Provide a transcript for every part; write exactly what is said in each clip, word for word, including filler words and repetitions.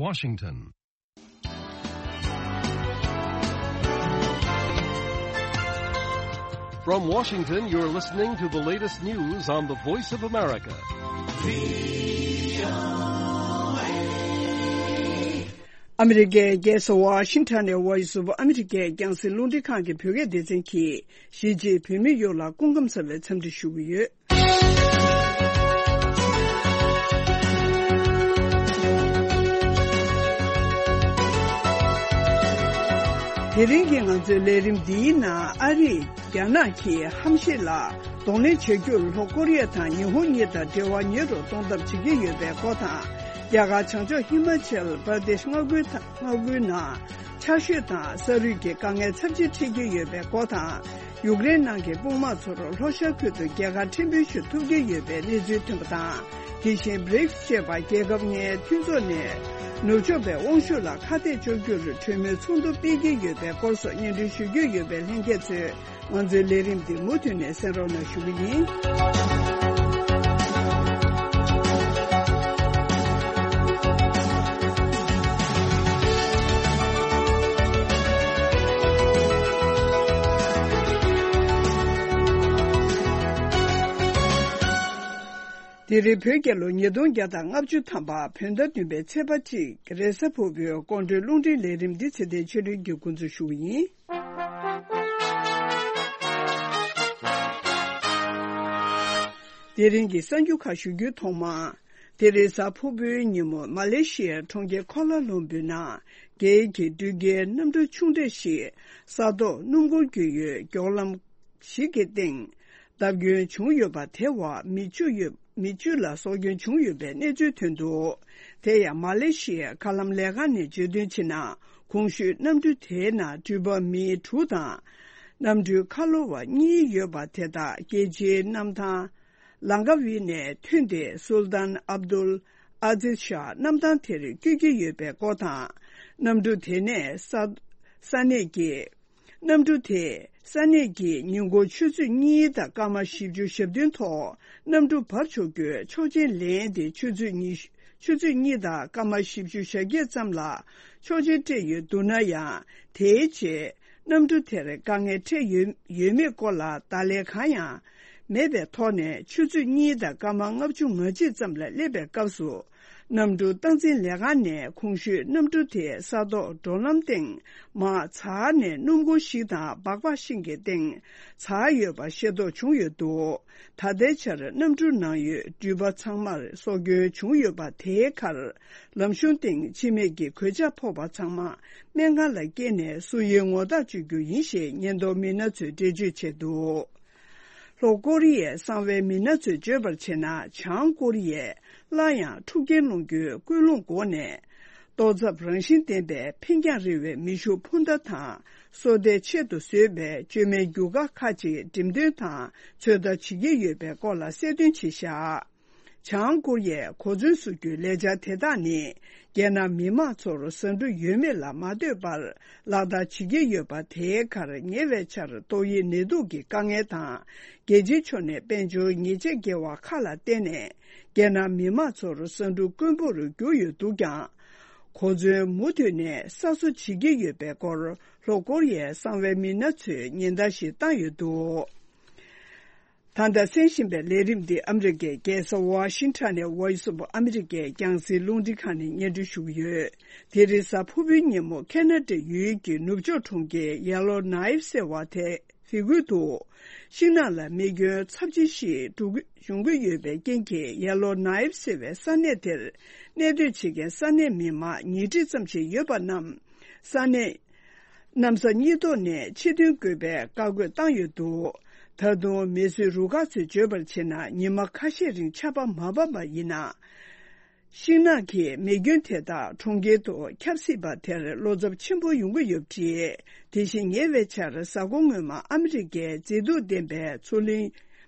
Washington. From Washington, you're listening to the latest news on the Voice of America. ཨ་མི་རི་ཀའི་རྒྱལ་ས་ཝ་ཤིང་ཊོན་ནས་Voice of America རྒྱང་སྲིང་རླུང་འཕྲིན་ཁང་གི་བོད་སྐད་སྡེ་ཚན་གྱིས་གཞིས་བྱེས་བོད་མི་ཡོངས་ལ་སྐུ་ཁམས་བཟང་བའི་འཚམས་འདྲི་ཞུ་གི་ཡོད། དེ་རིང་གི་ང་ཚོའི་ལས་རིམ་འདིའི་ནང་ཨ་རིས་རྒྱ་ནག་གིས་ཧམ་ཤེད་ལ་གདོང་ལེན་བྱ་རྒྱུར་ལྷོ་ཀོ་རི་ཡ་དང་ཉི་ཧོང་གཉིས་དང་འབྲེལ་བ་ཉེ་རུ་གཏོང་ཐབས་བྱེད་ཀྱི་ཡོད་པའི་སྐོར་དང་། རྒྱ་གར་བྱང་ཕྱོགས་ཧི་མ་ཅལ་པར་དེཤ་མངའ་ཁུལ་དང་མངའ་ཁུལ་ནང་ཆར་ཞོད་དང་ས་རུད་ཀྱི་དཀའ་ངལ་ཚབས་ཆེ་འཕྲད་ཀྱི་ཡོད་པའི་སྐོར་དང་། ཡུཀ་རེན་ནང་གི་དཔུང་དམག་ཚོར་ལྷོ་ཤར་ཁུལ་དུ་རྒྱལ་ཁ་ཕྲན་བུ་ཞིག་ཐོབ་ཀྱི་ཡོད་པའི་གནས་ཚུལ་ཐོན་པ་དང་། དེ་བཞིན་བྷི་རིགས་ཅེས་པ་རྒྱལ་ཁབ་ལྔའི་མཐུན་ཚོགས་ནས་ནུབ་ཕྱོགས་པའི་དབང་ཤུགས་ལ་ཁ་གཏད་གཅོག་རྒྱུར་གྲོས་མོལ་ཚོགས་འདུ་སྤེལ་གྱི་ཡོད་པའི་སྐོར་སོགས་སྙན་སྒྲོན་ཞུ་རྒྱུ་ཡོད་པའི་ལྷན་རྒྱས་ཚོས། ང་ཚོའི་ལས་རིམ་འདི་མུ་མཐུད་ནས་གསན་རོགས་གནང་ཞུ་གི་ཡིན། དེ་རིང་བོད་རྒྱལ་ལོ་ཉིས་སྟོང་བརྒྱ་དང་ལྔ་བཅུ་ཐམ་པ་བོད་ཟླ་བདུན་པའི་ཚེས་པ་གཅིག་རེས་གཟའ་ཕུར་བུའི་དགོང་དྲོའི་རླུང་འཕྲིན་ལས་རིམ་འདི་ཚེ་བརྟན་ཆོས་སྒྲོན་གྱིས་འགོ་འཛུགས་ཞུ་གི་ཡིན། དེ་རིང་གི་གསར་འགྱུར་ཁག་ཞུ་རྒྱུའི་ཐོག་མ། དེ་རིང་གཟའ་ཕུར་བུའི་ཉིན་མོ་མ་ལེ་ཤི་ཡའི་གྲོང་ཁྱེར་ཀོ་ལ་ལུམ་བུའི་ནང་རྒྱའི་གི་འགྲུལ་སྐྱེལ་གནམ་གྲུ་ཆུང་གྲས་ཤིག་ས་ཐོག་སྣུམ་འཁོར་བརྒྱུད་ཡོད་མགྱོགས་ལམ་ཞིག་གི་སྟེང་བརྡབ་སྐྱོན་བྱུང་ཡོད་པ། དེ་བར་མི་བཅུ་ཡོད། མི་བཅུ་ལ་སྲོག་སྐྱོན་བྱུང་ཡོད་པའི་གནས་ཚུལ་ཐོན་འདུག་དེ་ཡང་མ་ལེ་ཤི་ཡའི་མཁའ་ལམ་ལས་ཁང་ནས་བརྗོད་དོན་བྱས་ན། གོང་ཞུས་གནམ་གྲུ་དེའི་ནང་འགྲུལ་པ་མི་དྲུག་དང་། གནམ་གྲུའི་ཁ་ལོ་བ་གཉིས་ཡོད་པ། དེ་དག་རྒྱལ་སྤྱིའི་གནམ་ཐང་ལང་ཀ་ཝི་ནས་ཐོན་ཏེ། སུལ་ཏཱན་ཨབ་དུལ་ཨ་ཛིཛ་ཤཱ་གནམ་ཐང་དེར་བསྐྱོད་ཀྱི་ཡོད་པའི་སྐོར་དང་། གནམ་གྲུ་དེ་ནས་ས་ས་གནས་ཀྱི། གནམ་གྲུ་དེས་ས་གནས་ཀྱི་ཉིན་གུང་ཆུ་ཚོད་གཉིས་དང་སྐར་མ་བཞི་བཅུ་ཞེ་བདུན་ཐོག་གནམ་གྲུ་འབབ་ཆོག་རྒྱུའི་ཆོག་མཆན་ལེན་ཏེ། ཆུ་ཚོད་གཉིས། ཆུ་ཚོད་གཉིས་དང་སྐར་མ་བཞི་བཅུ་ཞེ་བརྒྱད་ཙམ་ལ་ཆོག་མཆན་སྤྲད་ཡོད་འདུག་ན་ཡང་། དེའི་རྗེས་གནམ་གྲུ་དེར་དཀའ་ངལ་འཕྲད་ཡོད་ཡོད་མེད་སྐོར་ལ་བརྡ་ལན་གང་ཡང་མེད་པའི་ཐོག་ནས། ཆུ་ཚོད་གཉིས་དང་སྐར་མ་ལྔ་བཅུ་ང་གཅིག་ཙམ་ལ་སླེབས་པའི་སྐབས་སུ། གནམ་གྲུ་སྟངས་འཛིན་ལས་ཁང་ནས་གོང་ཞུས་གནམ་གྲུ་དེ་ས་ཐོག་འགྲོ་ལམ་སྟེང་མར་ཚར་ནས་སྣུམ་འཁོར་ཞིག་དང་སྦག་སྦག་ཤིང་གི་སྟེང་ཚར་ཡོད་པ་ཤེས་རྟོགས་བྱུང་ཡོད་འདུག་ད་ལྟའི་ཆར་གནམ་གྲུ་ནང་ཡོད་འགྲུལ་པ་ཚང་མར་སྲོག་སྐྱོན་བྱུང་ཡོད་པ། དེའི་ཁར་ལམ་གཞུང་སྟེང་འཆི་རྨས་ཀྱི་གོད་ཆག་ཕོག་པ་ཚང་མ་སྨན་ཁང་ལ་སྐྱེལ་ནས་སུ་ཡིན་ངོ་རྟགས་གཅོད་རྒྱུ་ཡིན་ཞེས་ཉེན་རྟོག་མི་སྣ་ཚོས་འགྲེལ་བརྗོད་བྱས་འདུག་ལྷོ་ཀོ་རི་ཡའི་གསང་བའི་མི་སྣ་ཚོས་བརྗོད་པར་བྱས་ན། བྱང་ཀོ་རི་ཡས་སླར་ཡང་འཁྲུག་རྐྱེན་སློང་རྒྱུའི་ཀུན་སློང་སྒོ་ནས། ལྟོ་ཚབ་རང་བཞིན་ལྡན་པའི་འཕེན་རྒྱང་རིང་བའི་མེ་ཤུགས་འཕུར་མདའ་དང་། སོ་ལྟའི་ཆེད་དུ་བཟོས་པའི་བཅོས་མའི་རྒྱུ་སྐར་ཁག་ཅིག་འགྲེམས་སྟོན་དང་ཚོད་ལྟ་བྱེད་ཀྱི་ཡོད་པའི་སྐོར་ལ་གསལ་སྟོན་བྱས་བཞག་བྱང་ཀོ་རི་ཡས་གོ་མཚོན་བཟོ་རྒྱུའི་ལས་འཆར་དེ་དག་ནི། རྒྱལ་ནང་མི་མང་ཚོར་ཟ་འབྲུ་ཡོད་མེད་ལ་མ་ལྟོས་པར་ལག་བསྟར་བྱེད་ཀྱི་ཡོད་པ། དེའི་ཁར་ཉེ་བའི་ཆར་ཏོག་དབྱིབས་ནད་དུག་གི་དཀའ་ངལ་དང་། རྒྱལ་སྤྱིའི་ཕྱོགས་ནས་དཔལ་འབྱོར་ཉེས་ཆད་འགེལ་བ་ཁག་ལ་བརྟེན་ནས། རྒྱལ་ནང་མི་མང་ཚོར་ཟ་འབྲུ་དཀོན་པོར་གྱུར་ཡོད་འདུག་ཀྱང་། གོ་མཚོན་མུ་མཐུད་ནས་གསར་བཟོ་བྱེད་ཀྱི་ཡོད་པའི་སྐོར་ལྷོ་ཀོ་རི་ཡའི་གསང་བའི་མི་སྣ་ཚོས་ཉེན་བརྡ་ཞིག་བཏང་ཡོད་འདུག་ད་ལྟ་གསན་བཞིན་པའི་ལས་རིམ་འདི་ཨ་མི་རི་ཀའི་རྒྱལ་ས་ཝ་ཤིང་ཊོན་ནས་Voice of America རྒྱང་སྲིང་རླུང་འཕྲིན་ཁང་ནས་སྙན་སྒྲོན་ཞུ་གི་ཡོད། དེ་རིང་གཟའ་ཕུར་བུའི་ཉིན་མོ་ཁེ་ན་ཌའི་ཡུལ་གྱི་ནུབ་ཕྱོགས་གྲོང་ཁྱེར་ཡེ་ལོ་ནའིབ་ཟེར་བ་དེ་དེ་ཁུལ་དུ་ཤིང་ནགས་ལ་མེ་སྐྱོན་ཚབས་ཆེ་ཞིག་འགྲོ་གི་འབྱུང་གི་ཡོད་པའི་རྐྱེན་གྱིས། ཡེ་ལོ་ནའིབ་ཟེར་བའི་ས་གནས་དེར་གནས་སྡོད་བྱེད་མཁན་ས་གནས་མི་མང་ཉིས་ཁྲི་ཙམ་ཞིག་ཡོད་པ་རྣམས་ས་གནས། གནམ་ས་སྙི་ཐོག་ནས་ཕྱིར་ཐོན་དགོས་པའི་བཀའ་བཀོད་བཏང་ཡོད་འདུག་ད་དུང་མེ་གསོད་རུ་ཁག་ཚོས་བརྗོད་པར་བྱས་ན། ཉི་མ་ཁ་ཤས་རིང་ཆར་པ་མ་བབས་པ་ཡིན་ན། ཤིང་ནགས་ཀྱི་མེ་སྐྱོན་དེ་དག་གྲོང་ཁྱེར་དུ་ཁྱབ་སྲིད་པ་དེར་བློ་འཚབ་ཆེན་པོ་ཡོང་གི་ཡོད་པ་རེད། དེ་བཞིན་ཉེ་བའི་ཆར་གཟའ་འཁོར་སྔོན་མ་ཨ་མི་རི་ཀའི་མཛེས་སྡུག་ལྡན་པའི་མཚོ་གླིང་།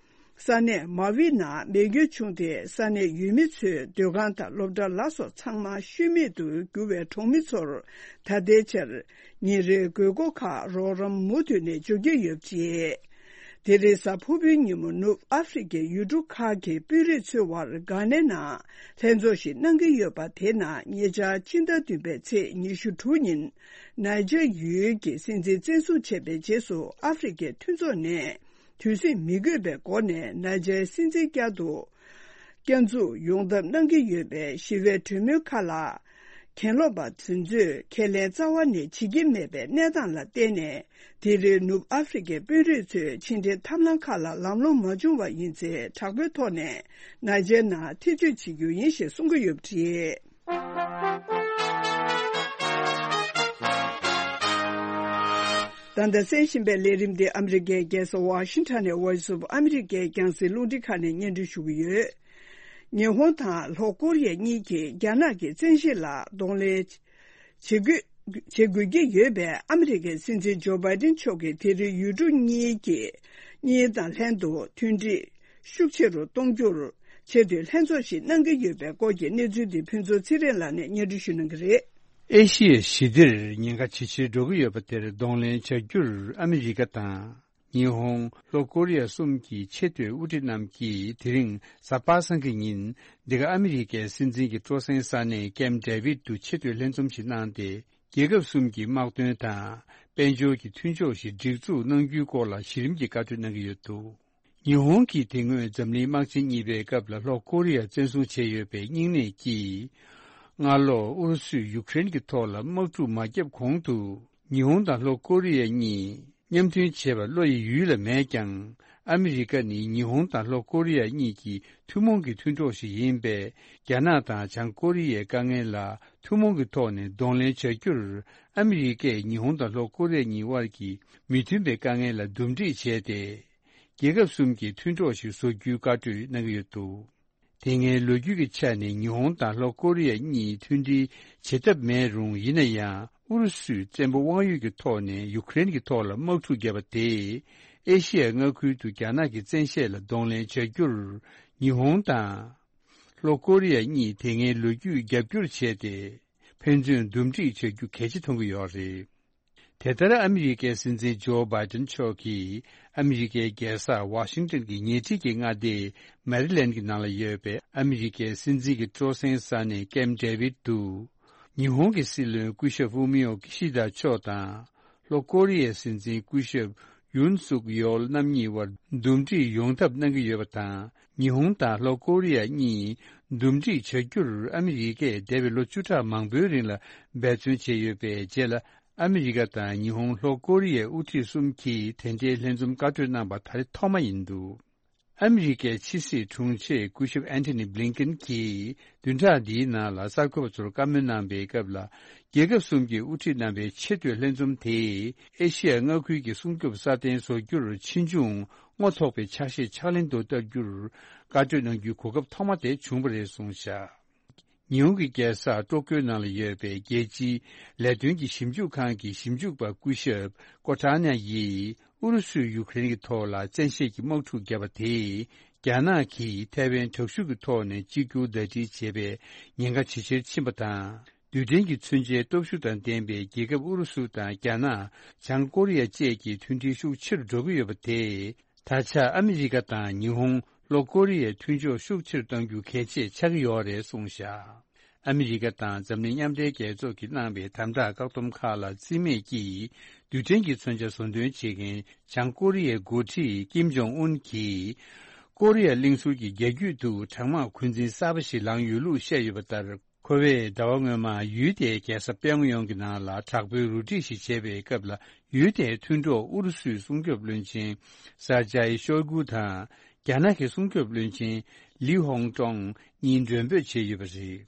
ས་གནས་མ་ཝི་ནང་མེ་སྐྱོན་བྱུང་སྟེ། ས་གནས་ཡུལ་མི་ཚོའི་སྡོད་ཁང་དང་སློབ་གྲྭ་ལ་སོགས་ཚང་མ་ཤུལ་མེད་དུ་གྱུར་བའི་གྲོང་མི་ཚོར་ད་ལྟའི་ཆར་ཉིན་རེའི་དགོས་མཁོ་ཁག་རོགས་རམ་མུ་མཐུད་ནས་འབྱོར་གྱི་ཡོད་པ་རེད། དེ་རིང་གཟའ་ཕུར་བུའི་ཉིན་མོ་ནུབ་ཨ་ཧྥེ་རི་ཁའི་ཡུལ་གྲུ་ཁག་གི་དཔོན་རིགས་ཚོའི་དབར་ག་ནེ་ནང་ལྷན་ཚོགས་ཤིག་གནང་གི་ཡོད་པ་དེ་ནང་ཉེ་ཆར་ཕྱི་ཟླ་བདུན་པའི་ཚེས་ཉི་ཤུ་དྲུག་ཉིན་ནཱི་ཇར་ཡུལ་གྱི་སྲིད་འཛིན་བཙན་བཟུང་བྱས་པའི་རྗེས་སུ་ཨ་ཧྥེ་རི་ཁའི་མཐུན་ཚོགས་ནས་དུས་ཟིང་མི་དགོས་པའི་སྒོ་ནས་ནཱི་ཇར་སྲིད་འཛིན་བསྐྱར་དུ་བསྐྱར་འཛུགས་ཡོང་ཐབས་གནང་གི་ཡོད་པའི་ཞི་བའི་གྲོས་མོལ་ཁག་ལ། གྱེན་ལོག་པ་དེ་ཚོས་ཁས་ལེན་རྩ་བ་ནས་བྱེད་ཀྱི་མེད་པའི་གནས་སྟངས་ལ་བརྟེན་ནས། དེ་རིང་ནུབ་ཨ་ཧྥེ་རི་ཁའི་དཔོན་རིགས་ཚོས་ཕྱི་འབྲེལ་ཐབས་ལམ་ཁག་ལ་ལམ་ལྷོང་མ་བྱུང་བ་ཡིན་ཚེ། དྲག་པོའི་ཐོག་ནས་ནཱི་ཇར་ནང་ཐེ་བྱུས་བྱེད་རྒྱུ་ཡིན་ཞེས་གསུང་གི་ཡོད་པ་རེད། ད་ལྟ་གསན་བཞིན་པའི་ལས་རིམ་འདི་ཨ་མི་རི་ཀའི་རྒྱལ་ས་ཝ་ཤིང་ཊོན་ནས་Voice of America རྒྱང་སྲིང་རླུང་འཕྲིན་ཁང་ནས་སྙན་སྒྲོན་ཞུ་གི་ཡོད། ཉི་ཧོང་དང་ལྷོ་ཀོ་རི་ཡ་གཉིས་ཀྱིས་རྒྱ་ནག་གི་བཙན་ཤེད་ལ་གདོང་ལེན་བྱེད་དགོས་བྱེད་དགོས་ཀྱི་ཡོད་པས། ཨ་མི་རི་ཀའི་སྲིད་འཛིན་ཇོ་བྷའི་ཏིན་མཆོག་གིས་དེ་རིང་ཡུལ་གྲུ་གཉིས་ཀྱི་གཉིས་དང་ལྷན་དུ་མཐུན་སྒྲིལ་ཤུགས་ཆེ་རུ་གཏོང་རྒྱུར་ཆེས་མཐོའི་ལྷན་ཚོགས་ཤིག་གནང་གི་ཡོད་པའི་སྐོར་གྱི་གནས་ཚུལ་འདི་ཕུན་ཚོགས་ཚེ་རིང་ལགས་ནས་སྙན་སྒྲོན་ཞུ་གནང་གི་རེད། ཨེ་ཤི་ཡ་ཞི་བདེར་ཉེན་ཁ་ཇེ་ཆེར་འགྲོ་གི་ཡོད་པ་དེར་གདོང་ལེན་བྱ་རྒྱུར་ཨ་མི་རི་ཀ་དང་། ཉི་ཧོང་། ལྷོ་ཀོ་རི་ཡ་གསུམ་གྱི་ཆེས་མཐོའི་དབུ་ཁྲིད་རྣམས་ཀྱིས་དེ་རིང་གཟའ་པ་སངས་ཀྱི་ཉིན་འདི་ག་ཨ་མི་རི་ཀའི་སྲིད་འཛིན་གྱི་སྤྲོ་གསེང་ས་གནས་ཀེམ་ཌེ་བིད་དུ་ཆེས་མཐོའི་ལྷན་འཛོམས་ཤིག་གནང་སྟེ། རྒྱལ་ཁབ་གསུམ་གྱི་དམག་དོན་དང་། དཔལ་འབྱོར་གྱི་མཐུན་ཕྱོགས་ཤིག་སྒྲིག་འཛུགས་གནང་རྒྱུའི་སྐོར་ལ་གཞི་རིམ་གྱི་བཀའ་གྲོས་གནང་གི་ཡོད་འདུག་ཉི་ཧོང་གིས་དེ་སྔོན་འཛམ་གླིང་དམག་ཆེན་གཉིས་པའི་སྐབས་ལ་ལྷོ་ཀོ་རི་ཡ་བཙན་བཟུང་བྱས་ཡོད་པའི་སྙིང་ནད་ཀྱིས། སྔ་ལོ་ཨུ་རུ་སུས་ཡུ་ཀེ་རེན་གྱི་ཐོག་ལ་དམག་འཁྲུག་མ་བརྒྱབ་གོང་དུ། ཉི་ཧོང་དང་ལྷོ་ཀོ་རི་ཡ་གཉིས་མཉམ་མཐུན་བྱེད་པར་བློ་ཡི་ཡུལ་ལ་མེད་ཀྱང་། ཨ་མི་རི་ཀ་ནི་ཉི་ཧོང་དང་ལྷོ་ཀོ་རི་ཡ་གཉིས་ཀྱི་ཐུན་མོང་གི་མཐུན་གྲོགས་ཤིག་ཡིན་པས། རྒྱ་ནག་དང་བྱང་ཀོ་རི་ཡའི་དཀའ་ངལ་ལ་ཐུན་མོང་གི་ཐོག་ནས་གདོང་ལེན་བྱ་རྒྱུར། ཨ་མི་རི་ཀས་ཉི་ཧོང་དང་ལྷོ་ཀོ་རི་ཡ་གཉིས་དབར་གྱི་མི་མཐུན་པའི་དཀའ་ངལ་ལ་འདུམ་འགྲིག་བྱས་ཏེ། རྒྱལ་ཁབ་གསུམ་གྱི་མཐུན་གྲོགས་ཤིག་བཟོ་རྒྱུའི་བཀའ་གྲོས་གནང་གི་ཡོད་འདུག་དེ་སྔའི་ལོ་རྒྱུས་ཀྱི་ཆ་ནས་ཉི་ཧོང་དང་ལྷོ་ཀོ་རི་ཡ་གཉིས་མཐུན་སྒྲིལ་བྱེད་ཐབས་མེད་རུང་། ཡིན་ན་ཡང་ཨུ་རུ་སུས་བཙན་པོ་དབང་ཡོད་ཀྱི་ཐོག་ནས་ཡུ་ཀེ་རེན་གྱི་ཐོག་ལ་དམག་འཁྲུག་བརྒྱབ་པ་དེས། ཨེ་ཤི་ཡ་མངའ་ཁུལ་དུ་རྒྱ་ནག་གི་བཙན་ཤེད་ལ་གདོང་ལེན་བྱ་རྒྱུར། ཉི་ཧོང་དང་། ལྷོ་ཀོ་རི་ཡ་གཉིས་དེ་སྔའི་ལོ་རྒྱུས་རྒྱབ་སྐྱོར་བྱས་ཏེ། ཕན་ཚུན་འདུམ་འགྲིག་བྱ་རྒྱུ་གལ་ཆེ་མཐོང་གི་ཡོད་རེད། དེ་ལྟར་ཨ་མི་རི་ཀའི་སྲིད་འཛིན་ཇོ་བྷའི་ཏིན་མཆོག་གིས་ཨ་མི་རི་ཀའི་རྒྱལ་ས་ཝ་ཤིང་ཏོན་གྱི་ཉེ་འཁྲིས་ཀྱི་མངའ་སྡེ་མེ་རི་ལེན་གྱི་ནང་ལ་ཡོད་པའི་ཨ་མི་རི་ཀའི་སྲིད་འཛིན་གྱི་སྤྲོ་གསེང་ས་གནས་ཀེམ་ཌེ་བིད་དུ། ཉི་ཧོང་གི་སྲིད་བློན་སྐུ་ཞབས་ཧྥུ་མི་ཡོ་ཀི་ཤི་དཱ་མཆོག་དང་། ལྷོ་ཀོ་རི་ཡའི་སྲིད་འཛིན་སྐུ་ཞབས་ཡུན་སུག་ཡོལ་རྣམ་གཉིས་དབར་འདུམ་འགྲིག་ཡོང་ཐབས་གནང་གི་ཡོད་པ་དང་། ཉི་ཧོང་དང་ལྷོ་ཀོ་རི་ཡ་གཉིས་འདུམ་འགྲིག་བྱ་རྒྱུར་ཨ་མི་རི་ཀས་འདས་པའི་ལོ་བཅུ་ཕྲག་མང་པོའི་རིང་ལ་འབད་བརྩོན་བྱས་ཡོད་པའི་རྗེས་ལ། ཨ་མི་རི་ཀ་དང་ཉི་ཧོང་། ལྷོ་ཀོ་རི་ཡའི་དབུ་ཁྲིད་གསུམ་གྱིས་དེ་འབྲེལ་ལྷན་འཛོམས་བཀའ་གྲོས་གནང་པ་ད་རེས་ཐོག་མ་ཡིན་འདུག་ཨ་མི་རི་ཀའི་ཕྱི་སྲིད་དྲུང་ཆེ་སྐུ་ཞབས་ཨན་ཐོ་ནི་བྷི་ལིན་ཀེན་གྱིས་བདུན་ཕྲག་འདིའི་ནང་ལ་གསར་འགོད་པ་ཚོར་བཀའ་མོལ་གནང་པའི་སྐབས་ལ། རྒྱལ་ཁབ་གསུམ་གྱི་དབུ་ཁྲིད་རྣམ་པའི་ཆེས་མཐོའི་ལྷན་འཛོམས་དེས་ཨེ་ཤི་ཡ་མངའ་ཁུལ་གྱི་སྲུང་སྐྱོབ་སྲ་བརྟན་བཟོ་རྒྱུར་ཕྱིས་འབྱུང་རྔོ་ཐོགས་པའི་ཕྱག་བཞེས་ཕྱག་ལེན་དུ་བསྟར་རྒྱུར་བཀའ་གྲོས་གནང་རྒྱུའི་གོ་སྐབས་ཐོག་མ་དེ་བྱུང་བ་རེད་གསུངས་བཞག་ཉི་ཧོང་གི་རྒྱལ་ས་ཀྲོ་ཀྱོའི་ནང་ལ་ཡོད་པའི་རྒྱལ་སྤྱིའི་ལས་དོན་གྱི་ཞིབ་འཇུག་ཁང་གི་ཞིབ་འཇུག་པ་སྐུ་ཞབས་ཀོ་ཊ་ནྱ་ཡིས་ཨུ་རུ་སུས་ཡུ་ཀེ་རེན་གྱི་ཐོག་ལ་བཙན་ཤེད་ཀྱི་དམག་འཁྲུག་བརྒྱབ་པ་དེས། རྒྱ་ནག་གིས་ཐའེ་ཝན་དྲག་ཤུགས་ཀྱི་ཐོག་ནས་གཅིག་གྱུར་ཟླ་སྒྲིལ་བྱེད་པའི་ཉེན་ཁ་ཇེ་ཆེར་ཕྱིན་པ་དང་། རྡུལ་ཕྲན་གྱི་མཚོན་ཆའི་སྟོབས་ཤུགས་དང་ལྡན་པའི་རྒྱལ་ཁབ་ཨུ་རུ་སུ་དང་རྒྱ་ནག་བྱང་ཀོ་རི་ཡ་བཅས་ཀྱི་མཐུན་སྒྲིལ་ཤུགས་ཆེ་རུ་འགྲོ་གི་ཡོད་པ་དེས། ད་ཆ་ཨ་མི་རི་ཀ་དང་ཉི་ཧོང་། ལྷོ་ཀོ་རི་ཡའི་མཐུན་ཕྱོགས་ཤུགས་ཆེ་རུ་གཏང་རྒྱུ་གལ་ཆེ་ཆགས་ཀྱི་ཡོད་རེད་གསུངས་བཞག་ཨ་མི་རི་ཀ་དང་འཛམ་གླིང་མཉམ་འབྲེལ་རྒྱལ་ཚོགས་ཀྱིས་གནང་བའི་དམ་དྲག་བཀག་སྡོམ་ཁག་ལ་རྩིས་མེད་ཀྱིས། རྡུལ་ཕྲན་གྱི་མཚོན་ཆ་བཟོ་འདོན་བྱེད་མཁན་བྱང་ཀོ་རི་ཡའི་འགོ་ཁྲིད་ཀིམ་ཇོང་ཨུན་གྱིས། ཀོ་རི་ཡ་གླིང་ཟུར་གྱི་རྒྱ་རྒྱུད་དུ་གྲང་དམག་འཁོན་འཛིན་གསར་པ་ཞིག་ལངས་ཡོད་ལུགས་བཤད་ཡོད་པ་ལྟར། ཁོ་བས་ཟླ་བ་སྔོན་མ་ཡུལ་དེའི་རྒྱལ་ས་པེ་ཡོང་གི་ནང་ལ་དྲག་པོའི་རུ་སྒྲིག་ཞིག་བྱས་པའི་སྐབས་ལ། ཡུལ་དེའི་མཐུན་གྲོགས་ཨུ་རུ་སུའི་སྲུང་སྐྱོབ་བློན་ཆེན་སར་ཇའི་ཤོའི་གུ་དང་། རྒྱ་ནག་གི་སྲུང་སྐྱོབ་བློན་ཆེན་ལི་ཧོང་ཀྲོང་གཉིས་མགྲོན་འབོད་བྱས་ཡོད་པ་རེད།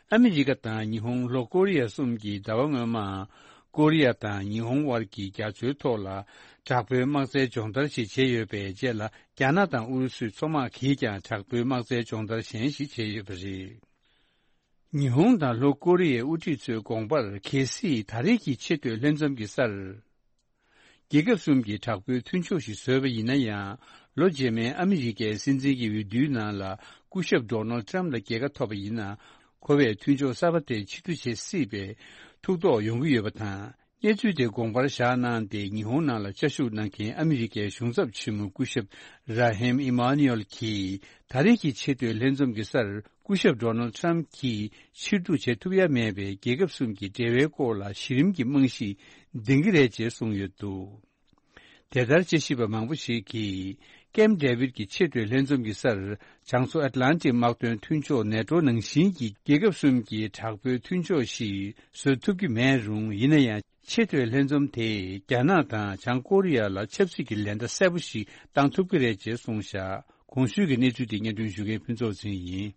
ཨ་མི་རི་ཀ་དང་ཉི་ཧོང་། ལྷོ་ཀོ་རི་ཡ་གསུམ་གྱིས་ཟླ་བ་སྔོན་མ། ཀོ་རི་ཡ་དང་ཉི་ཧོང་དབར་གྱི་རྒྱ་མཚོའི་ཐོག་ལ། དྲག་པོའི་དམག་རྩལ་སྦྱོང་བརྡར་ཞིག་བྱས་ཡོད་པའི་རྗེས་ལ། རྒྱ་ནག་དང་ཨུ་རུ་སུའི་མཚོ་དམག་གིས་ཀྱང་དྲག་པོའི་དམག་རྩལ་སྦྱོང་བརྡར་གཞན་ཞིག་བྱས་ཡོད་པ་རེད། ཉི་ཧོང་དང་ལྷོ་ཀོ་རི་ཡའི་དབུ་ཁྲིད་ཚོའི་དགོངས་པར། གལ་སྲིད་ད་རེས་ཀྱི་ཆེས་མཐོའི་ལྷན་འཛོམས་ཀྱི་སར། རྒྱལ་ཁབ་གསུམ་གྱིས་དྲག་པོའི་མཐུན་ཕྱོགས་ཤིག་བཟོས་པ་ཡིན་ན་ཡང་། ལོ་རྗེས་མའི་ཨ་མི་རི་ཀའི་སྲིད་འཛིན་གྱི་འོས་བསྡུའི་ནང་ལ། སྐུ་ཞབས་ཌོ་ནལ་ཊམ་ལ་རྒྱལ་ཁ་ཐོབ་པ་ཡིན་ན། ཁོ་བས་མཐུན་ཕྱོགས་གསར་པ་དེ་ཕྱིར་བསྡུ་བྱེད་སྲིད་པའི་ཐུགས་དོགས་ཡོང་གི་ཡོད་པ་དང་། གནས་ཚུལ་དེ་དགོངས་པར་བཞག་གནང་སྟེ། ཉི་ཧོང་ནང་ལ་བཅའ་བཞུགས་གནང་མཁན་ཨ་མི་རི་ཀའི་གཞུང་ཚབ་ཆེན་མོ་སྐུ་ཞབས་ར་ཧེམ་ཨི་མཱ་ནུ་ཨེལ་གྱིས། ད་རེས་ཀྱི་ཆེས་མཐོའི་ལྷན་འཛོམས་ཀྱི་སར་སྐུ་ཞབས་ཌོ་ནལ་ཊམ་གྱིས་ཕྱིར་བསྡུ་བྱེད་ཐུབ་ཡ་མེད་པའི་རྒྱལ་ཁབ་གསུམ་གྱི་འབྲེལ་བའི་སྐོར་ལ་གཞི་རིམ་གྱི་རྨང་གཞི་འདིང་གི་རེད་ཅེས་གསུངས་ཡོད་འདུག་དེ་ལྟར་དཔྱད་ཞིབ་པ་མང་པོ་ཞིག་གིས། ཀེམ་ཌེ་བིད་ཀྱི་ཆེས་མཐོའི་ལྷན་འཛོམས་ཀྱི་སར། བྱང་མཚོ་ཨེཊ་ལན་ཊིག་དམག་དོན་མཐུན་ཕྱོགས་ནེ་ཊོ་ནང་བཞིན་གྱི་རྒྱལ་ཁབ་གསུམ་གྱི་དྲག་པོའི་མཐུན་ཕྱོགས་ཤིག་བཟོ་ཐུབ་ཀྱི་མེད་རུང་། ཡིན་ན་ཡང་། ཆེས་མཐོའི་ལྷན་འཛོམས་དེས་རྒྱ་ནག་དང་བྱང་ཀོ་རི་ཡ་ལ་ཆབ་སྲིད་ཀྱི་ལན་བརྡ་གསལ་པོ་ཞིག་བཏང་ཐུབ་ཀྱི་རེད་ཅེས་གསུངས་བཞག་གོང་ཞུས་ཀྱི་གནས་ཚུལ་དེ་སྙན་སྒྲོན་ཞུ་མཁན་ཕུན་ཚོགས་ཟིན་ཡིན།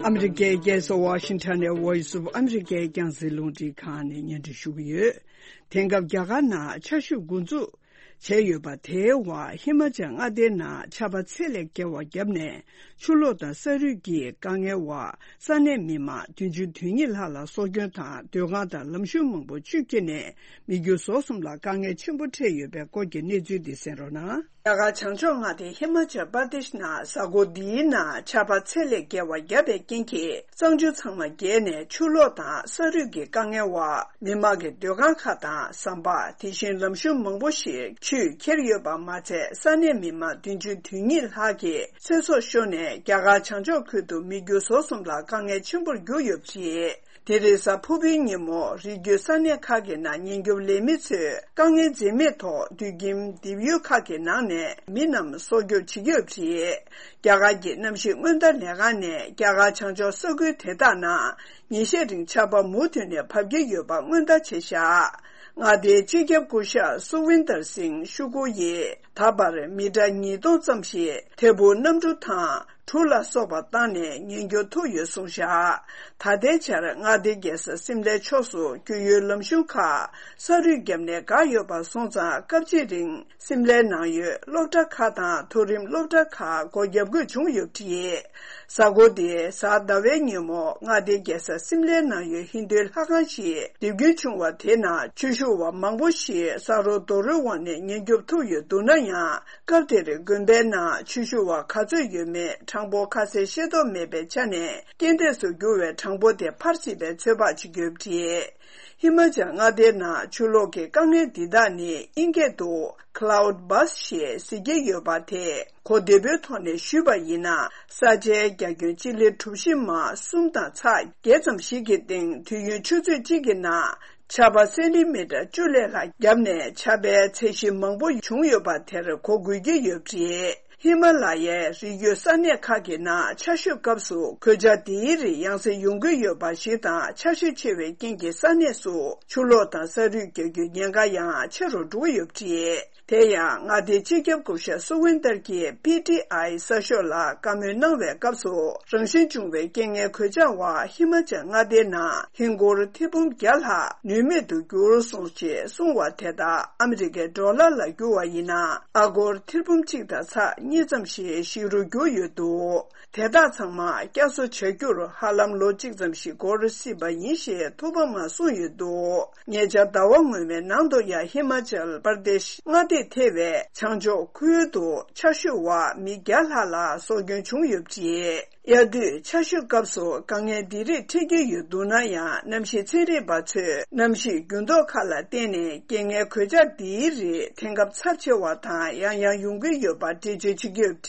ཨ་མི་རི་ཀའི་རྒྱལ་ས་ཝ་ཤིང་ཊོན་ནས་Voice of America རྒྱང་སྲིང་རླུང་འཕྲིན་ཁང་ནས་སྙན་སྒྲོན་ཞུ་གི་ཡོད། དེང་སྐབས་རྒྱ་གར་ནང་ཆར་ཞོད་འགོ་འཛུགས་བྱས་ཡོད་པ་དེའི་འོག་ཧི་མ་ཅལ་མངའ་སྡེའི་ནང་ཆར་པ་ཚད་ལས་བརྒལ་བ་བརྒྱབ་ནས། ཆུ་ལོག་དང་ས་རུད་ཀྱི་དཀའ་ངལ་འོག་ས་གནས་མི་མང་བདུན་ཅུ་དོན་གཉིས་ལྷག་ལ་སྲོག་སྐྱོན་དང་། སྡོད་ཁང་དང་ལམ་གཞུང་མང་པོ་ཆུས་ཁྱེར་ནས། མི་རྒྱུ་ཟོག་གསུམ་ལ་དཀའ་ངལ་ཆེན་པོ་འཕྲད་ཡོད་པའི་སྐོར་གྱི་གནས་ཚུལ་འདི་གསན་རོགས་གནང་། རྒྱ་གར་བྱང་ཕྱོགས་མངའ་སྡེ་ཧི་མ་ཅལ་པར་དེཤ་ནང་གཟའ་འཁོར་འདིའི་ནང་ཆར་པ་ཚད་ལས་བརྒལ་བ་བརྒྱབ་པའི་རྐྱེན་གྱིས། གཙང་ཆུ་ཚང་མ་རྒྱས་ནས་ཆུ་ལོག་དང་ས་རུད་ཀྱི་དཀའ་ངལ་འོག་མི་མང་གི་སྡོད་ཁང་ཁག་དང་ཟམ་པ། དེ་བཞིན་ལམ་གཞུང་མང་པོ་ཞིག་ཆུས་ཁྱེར་ཡོད་པ་མ་ཚད། ས་གནས་མི་མང་བདུན་ཅུ་དོན་གཉིས་ལྷག་གི་ཚེ་སྲོག་ཤོར་ནས། རྒྱ་གར་བྱང་ཕྱོགས་ཁུལ་དུ་མི་རྒྱུ་ཟོག་གསུམ་ལ་དཀའ་ངལ་ཆེན་པོར་གྱུར་ཡོད་པ་རེད། དེ་རིང་གཟའ་ཕུར་བུའི་ཉིན་མོ། རི་རྒྱུད་ས་གནས་ཁག་གི་ནང་ཉེན་སྐྱོབ་ལས་མི་ཚོས་དཀའ་ངལ་འཛེམས་མེད་ཐོག་དུད་ཁྱིམ་འདེབས་ཡུལ་ཁག་གི་ནང་ནས་མི་རྣམས་སྲོག་སྐྱོབ་བྱེད་ཀྱི་ཡོད་པ་རེད། རྒྱ་གར་གྱི་གནམ་གཤིས་སྔོན་བརྡ་ལས་ཁང་ནས། རྒྱ་གར་བྱང་ཕྱོགས་ས་ཁུལ་དེ་དག་ནང་ཉིན་ཤས་རིང་ཆར་པ་མུ་མཐུད་ནས་བབས་ཀྱི་ཡོད་པ་སྔོན་བརྡ་བྱས་བཞག་མངའ་སྡེའི་སྤྱི་ཁྱབ་སྐུ་ཞབས་སུ་ཝིན་དར་སིང་ཤུ་ཀུ་ཡིས། ད་བར་མི་ཊར་ཉིས་སྟོང་ཙམ་ཞིག་དལ་བུར་གནམ་གྲུ་དང་གྲུ་ལ་སོགས་པ་བཏང་ནས་ཉེན་སྐྱོབ་ཐུབ་ཡོད་གསུངས་བཞག་ད་ལྟའི་ཆར་མངའ་སྡེའི་རྒྱལ་ས་སིམ་ལའི་ཕྱོགས་སུ་རྒྱུག་ཡུལ་ལམ་གཞུང་ཁག་ས་རུད་བརྒྱབ་ནས་འགག་ཡོད་པ་སོང་ཙང་། སྐབས་གཅིག་རིང་སིམ་ལའི་ནང་ཡོད་སློབ་གྲྭ་ཁག་དང་མཐོ་རིམ་སློབ་གྲྭ་ཁག་སྒོ་བརྒྱབ་དགོས་བྱུང་ཡོད་པ་རེད། གཟའ་འཁོར་འདིའི་གཟའ་ཟླ་བའི་ཉིན་མོ། མངའ་སྡེའི་རྒྱལ་ས་སིམ་ལའི་ནང་ཡོད་ཧིན་རྡུའི་ལྷ་ཁང་ཞིག་རྡིབ་སྐྱོན་བྱུང་བ་དེ་ནང་ཆོས་ཞུ་བ་མང་པོ་ཞིག་ས་རོ་རྡོ་རོའི་འོག་ནས་ཉེན་སྐྱོབ་ཐུབ་ཡོད་འདུག་ན་ཡང་། སྐབས་དེར་དགོན་པའི་ནང་ཆོས་ཞུ་བ་ག་ཚོད་ཡོད་མེད་གྲངས་འབོར་ཁ་གསལ་ཤེས་རྟོགས་མེད་པའི་ཆ་ནས། རྐྱེན་འདས་སུ་གྱུར་བའི་གྲངས་འབོར་དེ་འཕར་སྲིད་པའི་ཚོད་དཔག་བྱེད་ཀྱི་ཡོད་པ་རེད། ཧི་མ་ཅལ་མངའ་སྡེའི་ནང་ཆུ་ལོག་གི་དཀའ་ངལ་འདི་དག་ནི་དབྱིན་སྐད་དུ་Cloud Burst ཞེས་ཟེར་གྱི་ཡོད་པ་དེ། གོ་བདེ་པོའི་ཐོག་ནས་ཞུས་པ་ཡིན་ན། ས་ཆའི་རྒྱ་ཁྱོན་སྤྱི་ལེ་གྲུ་བཞི་མ་གསུམ་དང་ཚེག་བརྒྱད་ཙམ་ཞིག་གི་སྟེང་། དུས་ཡུན་ཆུ་ཚོད་གཅིག་གི་ནང་ཆར་པ་སེན་ཊི་མི་ཊར་བཅུ་ལས་ལྷག་བརྒྱབ་ནས། ཆར་པའི་ཚད་གཞི་མང་པོ་བྱུང་ཡོད་པ་དེར་གོ་དགོས་ཀྱི་ཡོད་པ་རེད། ཧི་མ་ལ་ཡའི་རི་རྒྱུད་ས་གནས་ཁག་གི་ནང་ཆར་ཞོད་སྐབས་སུ་གོད་ཆག་དེའི་རིགས་ཡང་སེ་ཡོང་གི་ཡོད་པ་ཞིག་དང་། ཆར་ཞོད་ཆེ་བའི་རྐྱེན་གྱིས་ས་གནས་སུ་ཆུ་ལོག་དང་ས་རུད་རྒྱག་རྒྱུའི་ཉེན་ཁ་ཡང་ཆེ་རུ་འགྲོ་གི་ཡོད་པ་རེད། དེ་ཡང་མངའ་སྡེའི་སྤྱི་ཁྱབ་སྐུ་ཞབས་སུ་ཝིན་ཏར་གྱིས་པི་ཊི་ཨའི་གསར་ཤོག་ལ་བཀའ་མོལ་གནང་བའི་སྐབས་སུ། རང་བཞིན་བྱུང་བའི་རྐྱེན་ངན་གོད་ཆག་འོག་ཧི་མ་ཅལ་མངའ་སྡེའི་ནང་ཧིན་སྒོར་ཐེར་འབུམ་བརྒྱ་ལྷག་ནུས་མེད་དུ་གྱུར་སོང་ཞེས་གསུངས་བ་དེ་དག་ཨ་མི་རི་ཀའི་ཌོ་ལར་ལ་བསྒྱུར་བ་ཡིན་ན། ཨ་སྒོར་ཐེར་འབུམ་གཅིག་དང་ཚེག་གཉིས་ཙམ་ཞིག་ཞིག་རུ་གྱུར་ཡོད་འདུག་དེ་དག་ཚང་མ་བསྐྱར་གསོ་བྱ་རྒྱུར་ཧ་ལམ་ལོ་གཅིག་ཙམ་ཞིག་འགོར་སྲིད་པ་ཡིན་ཞེས་ཐོག་མ་མ་གསུངས་ཡོད་འདུག་ཉེ་ཆར་ཟླ་བ་སྔོན་མའི་ནང་དུ་ཡང་ཧི་མ་ཅལ་པར་དེཤ་མངའ་སྡེ་ཐེ་བའི་བྱང་ཕྱོགས་ཁུལ་དུ་ཆར་ཞོད་འོག་མི་བརྒྱ་ལྷག་ལ་སྲོག་སྐྱོན་བྱུང་ཡོད་པ་རེད། དབྱར་དུས་ཆར་ཞོད་སྐབས་སུ་དཀའ་ངལ་འདི་རིགས་འཕྲད་ཀྱི་ཡོད་འདུག་ན་ཡང་། གནམ་གཤིས་ཚན་རིག་པ་ཚོས་གནམ་གཤིས་འགྱུར་ལྡོག་ཁག་ལ་བརྟེན་ནས་རྐྱེན་ངན་གོད་ཆག་འདིའི་རིགས་དེང་སྐབས་ཚབས་ཆེ་བ་དང་ཡང་ཡང་ཡོང་གི་ཡོད་པ་འགྲེལ་བརྗོད་བྱེད་ཀྱི་ཡོད་པ་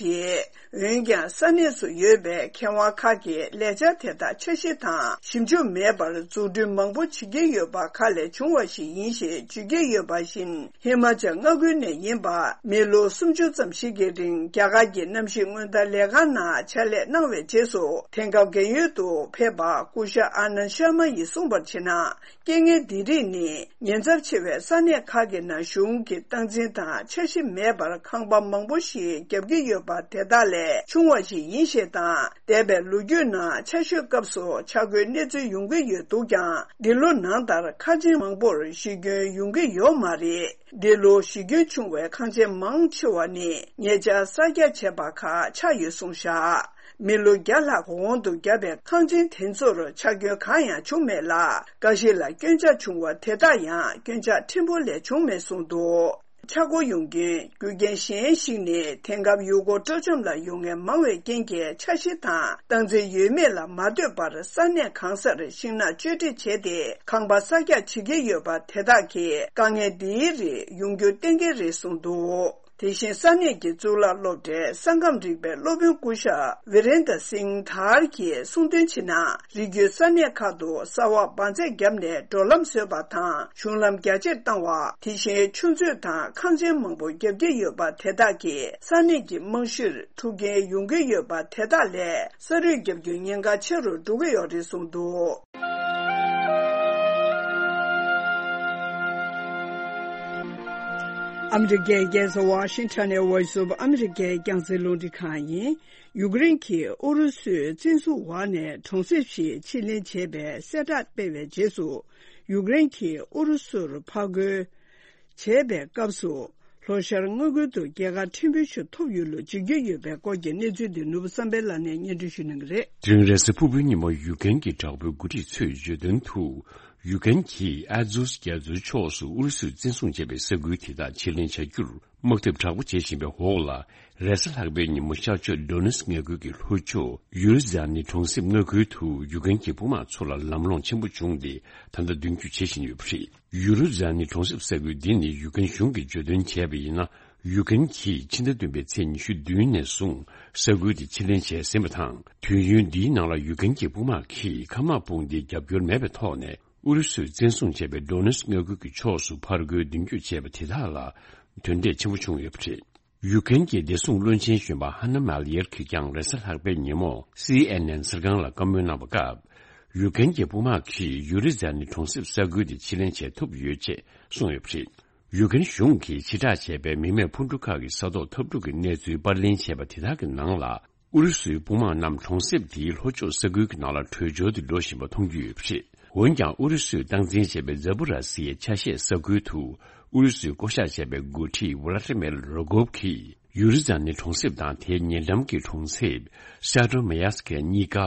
རེད། འོན་ཀྱང་ས་གནས་སུ་ཡོད་པའི་མཁས་དབང་ཁག་གིས་ལས་འཆར་དེ་དག་འཆར་གཞི་དང་ཞིབ་འཇུག་མེད་པར་འཛུགས་སྐྲུན་མང་པོ་བྱེད་ཀྱི་ཡོད་པ་ཁག་ལས་བྱུང་བ་ཞིག་ཡིན་ཞེས་བརྗོད་ཀྱི་ཡོད་པ་བཞིན། ཧི་མ་ཅལ་མངའ་ཁུལ་ནས་ཡིན་པ་མི་ལོ་སུམ་ཅུ་ཙམ་ཞིག་གི་རིང་རྒྱ་གར་གྱི་གནམ་གཤིས་སྔོན་བརྡ་ལས་ཁང་ནང་ཕྱག་ལས་གནང་བའི་རྗེས་སུ། དེང་སྐབས་རྒན་ཡོལ་དུ་ཕེབས་པ་སྐུ་ཞབས་ཨ་ནན་ཤར་མ་ཡིས་གསུངས་པར་བྱས་ན། རྐྱེན་ངན་འདི་རིགས་ནི་ཉེན་ཚབས་ཆེ་བའི་ས་གནས་ཁག་གི་ནང་གཞུང་གི་སྟངས་འཛིན་དང་འཆར་གཞི་མེད་པར་ཁང་པ་མང་པོ་ཞིག་བརྒྱབ་ཀྱི་ཡོད་པ་དེ་དག་ལས་བྱུང་བ་ཞིག་ཡིན་ཞེས་དང་། འདས་པའི་ལོ་རྒྱུས་ནང་ཆར་ཞོད་སྐབས་སུ་ཆག་སྒོའི་གནས་ཚུལ་ཡོང་གི་ཡོད་འདུག་ཀྱང་། འདི་ལོ་ནང་ལྟར་ཁང་ཆེན་མང་པོར་གཞི་སྐྱོན་ཡོང་གི་ཡོད་མ་རེད། འདི་ལོ་གཞི་སྐྱོན་བྱུང་བའི་ཁང་ཆེན་མང་ཆེ་བ་ནི་ཉེ་ཆར་གསར་རྒྱག་བྱས་པ་ཁག་ཆགས་ཡོད་གསུངས་བཞག་མི་ལོ་བརྒྱ་ལྷག་གོང་དུ་བརྒྱབ་པའི་ཁང་ཆེན་དེ་ཚོར་ཆག་སྐྱོན་གང་ཡང་བྱུང་མེད་ལ། འགའ་ཞིག་ལ་སྐྱོན་ཆག་བྱུང་བ་དེ་དག་ཡང་སྐྱོན་ཆག་ཕྲན་བུ་ལས་བྱུང་མེད་གསུངས་འདུག་ཆག་སྒོ་ཡོང་རྐྱེན། རྒྱུ་རྐྱེན་གཞན་ཞིག་ནི། དེང་སྐབས་ཡུལ་སྐོར་སྤྲོ་འཆམ་ལ་ཡོང་མཁན་མང་བའི་རྐྱེན་གྱིས། འཆར་གཞི་དང་སྟངས་འཛིན་ཡོད་མེད་ལ་མ་ལྟོས་པར། ས་གནས་གང་སར་ཤིང་ནགས་གཅོད་འབྲེག་བྱས་ཏེ། ཁང་པ་གསར་རྒྱག་བྱེད་ཀྱི་ཡོད་པ། དེ་དག་གིས་དཀའ་ངལ་འདིའི་རིགས་ཡོང་རྒྱུ་གཏན་འཁེལ་རེད་གསུངས་འདུག། དེ་བཞིན་ས་གནས་ཀྱི་གཙུག་ལག་སློབ་གྲྭའི་ས་ཁམས་རིག་པའི་སློབ་དཔོན་སྐུ་ཞབས་ཝི་རེན་དར་སིང་དྷར་གྱིས་གསུངས་དོན་བྱས་ན། རི་རྒྱུད་ས་གནས་ཁག་ཏུ་ས་འོག་འབར་རྫས་བརྒྱབ་ནས་འགྲོ་ལམ་བཟོས་པ་དང་། གཞུང་ལམ་རྒྱ་ཆེར་བཏང་བ། དེ་བཞིན་ཆུ་མཛོད་དང་ཁང་ཆེན་མང་པོ་བརྒྱབ་ཀྱི་ཡོད་པ། དེ་དག་གིས་ས་གནས་ཀྱི་རྨང་གཞིར་འཁྲུག་རྐྱེན་ཡོང་གི་ཡོད་པ། དེ་དག་ལས་ས་རུད་བརྒྱབ་རྒྱུའི་ཉེན་ཁ་ཆེ་རུ་འགྲོ་གི་ཡོད་རེད་གསུངས་འདུག། ཨ་མི་རི་ཀའི་རྒྱལ་ས་ཝ་ཤིང་ཊོན་ནས་Voice of America རྒྱང་སྲིང་རླུང་འཕྲིན་ཁང་ཡིན། ཡུཀ་རེན་གྱིས་ཨུ་རུ་སུའི་བཙན་བཟུང་འོག་ནས་གྲོང་གསེབ་ཞིག་ཕྱིར་ལེན་བྱས་པའི་གསལ་བསྒྲགས་སྤེལ་བའི་རྗེས་སུ། ཡུཀ་རེན་གྱིས་ཨུ་རུ་སུར་ཕར་རྒོལ་བྱས་པའི་སྐབས་སུ། ལྷོ་ཤར་མངའ་ཁུལ་དུ་རྒྱལ་ཁ་ཕྲན་བུ་ཞིག་ཐོབ་ཡོད་ལུགས་བརྗོད་ཀྱི་ཡོད་པའི་སྐོར་གྱི་གནས་ཚུལ་དེ་ནོར་བུ་བསམ་འཕེལ་ལགས་ནས་སྙན་སྒྲོན་ཞུ་གནང་གི་རེད། དེ་རིང་རེས་གཟའ་ཕུར་བུའི་ཉིན་མོ་ཡུཀ་རེན་གྱི་དྲག་པོའི་འགོ་ཁྲིད་ཚོས་བརྗོད་དོན་དུ། ཡུཀ་རེན་གྱིས་ཨ་ཛོས་རྒྱ་མཚོའི་ཕྱོགས་སུ་ཨུ་རུ་སུས་བཙན་བཟུང་བྱས་པའི་ས་ཁུལ་དེ་དག་ཕྱིར་ལེན་བྱ་རྒྱུར་དམག་འཐབ་དྲག་པོ་བྱེད་བཞིན་པའི་འོག་ལ། རེས་གཟའ་ལྷག་པའི་ཉིན་མོ་ཤར་ཕྱོགས་ཌོ་ནེ་སི་མངའ་ཁུལ་གྱི་ལྷོ་ཕྱོགས་ཡུ་རུ་ཛ་ནི་གྲོང་གསེབ་མངའ་ཁུལ་དུ་ཡུཀ་རེན་གྱི་དཔུང་དམག་ཚོ་ལ་ལམ་ལྷོང་ཆེན་པོ་བྱུང་སྟེ། ད་ལྟ་མདུན་སྐྱོད་བྱེད་བཞིན་ཡོད་པ་རེད། ཡུ་རུ་ཛ་ནི་གྲོང་གསེབ་ས་ཁུལ་འདི་ནི་ཡུཀ་རེན་གཞུང་གིས་བརྗོད་དོན་བྱས་པ་ཡིན་ན། ཡུཀ་རེན་གྱིས་ཕྱི་ཟླ་བདུན་པའི་ཚེས་ཉི་ཤུ་བདུན་ནས་བཟུང་ས་ཁུལ་དེ་ཕྱིར་ལེན་བྱས་ཟིན་པ་དང་། དུས་ཡུན་འདིའི་ནང་ལ་ཡུཀ་རེན་གྱི་དཔུང་དམག་གིས་མཁའ་དམག་དཔུང་སྡེའི་རྒྱབ་སྐྱོར་མེད་པའི་ཐོག་ནས། ཨུ་རུ་སུས་བཙན་བཟུང་བྱས་པའི་ཌོ་ནེ་སི་མངའ་ཁུལ་གྱི་ཕྱོགས་སུ་ཕར་རྒོལ་མདུན་སྐྱོད་བྱས་པ་དེ་དག་ལ་དོན་འབྲས་ཆེན་པོ་བྱུང་ཡོད་པ་རེད། ཡུཀ་རེན་གྱི་བདེ་སྲུང་བློན་ཆེན་གཞོན་པ་ཧ་ན་མཱ་ལི་ཡར་གྱིས་ཀྱང་རེས་གཟའ་ལྷག་པའི་ཉིན་མོ་སི་ཨེན་ཨེན་གསར་ཁང་ལ་བཀའ་མོལ་གནང་བའི་སྐབས། ཡུཀ་རེན་གྱི་དཔུང་དམག་གིས་ཡུ་རི་ཛ་ནི་གྲོང་གསེབ་ས་ཁུལ་དེ་ཕྱིར་ལེན་བྱེད་ཐུབ་ཡོད་ཅེས་གསུངས་ཡོད་པ་རེད། ཡུཀ་རེན་གཞུང་གིས་ཕྱིར་བསྒྲགས་བྱས་པའི་མི་མེད་འཕུར་གྲུ་ཁག་གི་ས་ཐོག་འཐབ་འཁྲུག་གི་གནས་ཚུལ་པར་ལེན་བྱས་པ་དེ་དག་གི་ནང་ལ། ཨུ་རུ་སུའི་དཔུང་དམག་རྣམས་གྲོང་གསེབ་དེའི་ལྷོ་ཕྱོགས་ས་ཁུལ་གྱི་ནང་ལ་བྲོས་བྱོལ་དུ་འགྲོ་བཞིན་པ་མཐོང་རྒྱུ་ཡོད་པ་རེད། འོན་ཀྱང་། ཨུ་རུ་སུས་སྟངས་འཛིན་བྱས་པའི་ཛ་པོ་ར་སི་ཡའི་ཆ་ཤས་ས་ཁུལ་དུ། ཨུ་རུ་སུས་བསྐོ་བཞག་བྱས་པའི་འགོ་ཁྲིད་ཝ་ལ་ཏི་མེར་རོ་གོབ་ཀྱིས། ཡུ་རི་ཛ་ནི་གྲོང་གསེབ་དང་དེའི་ཉེ་འགྲམ་གྱི་གྲོང་གསེབ་སེ་ཏྲོ་མེ་ཡ་སི་ཀེ་གཉིས་ཀ་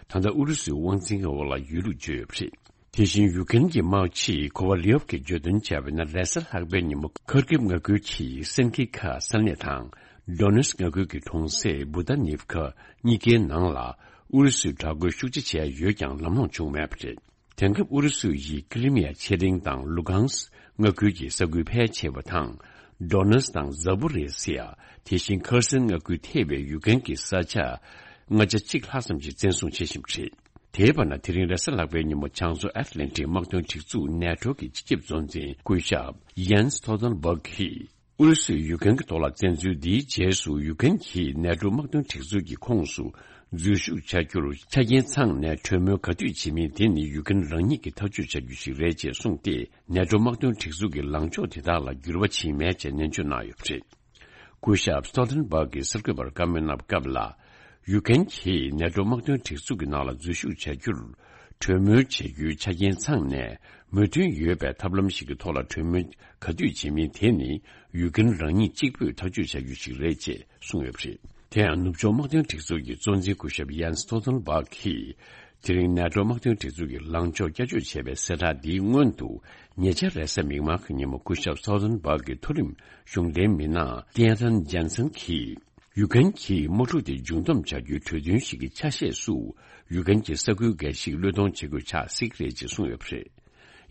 ད་ལྟ་ཨུ་རུ་སུའི་དབང་འཛིན་འོག་ལ་ཡོད་ལུགས་བརྗོད་ཡོད་པ་རེད། དེ་བཞིན་ཡུ་ཀེན་གྱི་དམག་སྤྱི་ཁོ་ཝ་ལི་ཡོབ་ཀྱིས་བརྗོད་དོན་བྱས་པ་ཡིན་ན། རེས་གཟའ་ལྷག་པའི་ཉིན་མོ་ཁར་ཀིབ་མངའ་ཁུལ་གྱི་སན་ཀི་ཁ་ས་གནས་དང་། ཌོ་ནེ་སི་མངའ་ཁུལ་གྱི་གྲོང་གསེབ་བུ་ད་ནིབ་ཁ་གཉིས་ཀའི་ནང་ལ་ཨུ་རུ་སུས་དྲག་རྒོལ་ཤུགས་ཆེ་བྱས་ཡོད་ཀྱང་ལམ་ལྷོང་བྱུང་མེད་པ་རེད། དེང་སྐབས་ཨུ་རུ་སུ་ཡིས་ཀི་ལི་མི་ཡ་ཆེ་གླིང་དང་ལུ་གྷང་སི་མངའ་ཁུལ་གྱི་ས་ཁུལ་ཕལ་ཆེ་བ་དང་། ཌོ་ནེ་སི་དང་ཛ་པོ་རེ་སི་ཡ། དེ་བཞིན་ཁར་སན་མངའ་ཁུལ་ཐེ་བའི་ཡུ་ཀེན་གྱི་ས་ཆ་ལྔ་བརྒྱ་གཅིག་ལྷག་ཙམ་ཞིག་བཙན་བཟུང་བྱེད་བཞིན་པ་རེད། དེའི་བར་ན། དེ་རིང་རེས་གཟའ་ལྷག་པའི་ཉིན་མོ་བྱང་མཚོ་ཨེཊ་ལན་ཊིག་དམག་དོན་སྒྲིག་འཛུགས་ནེ་ཊོ་གི་སྤྱི་ཁྱབ་གཙོ་འཛིན་སྐུ་ཞབས་ཡན་སི་སྟོལ་ཏན་སྦག་གིས། ཨུ་རུ་སུས་ཡུ་ཀེན་གྱི་ཐོག་ལ་བཙན་འཛུལ་འདིའི་རྗེས་སུ། ཡུ་ཀེན་གྱིས་ནེ་ཊོ་དམག་དོན་སྒྲིག་འཛུགས་ཀྱི་ཁོངས་སུ་འཛུལ་ཞུགས་བྱ་རྒྱུར་ཆ་རྐྱེན་ཚང་ནས་གྲོས་མོལ་ག་དུས་བྱེད་མིན། དེ་ནི་ཡུ་ཀེན་རང་ཉིད་ཀྱིས་ཐག་གཅོད་བྱ་རྒྱུ་ཞིག་རེད་ཅེས་གསུངས་ཏེ། ནེ་ཊོ་དམག་དོན་སྒྲིག་འཛུགས་ཀྱི་ལངས་ཕྱོགས་དེ་དག་ལ་འགྱུར་བ་ཕྱིན་མེད་ཅེས་ནན་བརྗོད་གནང་ཡོད་པ་རེད། སྐུ་ཞབས་སྟོལ་ཏན་སྦག་གིས་གསར་འགོད་པར་བཀའ་མོལ་གནང་བའི་སྐབས་ལ། ཡུ་ཀེན་གྱིས་ནེ་ཊོ་དམག་དོན་སྒྲིག་འཛུགས་ཀྱི་ནང་ལ་འཛུལ་ཞུགས་བྱ་རྒྱུར་གྲོས་མོལ་བྱེད་རྒྱུའི་ཆ་རྐྱེན་ཚང་ནས་མོས་མཐུན་ཡོད་པའི་ཐབས་ལམ་ཞིག་གི་ཐོག་ལ་གྲོས་མོལ་ག་དུས་བྱེད་མིན། དེ་ནི་ཡུ་ཀེན་རང་ཉིད་གཅིག་པུས་ཐག་གཅོད་བྱ་རྒྱུ་ཞིག་རེད་ཅེས་གསུངས་ཡོད་པ་རེད། དེ་ཡང་ནུབ་ཕྱོགས་དམག་དོན་སྒྲིག་འཛུགས་ཀྱི་གཙོ་འཛིན་སྐུ་ཞབས་ཡན་སི་སྟོལ་ཏན་སྦག་གིས། དེ་རིང་ནེ་ཊོ་དམག་དོན་སྒྲིག་འཛུགས་ཀྱི་ལངས་ཕྱོགས་བསྐྱར་བཅོས་བྱས་པའི་གསལ་བསྒྲགས་འདིའི་སྔོན་དུ། ཉེ་ཆར་རེས་གཟའ་མིག་དམར་གྱི་ཉིན་མོ་སྐུ་ཞབས་སྟོལ་ཏན་སྦག་གི་མཐོ་རིམ་གཞུང་འབྲེལ་མི་སྣ་སྟེན་ཐན་ཇན་སན་གྱིས། ཡུ་ཀེན་གྱིས་དམག་འཁྲུག་དེ་མཇུག་བསྡོམས་བྱ་རྒྱུའི་གྲོས་མཐུན་ཞིག་གི་ཆ་ཤས་སུ། ཡུ་ཀེན་གྱི་ས་ཁུལ་འགའ་ཞིག་བློས་གཏོང་བྱེད་དགོས་ཆགས་སྲིད་ཀྱི་རེད་ཅེས་གསུངས་ཡོད་པ་རེད།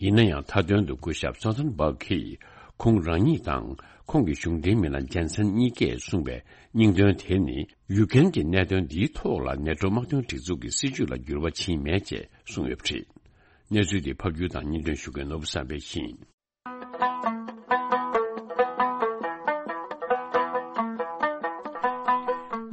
ཡིན་ན་ཡང་། མཐའ་དོན་དུ་སྐུ་ཞབས་སྟོལ་ཏན་སྦག་གིས་ཁོང་རང་ཉིད་དང་ཁོང་གི་གཞུང་འབྲེལ་མི་སྣ་ཇན་སན་གཉིས་ཀས་གསུངས་པའི་སྙིང་དོན་དེ་ནི། ཡུ་ཀེན་གྱི་གནད་དོན་འདིའི་ཐོག་ལ་ནེ་ཊོ་དམག་དོན་སྒྲིག་འཛུགས་ཀྱི་སྲིད་བྱུས་ལ་འགྱུར་བ་ཕྱིན་མེད་ཅེས་གསུངས་ཡོད་པ་རེད། གནས་ཚུལ་འདི་ཕབ་སྒྱུར་དང་སྙན་སྒྲོན་ཞུ་མཁན་ནོར་བུ་བསམ་འཕེལ་ཡིན།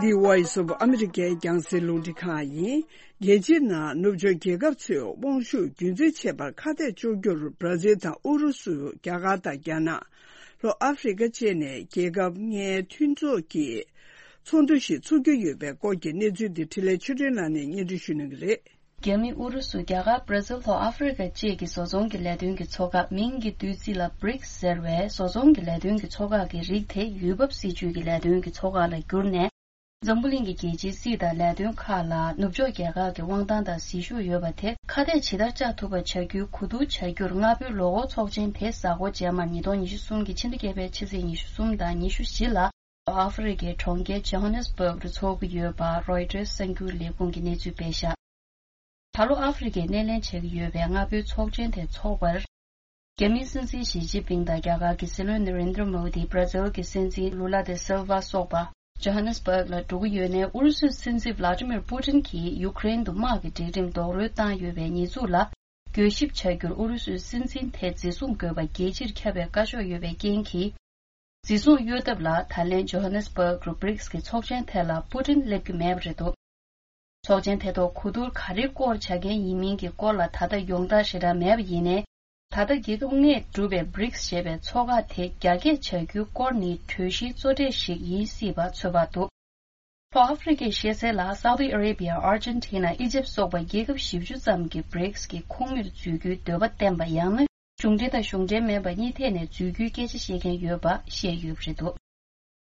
འདི་Voice of America རྒྱང་སྲིང་རླུང་འཕྲིན་ཁང་ཡིན། རྒྱལ་སྤྱིའི་ནང་ནུབ་ཕྱོགས་རྒྱལ་ཁབ་ཚོས་དབང་ཤུགས་རྒྱུན་འཛིན་བྱེད་པར་ཁ་གཏད་གཅོག་རྒྱུར་བྷར་ཛིལ་དང་ཨུ་རུ་སུ། རྒྱ་གར་དང་རྒྱ་ནག་ལྷོ་ཨ་ཧྥེ་རི་ཁ་བཅས་ནས་རྒྱལ་ཁབ་ལྔའི་མཐུན་ཚོགས་ཀྱི་ཚོགས་འདུ་ཞིག་འཚོགས་རྒྱུ་ཡོད་པའི་སྐོར་གྱི་གནས་ཚུལ་འདི་འཕྲིན་ལས་ཆོས་སྒྲོན་ལགས་ནས་སྙན་སྒྲོན་ཞུ་གནང་གི་རེད། རྒྱ་མི། ཨུ་རུ་སུ། རྒྱ་གར། བྷར་ཛིལ། ལྷོ་ཨ་ཧྥེ་རི་ཁ་བཅས་ཀྱི་བཟོ་ཚོང་གི་ལས་དོན་གྱི་ཚོགས་ཁག་མིང་གི་བསྡུས་ཚིག་ལ་བྷི་རིགས་ཟེར་བའི་བཟོ་ཚོང་གི་ལས་དོན་གྱི་ཚོགས་ཁག་གི་རིགས་དེ་ཡུལ་བབ་སྲིད་ཇུས་ཀྱི་ལས་དོན་གྱི་ཚོགས་ཁག་ལ་བསྒྱུར་ནས། འཛམ་བུ་གླིང་གི་རྒྱལ་སྤྱིའི་སྲིད་དང་ལས་དོན་ཁག་ལ་ནུབ་ཕྱོགས་རྒྱལ་ཁག་གི་དབང་ཐང་དང་ཟིལ་ཤུགས་ཡོད་པ་དེ་ཁ་གཏད་ཇི་ལྟར་བཅག་ཐུབ་པ་བྱ་རྒྱུའི་གོ་བསྡུར་བྱ་རྒྱུར་སྔ་པོའི་ལོ་འཁོར་ཚོགས་ཆེན་དེ་གཟའ་འཁོར་རྗེས་མ་ཉིས་སྟོང་ཉི་ཤུ་གསུམ་གྱི་ཕྱི་ཟླ་བརྒྱད་པའི་ཕྱི་ཚེས་ཉི་ཤུ་གསུམ་དང་ཉི་ཤུ་བཞི་ལ་ཨ་ཧྥེ་རི་ཁའི་གྲོང་ཁྱེར་ཇོ་ཧ་ནེ་སི་བྷག་ཏུ་འཚོགས་ཀྱི་ཡོད་པ་རོའི་ཊར་གསར་འགྱུར་ལས་ཁུངས་ཀྱིས་གནས་ཚུལ་སྤེལ་བཞག་ད་ལོ་ཨ་ཧྥེ་རི་ཁས་སྣེ་ལེན་བྱེད་ཀྱི་ཡོད་པའི་སྔ་པོའི་ཚོགས་ཆེན་དེ་འཚོགས་པར། རྒྱ་མིའི་སྲིད་འཛིན་ཞི་ཅིན་ཕིང་དང་རྒྱ་གར་གྱི་སྲིད་བློན་ནེ་རེན་དྲ་མོ་དི། བྷར་ཛིལ་གྱི་སྲིད་འཛིན་ལུ་ལ་དེ་སིལ་ཝ་སོགས་པ་ཇོ་ཧ་ནེ་སི་བྷག་ལ་འགྲོ་གི་ཡོད་ནའི། ཨུ་རུ་སུའི་སྲིད་འཛིན་ཝླ་ཏི་མིར་པུ་ཏིན་གྱིས་ཡུཀ་རེན་དུ་དམག་གི་སྒྲིག་ཁྲིམས་རྡོག་རོལ་བཏང་ཡོད་པའི་ཉེས་འཛུགས་ལ་འགྱོད་གཤིབ་བྱ་རྒྱུར་ཨུ་རུ་སུའི་སྲིད་འཛིན་དེ་འཛིན་བཟུང་དགོས་པ་རྒྱལ་སྤྱིར་ཁྱབ་པའི་བཀའ་ཤོག་ཡོད་པའི་རྐྱེན་གྱིས། འཛིན་བཟུང་གཡོལ་ཐབས་ལ་ད་ལན་ཇོ་ཧ་ནེ་སི་བྷག་རུ་བྷི་རིག་སི་གི་ཚོགས་ཆེན་ཐད་ལ་པུ་ཏིན་སླེབས་ཀྱི་མེད་པ་རེད་འདུག་ཚོགས་ཆེན་དེ་ཐོག་གོ་བསྡུར་ག་རེའི་སྐོར་བྱ་མཁན་ཡིན་མིན་གྱི་སྐོར་ལ་ད་ལྟ་ཡོངས་བསྒྲགས་ཞེ་དྲག་མེད་པ་ཡིན་ནའི། ད་ལྟ་རྒྱལ་ཁབ་ལྔས་གྲུབ་པའི་བྷི་རིག་སི་ཞེས་པའི་ཚོགས་ཁག་དེ་རྒྱ་སྐྱེད་བྱ་རྒྱུའི་སྐོར་ནི་གྲོས་གཞིའི་གཙོ་གྲས་ཤིག་ཡིན་སྲིད་པ་ཚོད་དཔག་འདུག་ལྷོ་ཨ་ཧྥེ་རི་ཁའི་ཤེས་གསལ་ལ་སའུ་ཏི་ཨ་རེ་བྷི་ཡ། ཨར་ཇན་ཊི་ན། ཨི་ཇེབ་སོགས་པ་རྒྱལ་ཁབ་བཞི་བཅུ་ཙམ་གྱིས་བྷི་རིག་སི་གི་ཁོངས་མིར་འཛུལ་རྒྱུའི་འདོད་པ་བསྟན་པ། ཡང་ན་གཞུང་འབྲེལ་དང་གཞུང་འབྲེལ་མིན་པ་གཉིས་ཐད་ནས་འཛུལ་རྒྱུའི་སྐད་ཆ་བཤད་མཁན་ཡོད་པ་བཤད་ཡོད་པ་རེད་འདུག་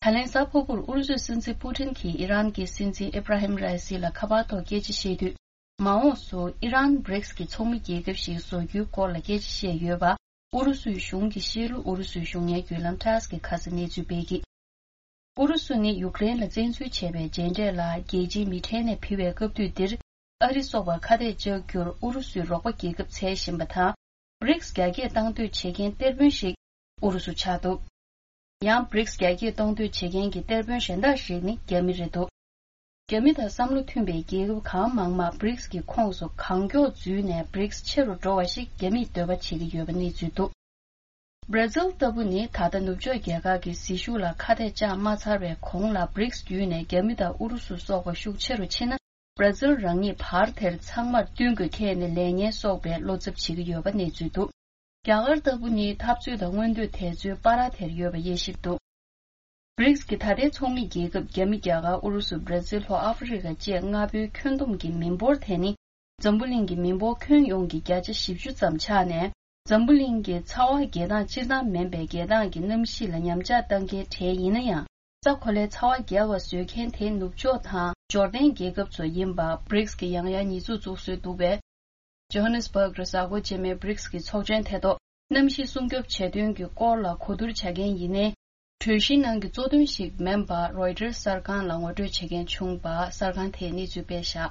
ད་ལན་གཟའ་ཕུར་བུར་ཨུ་རུ་སུའི་སྲིད་འཛིན་པུ་ཏིན་གྱིས་ཨི་རན་གྱི་སྲིད་འཛིན་ཨི་བྷ་ར་ཧིམ་ར་ཨི་སི་ལ་ཁ་པར་ཐོག་སྐད་ཆ་བཤད་དུས། མ་འོངས་སུ་ཨི་རན་བྷི་རིག་སི་གི་ཚོགས་མི་རྒྱལ་ཁབ་ཞིག་བཟོ་རྒྱུའི་སྐོར་ལ་སྐད་ཆ་བཤད་ཡོད་པ། ཨུ་རུ་སུའི་གཞུང་གིས་བཤད་ལུགས། ཨུ་རུ་སུའི་གཞུང་གཉེར་བརྒྱུད་ལམ་ཊཱས་ཀྱིས་ཁ་སང་གནས་ཚུལ་སྤེལ་གྱི། ཨུ་རུ་སུ་ནི་ཡུཀ་རེན་ལ་བཙན་འཛུལ་བྱས་པའི་རྗེས་འབྲས་ལ་རྒྱལ་སྤྱིའི་མི་ཁྲེལ་ནས་ཕུལ་བའི་སྐབས་དུས་འདིར། ཨ་རི་སོགས་པར་ཁ་གཏད་གཅོག་རྒྱུར་ཨུ་རུ་སུའི་རོགས་པ་རྒྱལ་ཁབ་འཚོལ་བཞིན་པ་དང་། བྷི་རིག་སི་རྒྱ་སྐྱེད་གཏང་འདོད་བྱེད་མཁན་གཏེར་དཔོན་ཞིག་ཨུ་རུ་སུ་ཆགས་འདུག་ཡང་བྷི་རིག་སི་རྒྱ་སྐྱེད་གཏོང་འདོད་བྱེད་མཁན་གྱི་གཏེར་དཔོན་གཞན་དག་ཞིག་ནི་རྒྱ་མི་རེད་འདུག་རྒྱ་མི་དང་བསམ་བློ་མཐུན་པའི་རྒྱལ་ཁབ་གང་མང་མང་བྷི་རིག་སི་གི་ཁོངས་སུ་གང་མགྱོགས་འཛུལ་ནས་བྷི་རིག་སི་ཆེ་རུ་འགྲོ་བ་ཞིག་རྒྱ་མིས་འདོད་པ་བྱེད་ཀྱི་ཡོད་པ་གནས་ཚུལ་འདུག་བྷར་ཛིལ་ལྟ་བུ་ནི་ད་ལྟ་ནུབ་ཕྱོགས་རྒྱལ་ཁག་གི་ཟིལ་ཤུགས་ལ་ཁ་གཏད་བཅག་མ་ཚར་བའི་གོང་ལ་བྷི་རིག་སི་བརྒྱུད་ནས་རྒྱ་མི་དང་ཨུ་རུ་སུ་སོགས་པ་ཤུགས་ཆེ་རུ་ཕྱིན་ན། བྷར་ཛིལ་རང་ཉིད་བར་དེར་ཚང་མར་བསྟུན་དགོས་ཁེལ་ནས་ལས་ངན་གསོག་པའི་བློ་འཚབ་བྱེད་ཀྱི་ཡོད་པ་གནས་ཚུལ་འདུག་རྒྱ་གར་ལྟ་བུ་ནི་འཐབ་རྩོད་དང་མངོན་འདོད་དེ་ཚོའི་བར་དེར་ཡོད་པ་དབྱེ་ཞིབ་འདུག་བྷི་རིག་སི་གི་ད་ལྟའི་ཚོགས་མི་རྒྱལ་ཁབ་རྒྱ་མི། རྒྱ་གར། ཨུ་རུ་སུ། བྷར་ཛིལ། ལྷོ་ཨ་ཧྥེ་རི་ཁ་བཅས་ལྔ་པོའི་ཁྱོན་བསྡོམས་ཀྱི་མི་འབོར་དེ་ནི་འཛམ་བུ་གླིང་གི་མི་འབོར་ཁྱོན་ཡོངས་ཀྱི་བརྒྱ་ཆ་བཞི་བཅུ་ཙམ་ཆགས་ནས། འཛམ་བུ་གླིང་གི་ཚ་བ་རྒྱས་སྟངས་སྤྱིར་བཏང་མིན་པའི་རྒྱས་སྟངས་ཀྱི་གནམ་གཤིས་ལ་ཉམས་ཆག་བཏང་མཁན་གྲས་ཡིན་ན་ཡང་། ས་གོ་ལའི་ཚ་བ་རྒྱས་པ་བཟོ་མཁན་དེ་ནུབ་ཕྱོགས་དང་འབྱོར་ལྡན་རྒྱལ་ཁབ་ཚོ་ཡིན་པ་བྷི་རིག་སི་གིས་ཡང་ཡང་ཉེས་འཛུགས་བཙུགས་སྲོལ་འདུག་པས། ཇོ་ཧ་ནེ་སི་བྷག་རུ་གཟའ་འཁོར་རྗེས་མའི་བྷི་རིག་སི་གི་ཚོགས་ཆེན་དེ་ཐོག་གནམ་གཤིས་སྲུང་སྐྱོབ་བྱེད་དོན་གྱི་སྐོར་ལ་གོ་བསྡུར་བྱ་མཁན་ཡིན་ནའི། གྲོས་གཞིའི་ནང་གི་གཙོ་དོན་ཞིག་མིན་པ་རོའི་ཊར་གསར་ཁང་ལ་ངོ་སྤྲོད་བྱེད་མཁན་བྱུང་བ། གསར་ཁང་དེས་གནས་ཚུལ་སྤེལ་བཞག་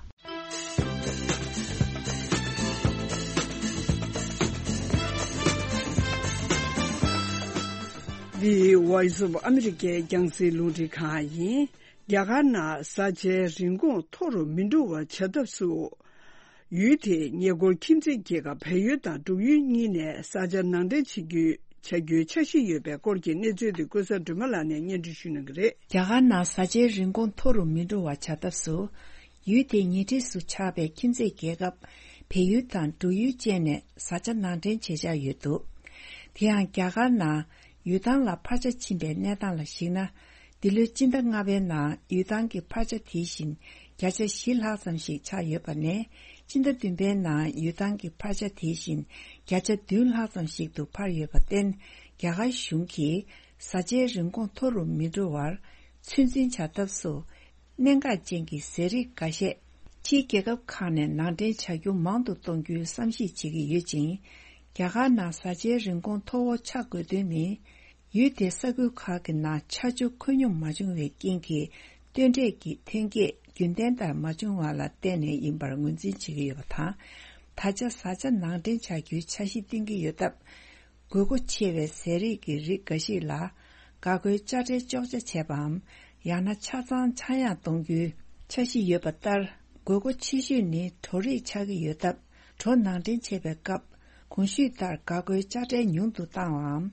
འདི་Voice of America རྒྱང་སྲིང་རླུང་འཕྲིན་ཁང་ཡིན། རྒྱ་གར་ནང་བཟའ་བཅའི་རིན་གོང་མཐོ་རུ་མི་འགྲོ་བ་བྱ་ཐབས་སུ། ཡུལ་དེའི་ཉེ་འཁོར་ཁྱིམ་མཚེས་རྒྱལ་ཁབ་བལ་ཡུལ་དང་འབྲུག་ཡུལ་གཉིས་ནས་བཟའ་བཅའ་ནང་འདྲེན་བྱེད་རྒྱུའི་བྱ་རྒྱུའི་འཆར་གཞི་ཡོད་པའི་སྐོར་གྱི་གནས་ཚུལ་དེ་ཀུན་བཟང་སྒྲོལ་མ་ལགས་ནས་སྙན་སྒྲོན་ཞུ་གནང་གི་རེད། རྒྱ་གར་ནང་བཟའ་བཅའི་རིན་གོང་མཐོ་རུ་མི་འགྲོ་བ་བྱ་ཐབས་སུ། ཡུལ་དེའི་ཉེ་འཁྲིས་སུ་ཆགས་པའི་ཁྱིམ་མཚེས་རྒྱལ་ཁབ་བལ་ཡུལ་དང་འབྲུག་ཡུལ་བཅས་ནས་བཟའ་བཅའ་ནང་འདྲེན་བྱེད་འཆར་ཡོད་འདུག་དེ་ཡང་རྒྱ་གར་ནང་ཡུལ་ཐང་ལ་འཕར་ཆ་ཕྱིན་པའི་གནས་སྟངས་ལ་གཞིགས་ན། འདི་ལོའི་སྤྱི་ཟླ་ལྔ་པའི་ནང་ཡུལ་ཐང་གི་འཕར་ཆ་དེ་བཞིན་བརྒྱ་ཆ་བཞི་ལྷག་ཙམ་ཞིག་ཆག་ཡོད་པ་ནས། སྤྱི་ཟླ་བདུན་པའི་ནང་ཡུལ་ཐང་གི་འཕར་ཆ་དེ་བཞིན་བརྒྱ་ཆ་བདུན་ལྷག་ཙམ་ཞིག་ཏུ་འཕར་ཡོད་པར་བརྟེན། རྒྱ་གར་གཞུང་གིས་བཟའ་བཅའི་རིན་གོང་མཐོ་རུ་མི་འགྲོ་བར་ཚོད་འཛིན་བྱ་ཐབས་སུ། གནད་འགག་ཅན་གྱི་ཟས་རིགས་འགའ་ཤས་ཕྱིའི་རྒྱལ་ཁབ་ཁག་ནས་ནང་འདྲེན་བྱ་རྒྱུ་མང་དུ་གཏོང་རྒྱུའི་བསམ་གཞིག་བྱེད་ཀྱི་ཡོད་ཅིང་། རྒྱ་གར་ནང་བཟའ་བཅའི་རིན་གོང་མཐོ་བོ་ཆག་དགོས་དོན་ནི། ཡུལ་དེའི་ས་ཁུལ་ཁག་གི་ནང་ཆར་ཆུ་ཁོད་སྙོམས་མ་བྱུང་བའི་རྐྱེན་གྱིས། སྟོན་འབྲས་ཀྱི་ཐོན་སྐྱེད་རྒྱུན་ལྡན་ལྟར་མ་བྱུང་བ་ལ་བརྟེན་ནས་ཡིན་པར་ངོས་འཛིན་བྱེད་ཀྱི་ཡོད་པ་དང་། ད་ཆ་བཟའ་བཅའ་ནང་འདྲེན་བྱ་རྒྱུའི་འཆར་གཞི་བཏིང་གི་ཡོད་སྟབས། དགོས་མཁོ་ཆེ་བའི་ཟས་རིགས་ཀྱི་རིགས་འགའ་ཞིག་ལ། འགག་སྒོའི་དཔྱ་ཁྲལ་གཅོག་ཆ་བྱས་པའམ། ཡང་ན་ཆ་ཚང་ཆག་ཡང་གཏོང་རྒྱུའི་འཆར་གཞི་ཡོད་པ་ལྟར། དགོས་མཁོ་ཆེ་ཤོས་ནི་གྲོ་རིགས་ཆགས་ཀྱི་ཡོད་སྟབས། གྲོ་ནང་འདྲེན་བྱེད་པའི་སྐབས། གོང་ཞུས་ལྟར་འགག་སྒོའི་དཔྱ་ཁྲལ་ཉུང་དུ་བཏང་བའམ།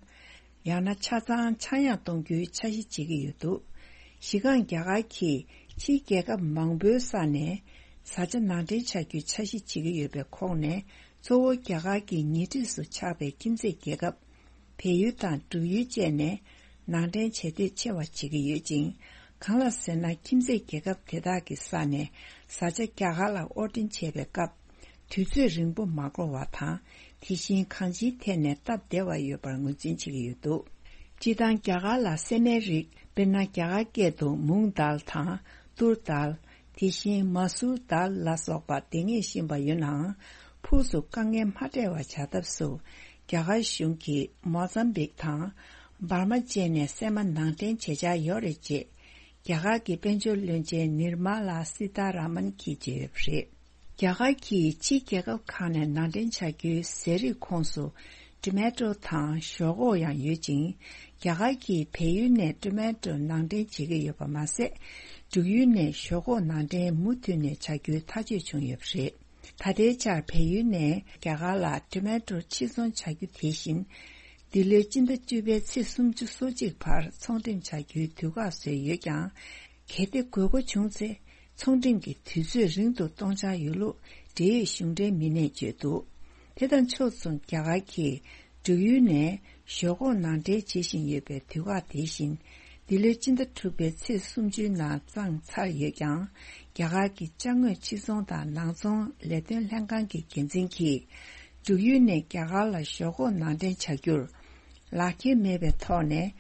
ཡང་ན་ཆ་ཚང་ཆག་ཡང་གཏོང་རྒྱུའི་འཆར་གཞི་བྱེད་ཀྱི་ཡོད་འདུག་གཞི་རྐང་རྒྱ་གར་གྱིས་ཕྱིའི་རྒྱལ་ཁབ་མང་པོའི་ས་ནས་བཟའ་བཅའ་ནང་འདྲེན་བྱ་རྒྱུའི་འཆར་གཞི་བྱེད་ཀྱི་ཡོད་པའི་ཁོངས་ནས། གཙོ་བོ་རྒྱ་གར་གྱི་ཉེ་འཁྲིས་སུ་ཆགས་པའི་ཁྱིམ་མཚེས་རྒྱལ་ཁབ། བལ་ཡུལ་དང་འབྲུག་ཡུལ་བཅས་ནས་ནང་འདྲེན་བྱེད་འདོད་ཆེ་བ་བྱེད་ཀྱི་ཡོད་ཅིང་། གང་ལ་ཟེར་ན། ཁྱིམ་མཚེས་རྒྱལ་ཁབ་དེ་དག་གི་ས་ནས་བཟའ་བཅའ་རྒྱ་གར་ལ་དབོར་འདྲེན་བྱེད་པའི་སྐབས། དུས་ཚོད་རིང་པོ་མ་འགོར་བ་དང་། དེ་བཞིན་གང་ཅིའི་ཐད་ནས་སྟབས་བདེ་བ་ཡོད་པར་ངོས་འཛིན་བྱེད་ཀྱི་ཡོད་འདུག་སྤྱིར་བཏང་རྒྱ་གར་ལ་སྲན་མའི་རིགས། དཔེར་ན། རྒྱ་གར་སྐད་དུ་མུང་དཱལ་དང་། ཏུར་དཱལ། དེ་བཞིན་མ་སུར་དཱལ་ལ་སོགས་པ་འདེབས་ངེས་བཞིན་པ་ཡོད་ནའང་། ཕུགས་སུ་དཀའ་ངལ་མ་འཕྲད་པ་བྱ་ཐབས་སུ། རྒྱ་གར་གཞུང་གིས་མོ་ཟམ་བིག་དང་འབར་མ་བཅས་ནས་སྲན་མ་ནང་འདྲེན་བྱེད་འཆར་ཡོད་རེད་ཅེས། རྒྱ་གར་གྱི་དཔལ་འབྱོར་བློན་ཆེན་ནིར་མ་ལ་སི་ཐ་ར་མན་གྱིས་བརྗོད་ཡོད་པ་རེད། རྒྱ་གར་གྱིས་ཕྱིའི་རྒྱལ་ཁབ་ཁག་ནས་ནང་འདྲེན་བྱ་རྒྱུའི་ཟས་རིགས་ཁོངས་སུ། ཊོ་མེ་ཊོ་དང་ཞོག་ཁོག་ཡང་ཡོད་ཅིང་། རྒྱ་གར་གྱིས་བལ་ཡུལ་ནས་ཊོ་མེ་ཊོ་ནང་འདྲེན་བྱེད་ཀྱི་ཡོད་པ་མ་ཟད། འབྲུག་ཡུལ་ནས་ཞོག་ཁོག་ནང་འདྲེན་མུ་མཐུད་ནས་བྱ་རྒྱུའི་ཐག་གཅོད་བྱུང་ཡོད་པ་རེད། ད་ལྟའི་ཆར་བལ་ཡུལ་ནས་རྒྱ་གར་ལ་ཊོ་མེ་ཊོ་ཕྱིར་ཚོང་བྱ་རྒྱུ་དེ་བཞིན། འདི་ལོའི་སྤྱི་ཟླ་བཅུ་པའི་ཚེས་སུམ་ཅུ་སོ་གཅིག་བར་ཚོང་འགྲེམས་བྱ་རྒྱུའི་དུས་བཀག་བཟོས་ཡོད་ཀྱང་། གལ་ཏེ་དགོས་མཁོ་བྱུང་ཚེ། ཚོང་འགྲེམས་ཀྱི་དུས་ཚོད་རིང་དུ་གཏོང་འཆར་ཡོད་ལུགས་འབྲེལ་ཡོད་གཞུང་འབྲེལ་མི་སྣས་བརྗོད་འདུག་དེ་དང་ཕྱོགས་མཚུངས། རྒྱ་གར་གྱིས་འབྲུག་ཡུལ་ནས་ཞོག་ཁོག་ནང་འདྲེན་བྱེད་བཞིན་ཡོད་པའི་དུས་བཀག་དེ་བཞིན། འདི་ལོའི་སྤྱི་ཟླ་དྲུག་པའི་ཚེས་སུམ་ཅུའི་ནང་བརྩམས་ཚར་ཡོད་ཀྱང་། རྒྱ་གར་གྱི་ཅ་དངོས་ཕྱིར་ཚོང་དང་ནང་ཚོང་ལས་དོན་ལྷན་ཁང་གི་འགན་འཛིན་གྱིས། འབྲུག་ཡུལ་ནས་རྒྱ་གར་ལ་ཞོག་ཁོག་ནང་འདྲེན་བྱ་རྒྱུར། ལག་འཁྱེར་མེད་པའི་ཐོག་ནས།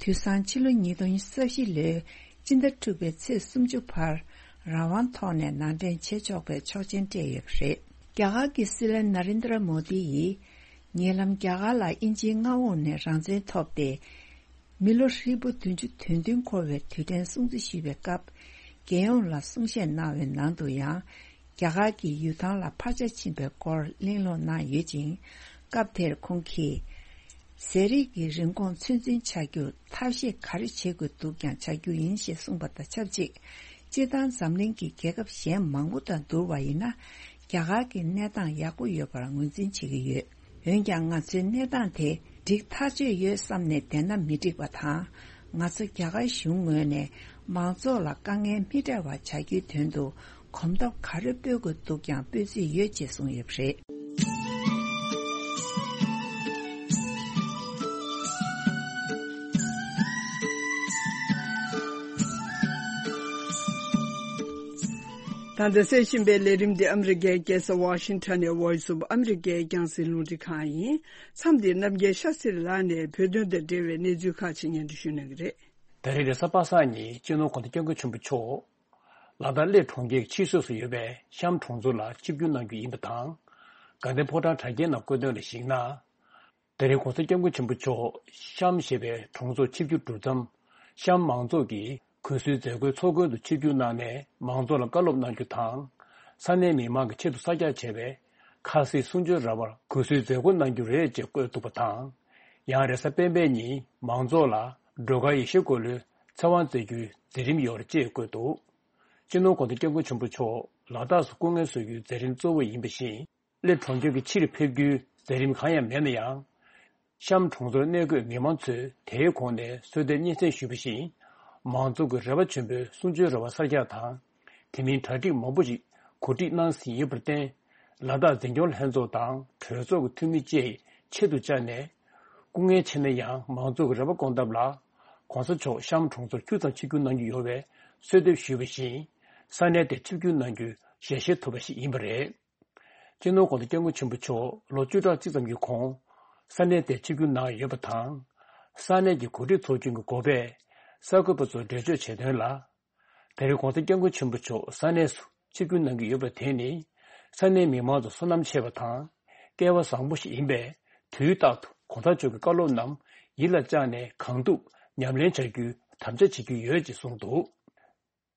དུས་སང་ཕྱི་ལོ་ཉིས་སྟོང་ཉི་ཤུ་རྩ་བཞི་ལོའི་སྤྱི་ཟླ་དྲུག་པའི་ཚེས་སུམ་ཅུ་བར་རང་དབང་ཐོག་ནས་ནང་འདྲེན་བྱེད་ཆོག་པའི་ཆོག་མཆན་སྤྲད་ཡོད་པ་རེད། རྒྱ་གར་གྱི་སྲིད་བློན་ན་རེན་དྲ་མོ་དི་ཡིས། ཉེ་ལམ་རྒྱ་གར་ལ་དབྱིན་ཇིའི་མངའ་འོག་ནས་རང་བཙན་ཐོབ་སྟེ། མི་ལོ་ཧྲིལ་པོ་བདུན་ཅུ་དོན་བདུན་འཁོར་བའི་དུས་དྲན་སྲུང་བརྩི་ཞུས་པའི་སྐབས། རྒྱལ་ཡོངས་ལ་གསུང་བཤད་གནང་བའི་ནང་དུ་ཡང་། རྒྱ་གར་གྱི་ཡུལ་ཐང་ལ་འཕར་ཆ་ཕྱིན་པའི་སྐོར་གླེང་སློང་གནང་ཡོད་ཅིང་། སྐབས་དེར་ཁོང་གིས། ཟས་རིགས་ཀྱི་རིན་གོང་ཚོད་འཛིན་བྱ་རྒྱུར་ཐབས་ཤེས་ག་རེ་བྱེད་དགོས་འདུག་ཀྱང་བྱ་རྒྱུ་ཡིན་ཞེས་གསུངས་པ་དང་ཆབས་ཅིག་སྤྱིར་བཏང་འཛམ་གླིང་གི་རྒྱལ་ཁབ་གཞན་མང་པོ་དང་བསྡུར་བ་ཡིན་ན། རྒྱ་གར་གྱི་གནས་སྟངས་ཡག་པོ་ཡོད་པར་ངོས་འཛིན་བྱེད་ཀྱི་ཡོད། འོན་ཀྱང་ང་ཚོའི་གནས་སྟངས་དེ་འགྲིག་ཐག་ཆོད་ཡོད་བསམ་ནས་བསྡད་ན་མི་འགྲིག་པ་དང་། ང་ཚོ་རྒྱ་གར་གཞུང་ངོས་ནས་མང་ཚོགས་ལ་དཀའ་ངལ་མི་འཕྲད་པ་བྱ་རྒྱུའི་དོན་དུ་གོམ་སྟབས་ག་རེ་སྤོས་དགོས་འདུག་ཀྱང་སྤོས་རྩིས་ཡོད་ཅེས་གསུངས་ཡོད་པ་རེད། ད་ལྟ་གསན་བཞིན་པའི་ལས་རིམ་འདི་ཨ་མི་རི་ཀའི་རྒྱལ་ས་ཝ་ཤིང་ཊོན་ནས་Voice of America་རྒྱང་སྲིང་རླུང་འཕྲིན་ཁང་ཡིན། མཚམས་འདིར་རྣམ་རྒྱལ་ཤཱ་སི་རི་ལགས་ནས་བོད་དོན་དང་འབྲེལ་བའི་གནས་ཚུལ་ཁག་ཅིག་སྙན་སྒྲོན་ཞུ་གནང་གི་རེད། ད་རེས་རེས་གཟའ་པ་སངས་ཉིན་སྤྱི་ནོར་༸གོང་ས་༸སྐྱབས་མགོན་ཆེན་པོ་མཆོག་ལ་དྭགས་གླེ་གྲོང་ཁྱེར་ཕྱི་སོས་སུ་ཡོད་པའི་གཤམ་གྲོང་ཚོ་ལ་ཆིབས་བསྒྱུར་གནང་རྒྱུ་ཡིན་པ་དང་། དགའ་ལྡན་ཕོ་བྲང་གྲྭ་རྒྱའི་ནང་བཀོད་དོན་ལ་གཞིགས་ན། ད་རེས་༸གོང་ས་༸སྐྱབས་མགོན་ཆེན་པོ་མཆོག་གཤམ་ཞེས་པའི་གྲོང་ཚོར་ཆིབས་བསྒྱུར་གྲུབ་མཚམས། གཤམ་མང་ཚོགས་ཀྱིས་གུས་གསོལ་མཛད་སྒོའི་ཚོགས་མགོན་དུ་ཆིབས་བསྒྱུར་གནང་ནས་མང་ཚོགས་ལ་བཀའ་སློབ་གནང་རྒྱུ་དང་། ས་གནས་མི་མང་གི་ཆེད་དུ་གསར་རྒྱག་བྱས་པའི་ཁ་སིལ་གསུང་ཆོས་ར་བར་གུས་གསོལ་མཛད་སྒོ་གནང་རྒྱུ་རེད་ཅེས་བཀོད་འདུག་པ་དང་། ཡང་རེས་གཟའ་སྤེན་པའི་ཉིན་མང་ཚོགས་ལ་སྒྲོལ་དཀར་ཡེ་ཤེས་འཁོར་ལོའི་ཚེ་དབང་སྩལ་རྒྱུའི་མཛད་རིམ་ཡོད་རེད་ཅེས་བཀོད་འདུག་སྤྱི་ནོར་༸གོང་ས་༸སྐྱབས་མགོན་ཆེན་པོ་མཆོག་ལ་དྭགས་སུ་སྐུ་ངལ་གསོ་རྒྱུའི་མཛད་རིམ་གཙོ་བོ་ཡིན་པ་བཞིན། གླེ་གྲོང་ཁྱེར་གྱི་ཕྱིར་ཕེབས་རྒྱུའི་མཛད་རིམ་གང་ཡང་མེད་ན་ཡང་། གཤམ་གྲོང་ཚོར་གནས་འཁོད་མི་མང་ཚོས་དེའི་གོང་ནས་གསོལ་འདེབས་སྙན་སེང་ཞུས་པ་བཞིན། མང་ཚོགས་ཀྱི་རེ་བ་ཆེན་པོས་གསུང་ཆོས་ར་བ་གསར་རྒྱག་དང་། དེ་མིན་གྲ་སྒྲིག་མང་པོ་ཞིག་གོ་སྒྲིག་གནང་ཟིན་ཡོད་པར་བརྟེན། ལ་དྭགས་འཛིན་སྐྱོང་ལྷན་ཚོགས་དང་གྲོས་ཚོགས་ཀྱི་འཐུས་མི་བཅས་ཆེད་དུ་བཅར་ནས། སྐུ་ངལ་ཆེ་ན་ཡང་མང་ཚོགས་ཀྱི་རེ་བ་སྐོང་ཐབས་ལ། ༸གོང་ས་མཆོག་གཤམ་གྲོང་ཚོར་ཁྱུག་ཙམ་ཆིབས་བསྒྱུར་གནང་རྒྱུ་ཡོད་པའི་གསོལ་འདེབས་ཞུས་པ་བཞིན། ས་གནས་དེར་ཆིབས་བསྒྱུར་གནང་རྒྱུའི་ཞལ་བཞེས་ཐུབ་པ་ཞིག་ཡིན་པ་རེད། སྤྱི་ནོར་༸གོང་ས་༸སྐྱབས་མགོན་ཆེན་པོ་མཆོག་ལོ་བཅུ་ཕྲག་གཅིག་ཙམ་གྱི་གོང་ས་གནས་དེར་ཆིབས་བསྒྱུར་གནང་ཡོད་པ་དང་། ས་གནས་ཀྱི་གོ་སྒྲིག་ཚོགས་ཆུང་གི་འགོ་པས་གསར་འགོད་པ་ཚོར་འགྲེལ་བརྗོད་བྱས་དོན་ལ། ད་རེས་༸གོང་ས་༸སྐྱབས་མགོན་ཆེན་པོ་མཆོག་ས་གནས་སུ་ཆིབས་བསྒྱུར་གནང་གི་ཡོད་པ་དེ་ནི། ས་གནས་མི་མང་ཚོ་བསོད་ནམས་ཆེ་བ་དང་། སྐལ་བ་བཟང་པོ་ཞིག་ཡིན་པས། དུས་རྟག་ཏུ་༸གོང་ས་མཆོག་གི་བཀའ་སློབ་རྣམས་ཡིད་ལ་བཅངས་ནས་གང་ཐུབ་ཉམས་ལེན་བྱ་རྒྱུའི་དམ་བཅའ་བྱེད་ཀྱི་ཡོད་ཅེས་གསུངས་འདུག་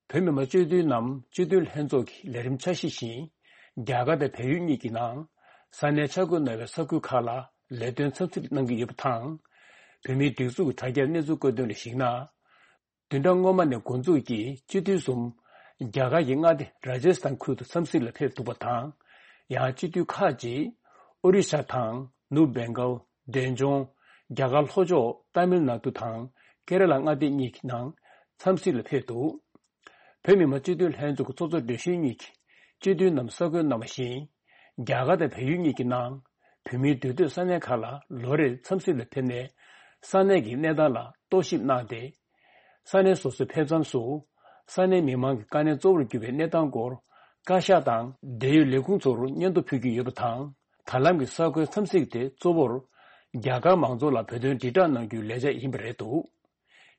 བོད་མི་མང་སྤྱི་འཐུས་རྣམས་སྤྱི་འཐུས་ལྷན་ཚོགས་ཀྱི་ལས་རིམ་འཆར་གཞི་བཞིན། རྒྱ་གར་དང་བལ་ཡུལ་གཉིས་ཀྱི་ནང་ས་གནས་ཆ་བགོས་གནང་བའི་ས་ཁུལ་ཁག་ལ་ལས་དོན་འཚམས་གཟིགས་གནང་གི་ཡོད་པ་དང་། བོད་མིའི་སྒྲིག་འཛུགས་ཀྱི་དྲ་རྒྱའི་གནས་ཚུལ་བཀོད་དོན་ལ་གཞིགས་ན། བདུན་ཕྲག་སྔོན་མ་ནས་འགོ་འཛུགས་ཀྱིས་སྤྱི་འཐུས་གསུམ། རྒྱ་གར་གྱི་མངའ་སྡེ་རཱ་ཇ་སི་ཐན་ཁུལ་དུ་འཚམས་གཟིགས་ལ་ཕེབས་འདུག་པ་དང་། ཡང་སྤྱི་འཐུས་ཁག་ཅིག་ཨོ་རི་ཤ་དང་ནུབ་བེང་གལ། འབྲས་ལྗོངས། རྒྱ་གར་ལྷོ་ཕྱོགས་ཏཱ་མིལ་ནཱ་ཏུ་དང་ཀེ་ར་ལ་མངའ་སྡེ་གཉིས་ཀྱི་ནང་འཚམས་གཟིགས་ལ་ཕེབས་འདུག་བོད་མི་མང་སྤྱི་འཐུས་ལྷན་ཚོགས་ཀྱི་ཚོགས་གཙོ་སྦྲེལ་ཞུས་གཉིས་ཀྱིས་སྤྱི་འཐུས་རྣམས་གསར་འགོད་གནང་བ་བཞིན། རྒྱ་གར་དང་བལ་ཡུལ་གཉིས་ཀྱི་ནང་བོད་མིའི་འདུས་སྡོད་ས་གནས་ཁག་ལ་ལོ་རེར་འཚམས་གཟིགས་ལ་ཕེབས་ནས། ས་གནས་ཀྱི་གནས་སྟངས་ལ་རྟོག་ཞིབ་གནང་སྟེ། ས་གནས་སོ་སོའི་ཕེབས་མཚམས་སུ། ས་གནས་མི་མང་གི་དཀའ་གནད་གཙོ་བོར་གྱུར་པའི་གནས་སྟངས་སྐོར། བཀའ་ཤག་དང་འབྲེལ་ཡོད་ལས་ཁུངས་ཚོར་སྙན་ཐོ་ཕུལ་གྱི་ཡོད་པ་དང་། ད་ལམ་གྱི་གསར་འགོད་འཚམས་གཟིགས་དེ་གཙོ་བོར། རྒྱ་གར་མང་ཚོགས་ལ་བོད་དོན་དྲིལ་བསྒྲགས་གནང་རྒྱུའི་ལས་འཆར་ཡིན་པ་རེད་འདུག་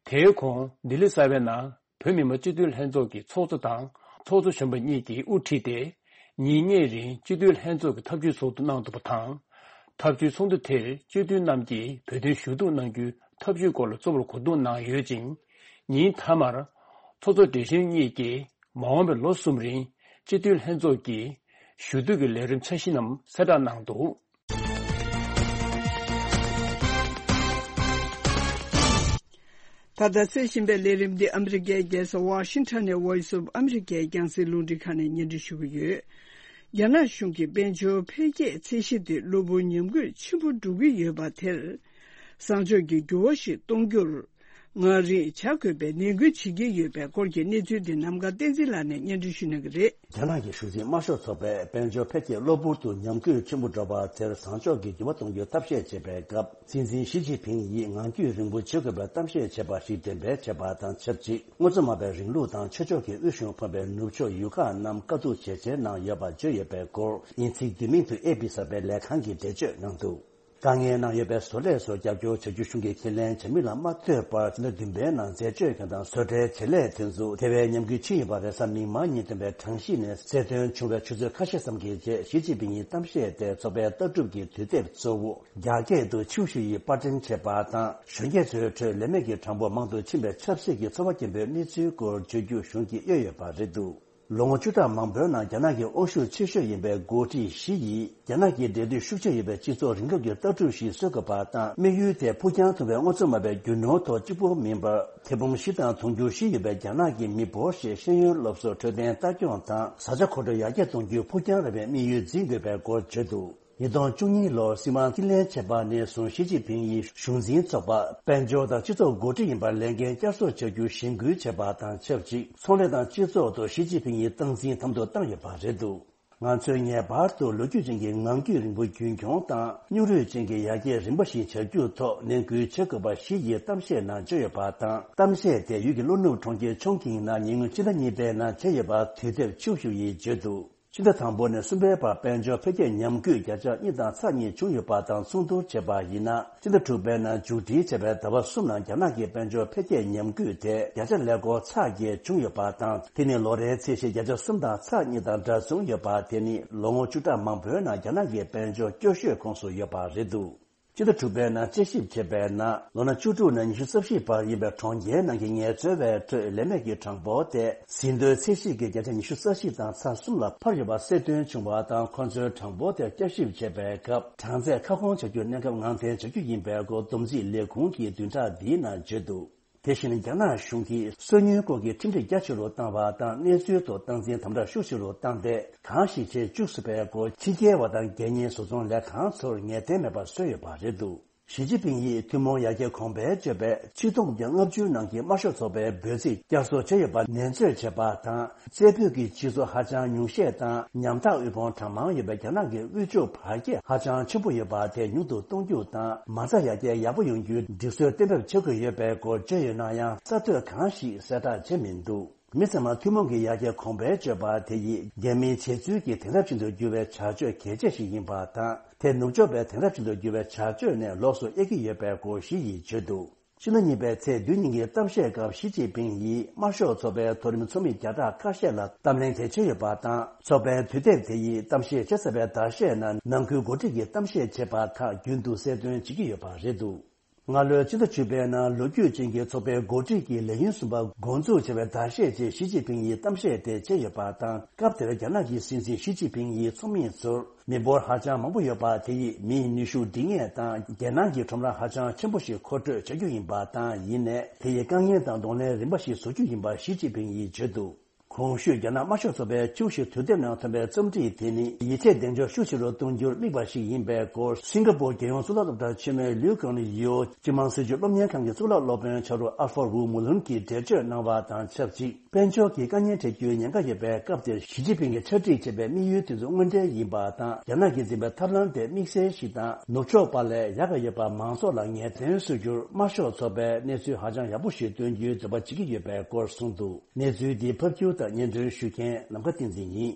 དེའི་གོང་ལྡི་ལི་གསར་པའི་ནང་ བོད་མི་མང་སྤྱི་འཐུས་ལྷན་ཚོགས་ཀྱི་ཚོགས་གཙོ་དང་ཚོགས་གཙོ་གཞོན་པ་གཉིས་ཀྱིས་དབུ་ཁྲིད་དེ། ཉིན་གཉིས་རིང་སྤྱི་འཐུས་ལྷན་ཚོགས་ཀྱི་ཐབས་ཇུས་ཚོགས་འདུ་གནང་འདུག་པ་དང་། ཐབས་ཇུས་ཚོགས་འདུ་དེར་སྤྱི་འཐུས་རྣམས་ཀྱིས་བོད་དོན་ཞུ་གཏུག་གནང་རྒྱུའི་ཐབས་ཇུས་སྐོར་ལ་གཙོ་བོར་གོ་བསྡུར་གནང་ཡོད་ཅིང་། ཉིན་མཐའ་མར་ཚོགས་གཙོ་བགྲེས་གཞོན་གཉིས་ཀྱིས་མ་འོངས་པའི་ལོ་གསུམ་རིང་སྤྱི་འཐུས་ལྷན་ཚོགས་ཀྱི་ཞུ་གཏུག་གི་ལས་རིམ་འཆར་གཞི་རྣམས་གསལ་བསྒྲགས་གནང་འདུག། ད་ལྟ་གསན་བཞིན་པའི་ལས་རིམ་འདི་ཨ་མི་རི་ཀའི་རྒྱལ་ས་ཝ་ཤིང་ཊོན་ནས་Voice of America་རྒྱང་སྲིང་རླུང་འཕྲིན་ཁང་ནས་སྙན་སྒྲོན་ཞུ་གི་ཡོད། རྒྱ་ནག་གཞུང་གིས་དཔལ་འབྱོར་འཕེལ་རྒྱས་ཚད་གཞི་དེ་གློ་བུར་ཉམས་རྒུད་ཆེན་པོ་འགྲོ་གི་ཡོད་པ་དེར། བཟང་ཕྱོགས་ཀྱི་འགྱུར་བ་ཞིག་གཏོང་རྒྱུར། ངང་རིང་བྱ་དགོས་པའི་ནན་སྐུལ་བྱེད་ཀྱི་ཡོད་པའི་སྐོར་གྱི་གནས་ཚུལ་འདི་ནམ་མཁའ་བསྟན་འཛིན་ལགས་ནས་སྙན་སྒྲོན་ཞུ་གནང་གི་རེད། རྒྱ་ནག་གི་གཞུང་འཛིན་དམར་ཤོག་ཚོགས་པས་དཔལ་འབྱོར་འཕེལ་རྒྱས་གློ་བུར་དུ་ཉམས་རྒུད་ཆེན་པོ་འགྲོ་བ་དེར་བཟང་ཕྱོགས་ཀྱི་འགྱུར་བ་གཏོང་རྒྱུའི་ཐབས་ཤེས་བྱེད་པའི་སྐབས། སྲིད་འཛིན་ཞི་ཅིན་ཕིང་ཡིས་ངང་རྒྱུད་རིང་པོ་བྱེད་དགོས་པའི་གཏམ་བཤད་བྱས་པ་ཞིག་འགྲེམས་སྤེལ་བྱས་པ་དང་ཆབས་ཅིག་དངོས་གཙོ་མ་པའི་རིང་ལུགས་དང་ཆོས་ཕྱོགས་ཀྱི་དབུལ་ཞུང་ཕོན་པའི་ནུབ་ཕྱོགས་ཡུལ་ཁག་རྣམས་བཀའ་བསྡུར་ཇེ་ཆེར་གནང་ཡོད་པ་བརྗོད་ཡོད་པའི་སྐོར། དབྱིན་ཚིག་བསྡུས་མིང་དུ་ཨེ་པི་གསར་པའི་ལས་ཁང་གིས་འགྲེལ་བརྗོད་གནང་འདུག། དཀའ་ངལ་གནང་ཡོད་པའི་བཟོ་ལས་སོགས་རྒྱབ་སྐྱོར་བྱ་རྒྱུ་གཞུང་གིས་ཁས་ལེན་བྱ་མུས་ལ་མ་ལྟོས་པར་ཕྱི་ཟླ་བདུན་པའི་ནང་འཛད་སྤྱོད་མཁན་དང་བཟོ་གྲྭའི་བྱེད་ལས་དེ་ཚོ་དེ་བས་ཉམས་རྒུད་ཕྱིན་ཡོད་པ་རེས་གཟའ་མིག་དམར་ཉིན་ཐོན་པའི་གྲངས་གཞི་ནས་གསལ་སྟོན་བྱུང་བའི་ཆུ་ཚོད་ཁ་ཤས་ཙམ་གྱི་རྗེས་ཞི་ཅིན་ཕིང་ཡི་གཏམ་བཤད་དེ་ཚོགས་པའི་ལྟ་གྲུབ་ཀྱི་དུས་དེབ་གཙོ་བོ་རྒྱ་སྐད་དུ་ཆིའུ་ཞུ་ཡིས་པར་སྐྲུན་བྱས་པ་དང་། གཞོན་སྐྱེས་ཚོའི་ཁྲོད་ལས་མེད་ཀྱི་གྲངས་འབོར་མང་དུ་ཕྱིན་པའི་ཆབ་སྲིད་ཀྱི་ཚོར་བ་སྐྱེན་པོའི་གནས་ཚུལ་སྐོར་བརྗོད་རྒྱུ་གཞུང་གིས་གཡོལ་ཡོད་པ་རེད་འདུག། ལོ་ངོ་བཅུ་ཕྲག་མང་པོའི་ནང་རྒྱ་ནག་གི་དབང་ཤུགས་ཆེ་ཤོས་ཡིན་པའི་འགོ་ཁྲིད་ཞི་ཡིས་རྒྱ་ནག་གི་འབྲེལ་མཐུད་ཤུགས་ཆེ་ཡོད་པའི་སྤྱི་ཚོགས་རིང་ལུགས་ཀྱི་ལྟ་གྲུབ་ཞིག་བཟོ་དགོས་པ་དང་། དམིགས་ཡུལ་དེ་ཕུགས་རྒྱང་ཐུང་བའི་དངོས་གཙོ་མ་པའི་རྒྱུ་ནོར་ཐོག་གཅིག་པུ་མིན་པར། ཐེར་འབུམ་བཞི་དང་དུང་ཕྱུར་བཞི་ཡོད་པའི་རྒྱ་ནག་གི་མི་འབོར་ཞེས་ཤེས་ཡོན་སློབ་གསོ་འཕྲོད་བསྟེན་ལྟ་སྐྱོང་དང་བཟའ་བཅའ་མཁོ་སྤྲོད་ཡར་རྒྱས་གཏོང་རྒྱུའི་ཕུགས་རྒྱང་རིང་བའི་དམིགས་ཡུལ་འཛིན་དགོས་པའི་སྐོར་བརྗོད་འདུག། ཉིས་སྟོང་བཅུ་གཉིས་ལོར་སྲིད་དབང་རྩིས་ལེན་བྱས་པ་ནས་བཟུང་ཞི་ཅིན་ཕིང་ཡིས་གཞུང་འཛིན་ཚོགས་པ། དཔལ་འབྱོར་དང་སྤྱི་ཚོགས་འགོ་ཁྲིད་ཡིན་པར་ལས་འགན་བསྐྱར་གསོ་བྱ་རྒྱུ་གཞེན་སྐུལ་བྱས་པ་དང་ཆབས་ཅིག་ཚོང་ལས་དང་སྤྱི་ཚོགས་ཐོག་ཞི་ཅིན་ཕིང་ཡི་སྟངས་འཛིན་དམ་དུ་བཏང་ཡོད་པ་རེད་འདུག། ང་ཚོས་ངེས་པར་དུ་ལོ་རྒྱུས་ཅན་གྱི་ངང་རྒྱུད་རིང་པོ་རྒྱུན་འཁྱོངས་དང་སྙིང་རུས་ཅན་གྱི་ཡར་རྒྱས་རིམ་པ་ཞིག་བྱ་རྒྱུའི་ཐོག་ནན་སྐུལ་བྱེད་དགོས་པ་ཞི་ཡིས་གཏམ་བཤད་ནང་བརྗོད་ཡོད་པ་དང་། གཏམ་བཤད་དེ་ཡུལ་གྱི་ལྷོ་ནུབ་གྲོང་ཁྱེར་ཆོང་ཁིང་ནང་ཉེ་སྔོན་ཕྱི་ཟླ་གཉིས་པའི་ནང་བྱས་ཡོད་པ་དུས་དེབ་ཆིའུ་ཞུ་ཡིས་བརྗོད་འདུག། ཕྱི་ཟླ་དང་པོ་ནས་གསུམ་པའི་བར་དཔལ་འབྱོར་འཕེལ་རྒྱས་ཉམས་རྒུད་བརྒྱ་ཆ་གཉིས་དང་ཚེག་གཉིས་བྱུང་ཡོད་པ་དང་མཚུངས་བསྡུར་བྱས་པ་ཡིན་ན། ཕྱི་ཟླ་དྲུག་པའི་ནང་མཇུག་སྒྲིལ་བྱས་པའི་ཟླ་བ་གསུམ་ནང་རྒྱ་ནག་གི་དཔལ་འབྱོར་འཕེལ་རྒྱས་ཉམས་རྒུད་དེ་བརྒྱ་ཆ་ཀླད་ཀོར་ཚེག་བརྒྱད་བྱུང་ཡོད་པ་དང་། དེ་ནི་ལོ་རེའི་ཚད་གཞི་བརྒྱ་ཆ་གསུམ་དང་ཚེག་གཉིས་དང་འདྲ་བྱུང་ཡོད་པ་དེ་ནི་ལོ་ངོ་བཅུ་ཕྲག་མང་པོའི་ནང་རྒྱ་ནག་གི་དཔལ་འབྱོར་སྐྱོ་ཤོས་ཁོངས་སུ་ཡོད་པ་རེད་འདུག། ཕྱི་ཟླ་དྲུག་པའི་ནང་དཔྱད་ཞིབ་བྱས་པའི་ནང་ལོ་ན་བཅུ་དྲུག་ནས་ཉི་ཤུ་རྩ་བཞི་བར་ཡིན་པའི་གྲོང་ཁྱེར་ནང་གི་ངལ་རྩོལ་བའི་ཁྲོད་ལས་མེད་ཀྱི་གྲངས་འབོར་དེ་ཟིན་ཐོའི་ཚད་གཞི་གི་བརྒྱ་ཆ་ཉི་ཤུ་རྩ་བཞི་དང་ཚེག་གསུམ་ལ་འཕར་ཡོད་པ་གསལ་སྟོན་བྱུང་བ་དང་། ཁོ་ཚོའི་གྲངས་འབོར་དེ་བསྐྱར་ཞིབ་བྱེད་པའི་སྐབས་གྲངས་ཚད་ཁ་སྐོང་བྱ་རྒྱུའི་གནས་སྐབས་ངང་འཐེན་བྱ་རྒྱུ་ཡིན་པའི་སྐོར་བསྡོམས་རྩིས་ལས་ཁུངས་ཀྱི་བདུན་ཕྲག་འདིའི་ནང་བརྗོད་འདུག། དེ་བཞིན་རྒྱ་ནག་གཞུང་གིས་སོ་ཉུལ་སྐོར་གྱི་ཁྲིམས་སྒྲིག་རྒྱ་ཆེ་རུ་བཏང་བ་དང་། གནས་ཚུལ་ཐོག་སྟངས་འཛིན་དམ་དྲག་ཤུགས་ཆེ་རུ་བཏང་སྟེ། གང་ཞིག་བྱེད་བཅུག་སྲིད་པའི་སྐོར་ཕྱི་རྒྱལ་བ་དང་སྒེར་གཉེར་བཟོ་ཚོང་ལས་ཁང་ཚོར་ངེས་གཏན་མེད་པར་བཟོས་ཡོད་པ་རེད་འདུག། ཞི་ཅིན་ཕིང་ཡིས་ཐུན་མོང་ཡར་རྒྱས་གོང་འཕེལ་བརྗོད་པའི་ཆིག་སྟོང་དང་ལྔ་བཅུ་ནང་གི་དམར་ཤོག་ཚོགས་པའི་འབོད་ཚིག་བསྐྱར་གསོ་བྱས་ཡོད་པ་ནན་བརྗོད་བྱས་པ་དང་། རྩེ་ཕུད་ཀྱི་སྤྱི་ཚོགས་ཧ་ཅང་ཉུང་ཤས་དང་ཉམ་ཐག་དབུལ་ཕོངས་གྲངས་མང་ཡོད་པའི་རྒྱ་ནག་གི་དབུལ་ཕྱུག་བར་ཁྱད་ཧ་ཅང་ཆེན་པོ་ཡོད་པ་དེ་ཉུང་དུ་གཏོང་རྒྱུ་དང་། མ་རྩ་ཡར་རྒྱས་ཡག་པོ་ཡོང་རྒྱུའི་སྒྲིག་སྲོལ་གཏན་འབེབས་བྱེད་དགོས་ཡོད་པའི་སྐོར་བརྗོད་ཡོད་ན་ཡང་། གསར་གཏོད་གང་ཞིག་གསལ་བསྒྲགས་བྱས་མི་འདུག། མི་ཚང་མ་ཐུན་མོང་གི་ཡར་རྒྱས་གོང་འཕེལ་བརྗོད་པ་དེ་ཡིས་རྒྱལ་མིའི་བྱེད་ཚུལ་གྱི་དེང་རབས་ཅན་དུ་འགྱུར་བའི་བྱ་སྤྱོད་གལ་ཆེ་ཞིག་ཡིན་པ་དང་། དེ་ནུབ་ཕྱོགས་པའི་དེང་རབས་ཅན་དུ་འགྱུར་བའི་བྱ་སྤྱོད་ནས་ལོགས་སུ་དབྱེ་གི་ཡོད་པའི་སྐོར་ཞི་ཡིས་བརྗོད་འདུག། ཕྱི་ཟླ་གཉིས་པའི་ཚེས་བདུན་ཉིན་གྱི་གཏམ་བཤད་སྐབས་ཞི་ཅིན་ཕིང་ཡིས་དམར་ཤོག་ཚོགས་པའི་མཐོ་རིམ་ཚོགས་མི་བརྒྱ་ཕྲག་ཁ་ཤས་ལ་གཏམ་གླེང་གལ་ཆེ་ཡོད་པ་དང་། ཚོགས་པའི་དུས་དེབ་དེ་ཡིས་གཏམ་བཤད་བྱས་ཚར་བའི་ཟླ་ཤས་ནང་ནང་ཁུལ་འགོ་ཁྲིད་ཀྱིས་གཏམ་བཤད་བྱས་པ་ཁག་རྒྱུན་དུ་གསལ་སྟོན་བྱེད་ཀྱི་ཡོད་པ་རེད་འདུག། སྔ་ལོའི་ཕྱི་ཟླ་བཅུ་པའི་ནང་ལོ་རྒྱུས་ཅན་གྱི་ཚོགས་པའི་འགོ་ཁྲིད་ཀྱི་ལས་ཡུན་གསུམ་པ་འགོ་འཛུགས་བྱས་པའི་ཟླ་ཤས་རྗེས་ཞི་ཅིན་ཕིང་ཡིས་གཏམ་བཤད་དེ་བྱས་ཡོད་པ་དང་། སྐབས་དེར་རྒྱ་ནག་གི་སྲིད་འཛིན་ཞི་ཅིན་ཕིང་ཡིས་ཚོགས་མི་ཚོར། མི་འབོར་ཧ་ཅང་མང་པོ་ཡོད་པ་དེ་ཡིས་མིའི་ནུས་ཤུགས་སྒྲིག་ངེས་དང་། རྒྱལ་ནང་གི་ཁྲོམ་ར་ཧ་ཅང་ཆེན་པོ་ཞིག་མཁོ་སྤྲོད་བྱ་རྒྱུ་ཡིན་པ་དང་། ཡིན་ནའི་དེ་ཡིས་དཀའ་ངལ་དང་གདོང་ལེན་རིམ་པ་ཞིག་བཟོ་རྒྱུ་ཡིན་པ་ཞི་ཅིན་ཕིང་ཡིས་བརྗོད་འདུག། གོང་ཞུས་རྒྱ་ནག་དམར་ཤོག་ཚོགས་པའི་ཆིའུ་ཞི་དུས་དེབ་ནང་ཐོན་པའི་རྩོམ་སྒྲིག་དེ་ནི་ཡིད་ཆེས་གདེང་འཇོག་ཤུགས་ཆེ་རུ་གཏོང་རྒྱུར་དམིགས་པ་ཞིག་ཡིན་པའི་སྐོར། སིང་ག་པོར་རྒྱལ་ཡོངས་གཙུག་ལག་སློབ་གྲྭ་ཆེན་མོའི་ལིའུ་ཀང་ཡིའོ་སྤྱི་དམངས་སྲིད་བྱུས་སློབ་གཉེར་ཁང་གི་གཙུག་ལག་སློབ་དཔོན་ཕྱག་རོགས་ཨལ་ཧྥ་རུ་མུ་ལུན་གྱིས་འགྲེལ་བརྗོད་གནང་བ་དང་ཆབས་ཅིག། དཔལ་འབྱོར་གྱི་དཀའ་ངལ་འཕྲད་རྒྱུའི་ཉེན་ཁ་ཡོད་པའི་སྐབས་དེར་ཞི་ཅིན་ཕིང་གིས་ཕྱག་བྲིས་བྱས་པའི་དམིགས་ཡུལ་དེ་ཚོ་དངོས་འབྲེལ་ཡིན་པ་དང་། རྒྱ་ནག་གིས་འཛིན་པའི་ཐབས་ལམ་དེ་དམིགས་བསལ་ཞིག་དང་། ནུབ་ཕྱོགས་པ་ལས་ཡག་ག་ཡོད་པ་མང་ཚོགས་ལ་ངེས་གཏན་བཟོ་རྒྱུར་དམར་ཤོག་ཚོགས་པས་གནས་ཚུལ་ཧ་ཅང་ཡག་པོ་ཞིག་སྟོན་རྒྱུའི་འདོད་པ་བྱེད་ཀྱི་ཡོད་པའི་སྐོར་གསུངས་འདུག། གནས་ཚུལ་འདི་ཕབ་སྒྱུར་དང་སྙན་སྒྲོན་ཞུ་མཁན་ནམ་མཁའ་བསྟན་འཛིན་ཡིན།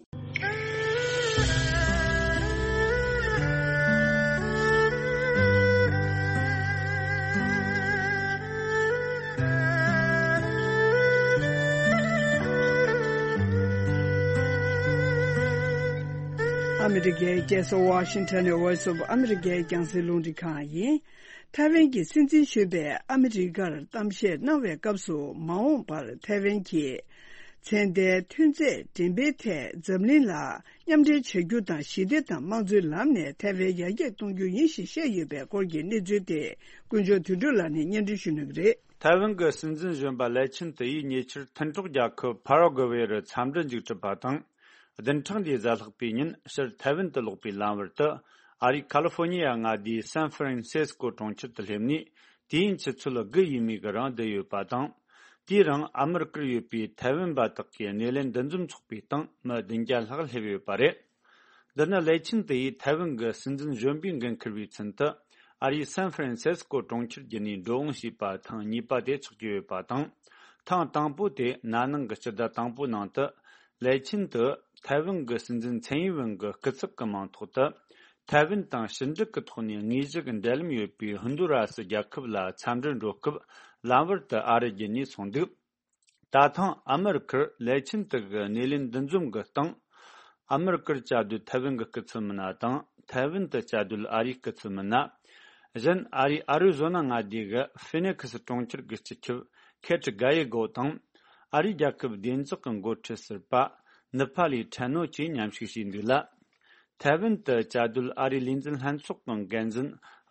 ཨ་མི་རི་ཀའི་རྒྱལ་ས་ཝ་ཤིང་ཊོན་ནས་Voice of America་རྒྱང་སྲིང་རླུང་འཕྲིན་ཁང་ཡིན། ཐའེ་ཝན་གྱི་སྲིད་འཛིན་གཞོན་པས་ཨ་མི་རི་ཀར་གཏམ་བཤད་གནང་བའི་སྐབས་སུ། མ་འོངས་པར་ཐའེ་ཝན་གྱི་ཚན་རྩལ་ཐོན་རྫས་འགྲེམས་སྤེལ་ཐད་འཛམ་གླིང་ལ་མཉམ་འབྲེལ་བྱ་རྒྱུ་དང་། ཞི་བདེ་དང་དམངས་གཙོའི་ལམ་ནས་ཐའེ་ཝན་ཡར་རྒྱས་གཏོང་རྒྱུ་ཡིན་ཞེས་བཤད་ཡོད་པའི་སྐོར་གྱི་གནས་ཚུལ་དེ་ཀུན་མཆོག་དོན་གྲུབ་ལགས་ནས་སྙན་སྒྲོན་ཞུ་གནང་གི་རེད། ཐའེ་ཝན་གྱི་སྲིད་འཛིན་གཞོན་པ་ལའེ་ཆིན་ཏི་ཡིས་ཉེ་ཆར་མཐུན་གྲོགས་རྒྱལ་ཁབ་ཕ་ར་གུ་ཝེ་རུ་འཚམས་འདྲི་མཇུག་གྲུབ་པ་དང་། བདུན་ཕྲག་འདིའི་གཟའ་ལྷག་པའི་ཉིན་ཕྱིར་ཐའེ་ཝན་དུ་ལོག་པའི་ལམ་བར་དུ། ཨ་རིའི་ཁ་ལི་ཧྥོ་ནི་ཡ་མངའ་སྡེའི་སན་ཧྥ་རན་སི་སྐོ་གྲོང་ཁྱེར་དུ་སླེབས་ནས། དུས་ཡུན་ཆུ་ཚོད་དགུ་ཡས་མས་ཀྱི་རིང་བསྡད་ཡོད་པ་དང་། དེའི་རིང་ཨ་མི་རི་ཀར་ཡོད་པའི་ཐའེ་ཝན་པ་དག་གི་སྣེ་ལེན་འདུ་འཛོམས་ཚོགས་པའི་སྟེང་མི་བདུན་བརྒྱ་ལྷག་སླེབས་ཡོད་པ་རེད། འདི་ནི་ལའེ་ཆིན་ཏི་ཡིས་ཐའེ་ཝན་གྱི་སྲིད་འཛིན་གཞོན་པའི་འགན་འཁུར་བའི་ཚུན་དུ། ཨ་རིའི་སན་ཧྥ་རན་སི་སྐོ་གྲོང་ཁྱེར་བརྒྱུད་ནས་འགྲོ་འོང་བྱས་པ་ཐེངས་གཉིས་པ་དེ་ཆགས་ཀྱི་ཡོད་པ་དང་། ཐེངས་དང་པོ་དེ་ན་ནིང་གི་སྤྱི་ཟླ་དང་པོའི་ནང་དུ། ལའེ་ཆིན་ཏི་ཐའེ་ཝན་གྱི་སྲིད་འཛིན་ཚན་ཡིན་ཝེན་གྱི་སྐུ་ཚབ་ཀྱི་མིང་ཐོག་ཏུ། ཐའེ་ཝན་དང་ཕྱི་འབྲེལ་གྱི་ཐོག་ནས་དངོས་གཞི་གི་འབྲེལ་ལམ་ཡོད་པའི་ཧུན་དུ་ར་སི་རྒྱལ་ཁབ་ལ་འཚམས་འདྲིར་འགྲོ་སྐབས་ལམ་བར་དུ་ཨ་རི་བརྒྱུད་ནས་སོང་འདུག། ད་ཐེངས་ཨ་མི་རི་ཀར་ལའེ་ཆིན་ཏི་གི་སྣེ་ལེན་འདུ་འཛོམས་ཀྱི་སྟེང་། ཨ་མི་རི་ཀར་བཅའ་སྡོད་ཐའེ་ཝན་གྱི་སྐུ་ཚབ་མི་སྣ་དང་། ཐའེ་ཝན་དུ་བཅའ་སྡོད་ཨ་རིའི་སྐུ་ཚབ་མི་སྣ། གཞན་ཨ་རིའི་ཨ་རི་ཟོ་ན་མངའ་སྡེ་གི་ཧྥི་ནེ་ཁི་སི་གྲོང་ཁྱེར་གྱི་སྤྱི་ཁྱབ་ཁེ་ཏྲི་ག་ཡེ་གོ་དང་། ཨ་རིའི་རྒྱལ་ཁབ་བདེ་འཇགས་ཀྱི་འགོ་ཁྲིད་ཟུར་པ་ནི་ཕ་ལི་ཁྲེན་ནོ་བཅས་མཉམ་ཞུགས་བྱས་འདུག་ལ། ཐའེ་ཝན་དུ་བཅའ་སྡོད་ཨ་རིའི་ལས་འཛིན་ལྷན་ཚོགས་ཀྱི་འགན་འཛིན་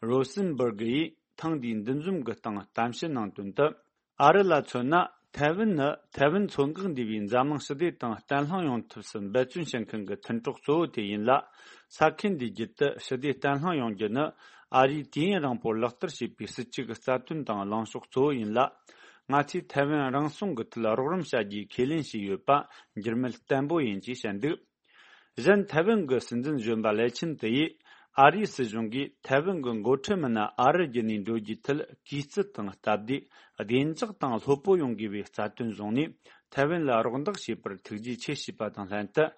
རོ་སིན་བར་གི་ཡིས་ཐེངས་འདིའི་འདུ་འཛོམས་ཀྱི་སྟེང་གཏམ་བཤད་གནང་དོན་དུ། ཨ་རི་ལ་མཚོན་ན། ཐའེ་ཝན་ནི་ཐའེ་ཝན་མཚོ་འགག་འདུས་པའི་འཛམ་གླིང་ཞི་བདེ་དང་བརྟན་ལྷིང་ཡོང་ཐབས་སུ་འབད་བརྩོན་བྱེད་མཁན་གྱི་མཐུན་གྲོགས་གཙོ་བོ་དེ་ཡིན་ལ། ས་ཁུལ་འདིའི་རྒྱུད་དུ་ཞི་བདེ་བརྟན་ལྷིང་ཡོང་རྒྱུ་ནི། ཨ་རིས་དུས་ཡུན་རིང་པོར་ལག་བསྟར་བྱས་པའི་སྲིད་ཇུས་ཀྱི་རྩ་དོན་དང་ལངས་ཕྱོགས་གཙོ་བོ་ཡིན་ལ། ང་ཚོས་ཐའེ་ཝན་རང་སྲུང་གི་ཐད་རོགས་རམ་བྱ་རྒྱུའི་ཁས་ལེན་བྱས་ཡོད་པ་འགྱུར་མེད་བརྟན་པོ་ཡིན་ཅེས་བཤད་འདུག། གཞན་ཐའེ་ཝན་གྱི་སྲིད་འཛིན་གཞོན་པ་ལའེ་ཆིན་ཏི་ཡིས། ཨ་རིའི་སྲིད་གཞུང་གིས་ཐའེ་ཝན་གྱི་འགོ་ཁྲིད་མི་སྣ་ཨ་རི་བརྒྱུད་ནས་འགྲོ་རྒྱུའི་ཐད་གུས་བརྩི་དང་སྟབས་བདེ། བདེ་འཇགས་དང་ལྷོད་པོ་ཡོང་དགོས་པའི་རྩ་དོན་བཟུང་ནས། ཐའེ་ཝན་ལ་རོགས་འདེགས་བྱས་པར་ཐུགས་རྗེ་ཆེ་ཞུས་པ་དང་ལྷན་དུ།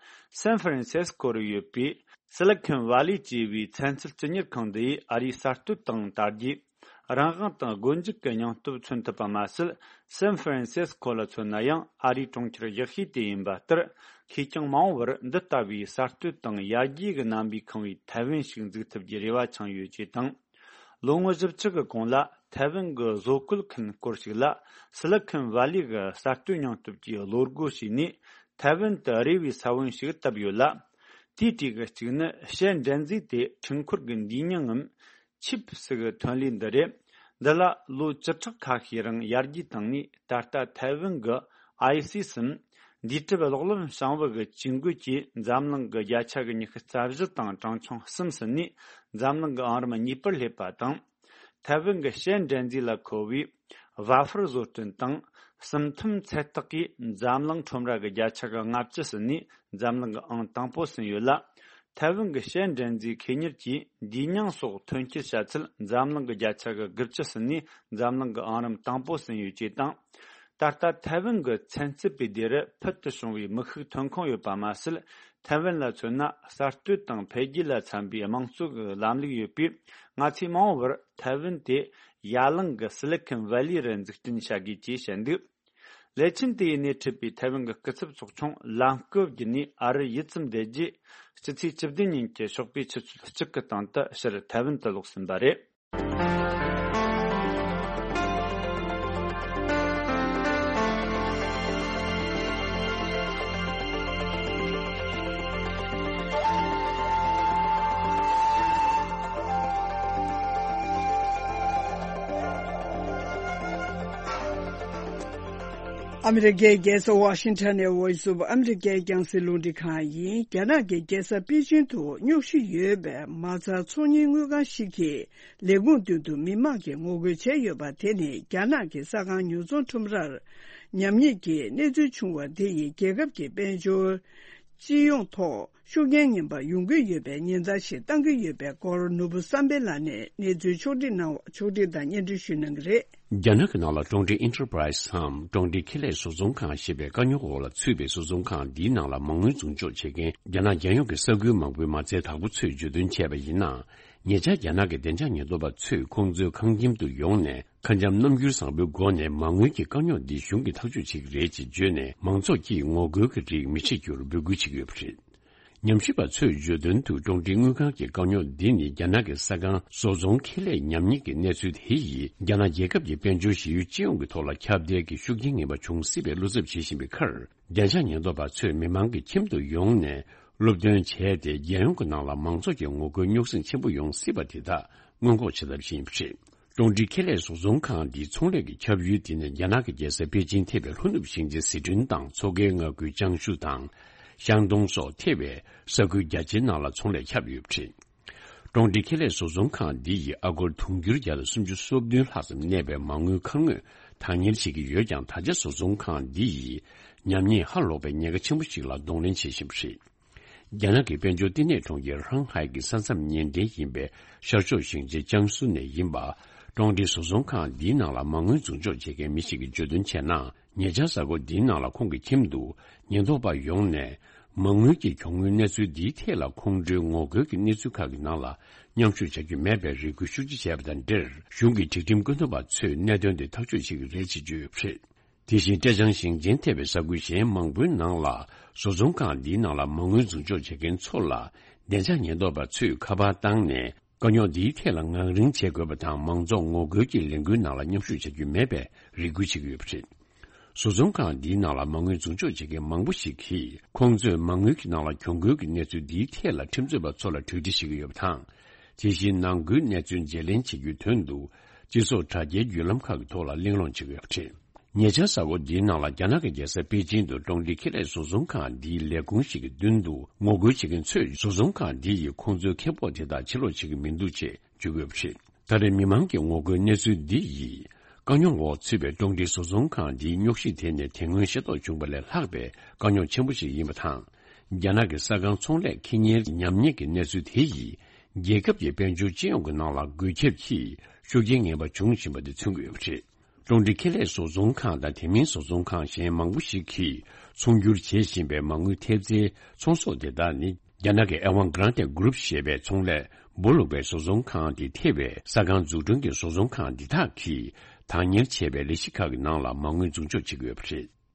སན་ཧྥ་རན་སི་སྐོ་རུ་ཡོད་པའི་སི་ལི་ཁོན་ཝ་ལི་ཅེས་པའི་ཚན་རྩལ་སྤྱི་གཉེར་ཁང་འདི་ཡིས་ཨ་རིའི་གསར་གཏོད་དང་དར་རྒྱས། རང་དབང་དང་སྒོ་འབྱེད་ཀྱི་སྙིང་སྟོབས་མཚོན་ཐུབ་པ་མ་ཟད། སན་ཧྥ་རན་སི་སྐོ་ལ་མཚོན་ན་ཡང་ཨ་རིའི་གྲོང་ཁྱེར་གཞི་ཤོས་དེ་ཡིན་པ་ལྟར། ཁེར་རྐྱང་མ་འོངས་པར་འདི་ལྟ་བུའི་གསར་གཏོད་དང་ཡར་རྒྱས་ཀྱི་རྣམ་པས་ཁེངས་པའི་ཐའེ་ཝན་ཞིག་འཛུགས་ཐུབ་རྒྱུའི་རེ་བ་འཆང་ཡོད་ཅེས་དང་། ལོ་ངོ་བཞི་བཅུ་གི་གོང་ལ་ཐའེ་ཝན་གྱི་བཟོ་བཀོད་མཁན་སྐོར་ཞིག་ལ་སི་ལི་ཁོན་ཝ་ལི་གི་གསར་གཏོད་སྙིང་སྟོབས་ཀྱིས་བློ་སྒོ་ཕྱེས་ནས། ཐའེ་ཝན་དུ་རེ་བའི་ས་བོན་ཞིག་བཏབ་ཡོད་ལ། དེའི་གྲས་ཀྱི་གཅིག་ནི་བྱེ་འབྲེལ་མཛེས་ཏེ་འཕྲུལ་འཁོར་གྱི་འདུས་མྱིང་ངམ། ཆིབ་སི་གི་ཐོན་ལས་འདི་རེད། འདི་ལ་ལོ་བཅུ་ཕྲག་ཁ་ཤས་རིང་ཡར་རྒྱས་བཏང་ནས། ད་ལྟ་ཐའེ་ཝན་གྱི་ཨའི་སི་སམ། འདས་གྲུབ་གློག་ལམ་བྱང་བུ་གི་ཇུས་འགོད་ཀྱིས་འཛམ་གླིང་གི་བརྒྱ་ཆ་གི་ཉི་ཤུ་རྩ་བཞི་དང་གྲངས་ཆུང་གསུམ་ཟིན་ནས། འཛམ་གླིང་གི་ཨང་རིམ་གཉིས་པར་སླེབས་པ་དང་། ཐའེ་ཝན་གྱི་བྱེ་འབྲེལ་མཛེས་ལ་མཁོ་བའི་ཝ་ཧྥར་བཟོ་སྐྲུན་དང་། སུམ་ཐུམ་ཚད་བརྟག་གིས་འཛམ་གླིང་ཁྲོམ་ར་གི་བརྒྱ་ཆ་གི་ལྔ་བཅུ་ཟིན་ནས། འཛམ་གླིང་གི་ཨང་དང་པོ་ཟིན་ཡོད་ལ། ཐའེ་ཝན་གྱི་བྱེ་འབྲེལ་མཛེས་ཁེ་གཉེར་གྱིས་འདུས་མྱིང་སོགས་ཐོན་སྐྱེད་བྱ་ཚད་འཛམ་གླིང་གི་བརྒྱ་ཆ་གི་དགུ་བཅུ་ཟིན་ནས། འཛམ་གླིང་གི་ཨང་རིམ་དང་པོ་ཟིན་ཡོད་ཅེས་དང་། ད་ལྟ་ཐའེ་ཝན་གྱི་ཚན་རྩལ་སྤེལ་སྡེ་རུ་ཕུལ་དུ་བྱུང་བའི་མི་ཤུགས་ཐོན་ཁུངས་ཡོད་པ་མ་ཟད། ཐའེ་ཝན་ལ་མཚོན་ན། གསར་གཏོད་དང་འཕེལ་རྒྱས་ལ་འཚམ་པའི་དམངས་གཙོ་གི་ལམ་ལུགས་ཡོད་པས། ང་ཚོས་མ་འོངས་པར་ཐའེ་ཝན་དེ་ཡ་གླིང་གི་སི་ལི་ཁོན་ཝེ་ལི་རུ་འཛུགས་སྐྲུན་བྱ་དགོས་ཅེས་བཤད་འདུག། ལེ་ཆིན་དེའི་སྣེ་ཁྲིད་པའི་ཐའེ་ཝན་གྱི་སྐུ་ཚབ་ཚོགས་ཆུང་ལམ་སྐབས་བརྒྱུད་ནས་ཨ་རིར་ཡུད་ཙམ་བསྡད་རྗེས། སྤྱི་ཚེས་བཅུ་བདུན་ཉིན་གྱི་ཞོགས་པའི་ཆུ་ཚོད་གཅིག་གི་སྟེང་དུ་ཕྱིར་ཐའེ་ཝན་དུ་ལོག་ཟིན་པ་རེད། ཨ་མི་རི་ཀའི་རྒྱལ་ས་ཝ་ཤིང་ཊོན་ནས་Voice of America་རྒྱང་སྲིང་རླུང་འཕྲིན་ཁང་ཡིན། རྒྱ་ནག་གི་རྒྱལ་ས་པེ་ཅིང་དུ་རྙོག་ཞི་ཡོད་པའི་མ་རྩ་ཚོང་གཉེར་དངུལ་ཁང་ཞིག་གིས། ལས་ཁུངས་མདུན་དུ་མི་མང་གིས་ངོ་རྒོལ་བྱས་ཡོད་པ་དེ་ནི། རྒྱ་ནག་གི་ས་ཁང་ཉོ་ཚོང་ཁྲོམ་རར་ཉམས་ཉེས་ཀྱི་གནས་ཚུལ་བྱུང་བ་དེ་ཡིས། རྒྱལ་ཁབ་ཀྱི་དཔལ་འབྱོར་སྤྱི་ཡོངས་ཐོག་ཤུགས་རྐྱེན་ངན་པ་ཡོང་གི་ཡོད་པའི་ཉེན་བརྡ་ཞིག་བཏང་གི་ཡོད་པའི་སྐོར། ནོར་བུ་བསམ་འཕེལ་ལགས་ནས་གནས་ཚུལ་ཕྱོགས་སྒྲིག་གནང་བ། ཕྱོགས་སྒྲིག་དང་སྙན་སྒྲོན་ཞུ་གནང་གི་རེད། རྒྱ་ནག་གི་ནང་ལ་ཀྲུང་ཀྲིང་ཨིན་ཊར་པ་རའི་སི་འམ་ཀྲུང་ཀྲིང་ཁེ་ལས་བཟོ་ཚོང་ཁང་ཞེས་པའི་དཀའ་རྙོག་འོག་ལ་ཚུད་པའི་བཟོ་ཚོང་ཁང་འདིའི་ནང་ལ་མ་དངུལ་འཛུགས་འཇོག་བྱེད་མཁན་རྒྱ་ནག་རྒྱལ་ཡོངས་ཀྱི་ས་ཁུལ་མང་པོའི་མ་རྩའི་བདག་པོ་ཚོས་བརྗོད་དོན་བྱས་པ་ཡིན་ན། ཉེ་ཆར་རྒྱ་ནག་གི་བདེ་འཇགས་ཉེན་རྟོག་པ་ཚོས་ཁོང་ཚོའི་ཁང་ཁྱིམ་དུ་ཡོང་ནས། ཁ་འཆམ་རྣམ་འགྱུར་བཟང་པོའི་སྒོ་ནས་མ་དངུལ་གྱི་དཀའ་རྙོག་འདི་གཞུང་གིས་ཐག་གཅོད་བྱེད་ཀྱི་རེད་ཅེས་བརྗོད་ནས། མང་ཚོགས་ཀྱིས་ངོ་རྒོལ་གྱི་རིགས་མི་བྱེད་རྒྱུར་འབོད་སྐུལ་བྱེད་ཀྱི་ཡོད་པ་རེད། ཉམས་ཞིབ་པ་ཚོས་བརྗོད་དོན་དུ་ཀྲུང་ཀྲིང་དངུལ་ཁང་གི་དཀའ་རྙོག་འདི་ནི་རྒྱ་ནག་གི་ས་ཁང་བཟོ་ཚོང་ཁེ་ལས་ཉམས་ཉེས་ཀྱི་གནས་ཚུལ་དེ་ཡིས་རྒྱ་ནག་རྒྱལ་ཁབ་ཀྱི་དཔལ་འབྱོར་ཞི་ཡུལ་སྤྱི་ཡོངས་ཀྱི་ཐོག་ལ་ཁྱབ་གདལ་གྱི་ཤུགས་རྐྱེན་ངན་པ་འབྱུང་སྲིད་པའི་བློ་འཚབ་བྱེད་བཞིན་པའི་ཁར། བདེ་འཇགས་ཉེན་རྟོག་པ་ཚོས་མི་མང་གི་ཁྱིམ་དུ་ཡོང་ནས་སློབ་སྟོན་བྱས་ཏེ། རྒྱལ་ཡོངས་ཀྱི་ནང་ལ་མང་ཚོགས་ཀྱི་ངོ་རྒོལ་རྙོག་ཟིང་ཆེན་པོ་ཡོང་སྲིད་པ་དེ་དག་སྔོན་འགོག་བྱེད་ཐབས་ཤིག་ཡིན་པ་རེད། ཀྲུང་ཀྲིང་ཁེ་ལས་བཟོ་ཚོང་ཁང་འདིའི་ཚོང་ལས་ཀྱི་ཁྱབ་ཡུལ་དེ་ནི་རྒྱ་ནག་གི་རྒྱལ་ས་པེ་ཅིང་ཐེ་བའི་ལྷོ་ནུབ་ཞིང་ཆེན་ཟི་ཁྲོན་དང་མཚོ་ཁའི་མངའ་ཁུལ་ཅང་ཞུ་དང་ཤང་ཏུང་སོགས་ཐེ་བའི་ས་ཁུལ་རྒྱ་ཆེའི་ནང་ལ་ཚོང་ལས་ཁྱབ་ཡོད་པ་རེད། ཀྲུང་ཀྲིང་ཁེ་ལས་བཟོ་ཚོང་ཁང་འདི་ཡིས་ཨ་སྒོར་དུང་ཕྱུར་བརྒྱ་དང་སུམ་ཅུ་སོ་བདུན་ལྷག་ཙམ་གནས་པའི་མ་དངུལ་ཁ་སྔོན་བདག་གཉེར་བྱེད་ཀྱི་ཡོད་ཀྱང་། ད་ཆ་བཟོ་ཚོང་ཁང་འདི་ཡིས་ཉམས་ཉེས་ཧ་ལོག་པའི་ཉེན་ཁ་ཆེན་པོ་ཞིག་ལ་གདོང་ལེན་བྱེད་བཞིན་པ་རེད། རྒྱ་ནག་གི་དཔལ་འབྱོར་བསྟི་གནས་གྲོང་ཁྱེར་ཧྲང་ཧའེ་གི་ས་མཚམས་ཉེ་འབྲེལ་ཡིན་པའི་ཤར་ཕྱོགས་ཞིང་ཆེན་ཅང་སུ་ནས་ཡིན་པ། ཀྲུང་ཀྲིང་བཟོ་ཚོང་ཁང་འདིའི་ནང་ལ་མ་དངུལ་འཛུགས་འཇོག་བྱེད་མཁན་མི་ཞིག་གིས་བརྗོད་དོན་བྱས་ན། ཉེ་ཆར་གཟའ་འཁོར་འདིའི་ནང་ལ་ཁོང་གི་ཁྱིམ་དུ་ཉེན་རྟོག་པ་ཡོང་ནས། མ་དངུལ་གྱི་གྱོང་ངོའི་གནས་ཚུལ་འདིའི་ཐད་ལ་ཁོང་ཁྲོའི་ངོ་རྒོལ་གྱི་གནས་ཚུལ་ཁག་གི་ནང་ལ་མཉམ་ཞུགས་བྱ་རྒྱུ་མེད་པའི་རེ་སྐུལ་ཤུགས་ཆེ་བྱས་པ་དང་འབྲེལ། གཞུང་གི་སྒྲིག་ཁྲིམས་བཀོད་འདོམས་པ་ཚོས་གནད་དོན་དེ་ཐག་གཅོད་བྱེད་ཀྱི་རེད་ཅེས་བརྗོད་ཡོད་པ་རེད། དེ་བཞིན་ཀྲེ་ཅང་ཞིང་ཆེན་ཐེ་བའི་ས་ཁུལ་གཞན་མང་པོའི་ནང་ལ་བཟོ་ཚོང་ཁང་འདིའི་ནང་ལ་མ་དངུལ་འཛུགས་འཇོག་བྱེད་མཁན་ཚོ་ལ་བདེ་འཇགས་ཉེན་རྟོག་པ་ཚོས་ཁ་པར་བཏང་ནས། དཀའ་རྙོག་འདིའི་ཐད་ལ་ངང་རིང་བྱེད་དགོས་པ་དང་། མང་ཚོགས་ངོ་རྒོལ་གྱི་ལས་འགུལ་ནང་ལ་མཉམ་ཞུགས་བྱ་རྒྱུ་མེད་པའི་རེ་སྐུལ་བྱེད་ཀྱི་ཡོད་པ་རེད། བཟོ་ཚོང་ཁང་འདིའི་ནང་ལ་མ་དངུལ་འཛུགས་འཇོག་བྱེད་མཁན་མང་པོ་ཞིག་གིས། ཁོང་ཚོས་མ་དངུལ་གྱི་ནང་ལ་གྱོང་གུན་གྱི་གནས་ཚུལ་འདིའི་ཐད་ལ་ཁྲིམས་རྩོད་པ་ཚོ་ལ་གྲོས་འདྲི་བྱེད་ཀྱི་ཡོད་པ་དང་། དེ་བཞིན་ནང་ཁུལ་གནས་ཚུལ་བརྗེ་ལེན་བྱེད་རྒྱུའི་དོན་དུ། སྤྱི་ཚོགས་དྲ་རྒྱའི་བརྒྱུད་ལམ་ཁག་གི་ཐོག་ལ་གླེང་སློང་བྱེད་ཀྱི་ཡོད་པ་རེད། ཉེ་ཆར་གཟའ་འཁོར་འདིའི་ནང་ལ་རྒྱ་ནག་གི་རྒྱལ་ས་པེ་ཅིང་དུ་ཀྲུང་ཀྲིང་ཁེ་ལས་བཟོ་ཚོང་ཁང་འདིའི་ལས་ཁུངས་ཤིག་གི་མདུན་དུ་ངོ་རྒོལ་བྱེད་མཁན་ཚོས་བཟོ་ཚོང་ཁང་འདི་ཡིས་ཁོང་ཚོའི་ཁེ་སྤོགས་དེ་དག་ཕྱིར་སློག་བྱེད་ཀྱི་མི་འདུག་ཅེས་བརྗོད་ཡོད་པ་རེད། ད་རེས་མི་མང་གི་ངོ་རྒོལ་གནས་ཚུལ་འདི་ཡིས། དཀའ་རྙོག་འོག་ཚུད་པའི་ཀྲུང་ཀྲིང་བཟོ་ཚོང་ཁང་འདིའི་རྙོག་གཞི་དེ་ནི་དེ་སྔོན་ཤེས་རྟོགས་བྱུང་བ་ལས་ལྷག་པའི་དཀའ་རྙོག་ཆེན་པོ་ཞིག་ཡིན་པ་དང་། རྒྱ་ནག་གི་ས་ཁང་ཚོང་ལས་ཁེ་གཉེར་ཉམས་ཉེས་ཀྱི་གནས་ཚུལ་དེ་ཡིས། རྒྱལ་ཁབ་ཀྱི་དཔལ་འབྱོར་སྤྱི་ཡོངས་ཀྱི་ནང་ལ་འགོས་ཁྱབ་ཀྱིས་ཤུགས་རྐྱེན་ངན་པ་འབྱུང་བཞིན་པ་དེ་མཚོན་གྱི་ཡོད་པ་རེད། ཀྲུང་ཀྲིང་ཁེ་ལས་བཟོ་ཚོང་ཁང་དང་། དེ་མིན་བཟོ་ཚོང་ཁང་གཞན་མང་པོ་ཞིག་གིས་ཚོང་སྒྱུར་བྱེད་བཞིན་པའི་མ་དངུལ་ཐེབས་རྩའི་ཚོང་ཟོག་དེ་དག་ནི། རྒྱ་ནག་གི་Evergrande Group ཞེས་པའི་ཚོང་ལས་སྦོ་ལུག་པའི་བཟོ་ཚོང་ཁང་དེ་ཐེ་བའི་ས་ཁང་འཛུགས་སྐྲུན་གྱི་བཟོ་ཚོང་ཁང་འདི་དག་གིས་བདག་གཉེར་བྱས་པའི་ལས་གཞི་ཁག་གི་ནང་ལ་མ་དངུལ་འཛུགས་འཇོག་བྱེད་ཀྱི་ཡོད་པ་རེད།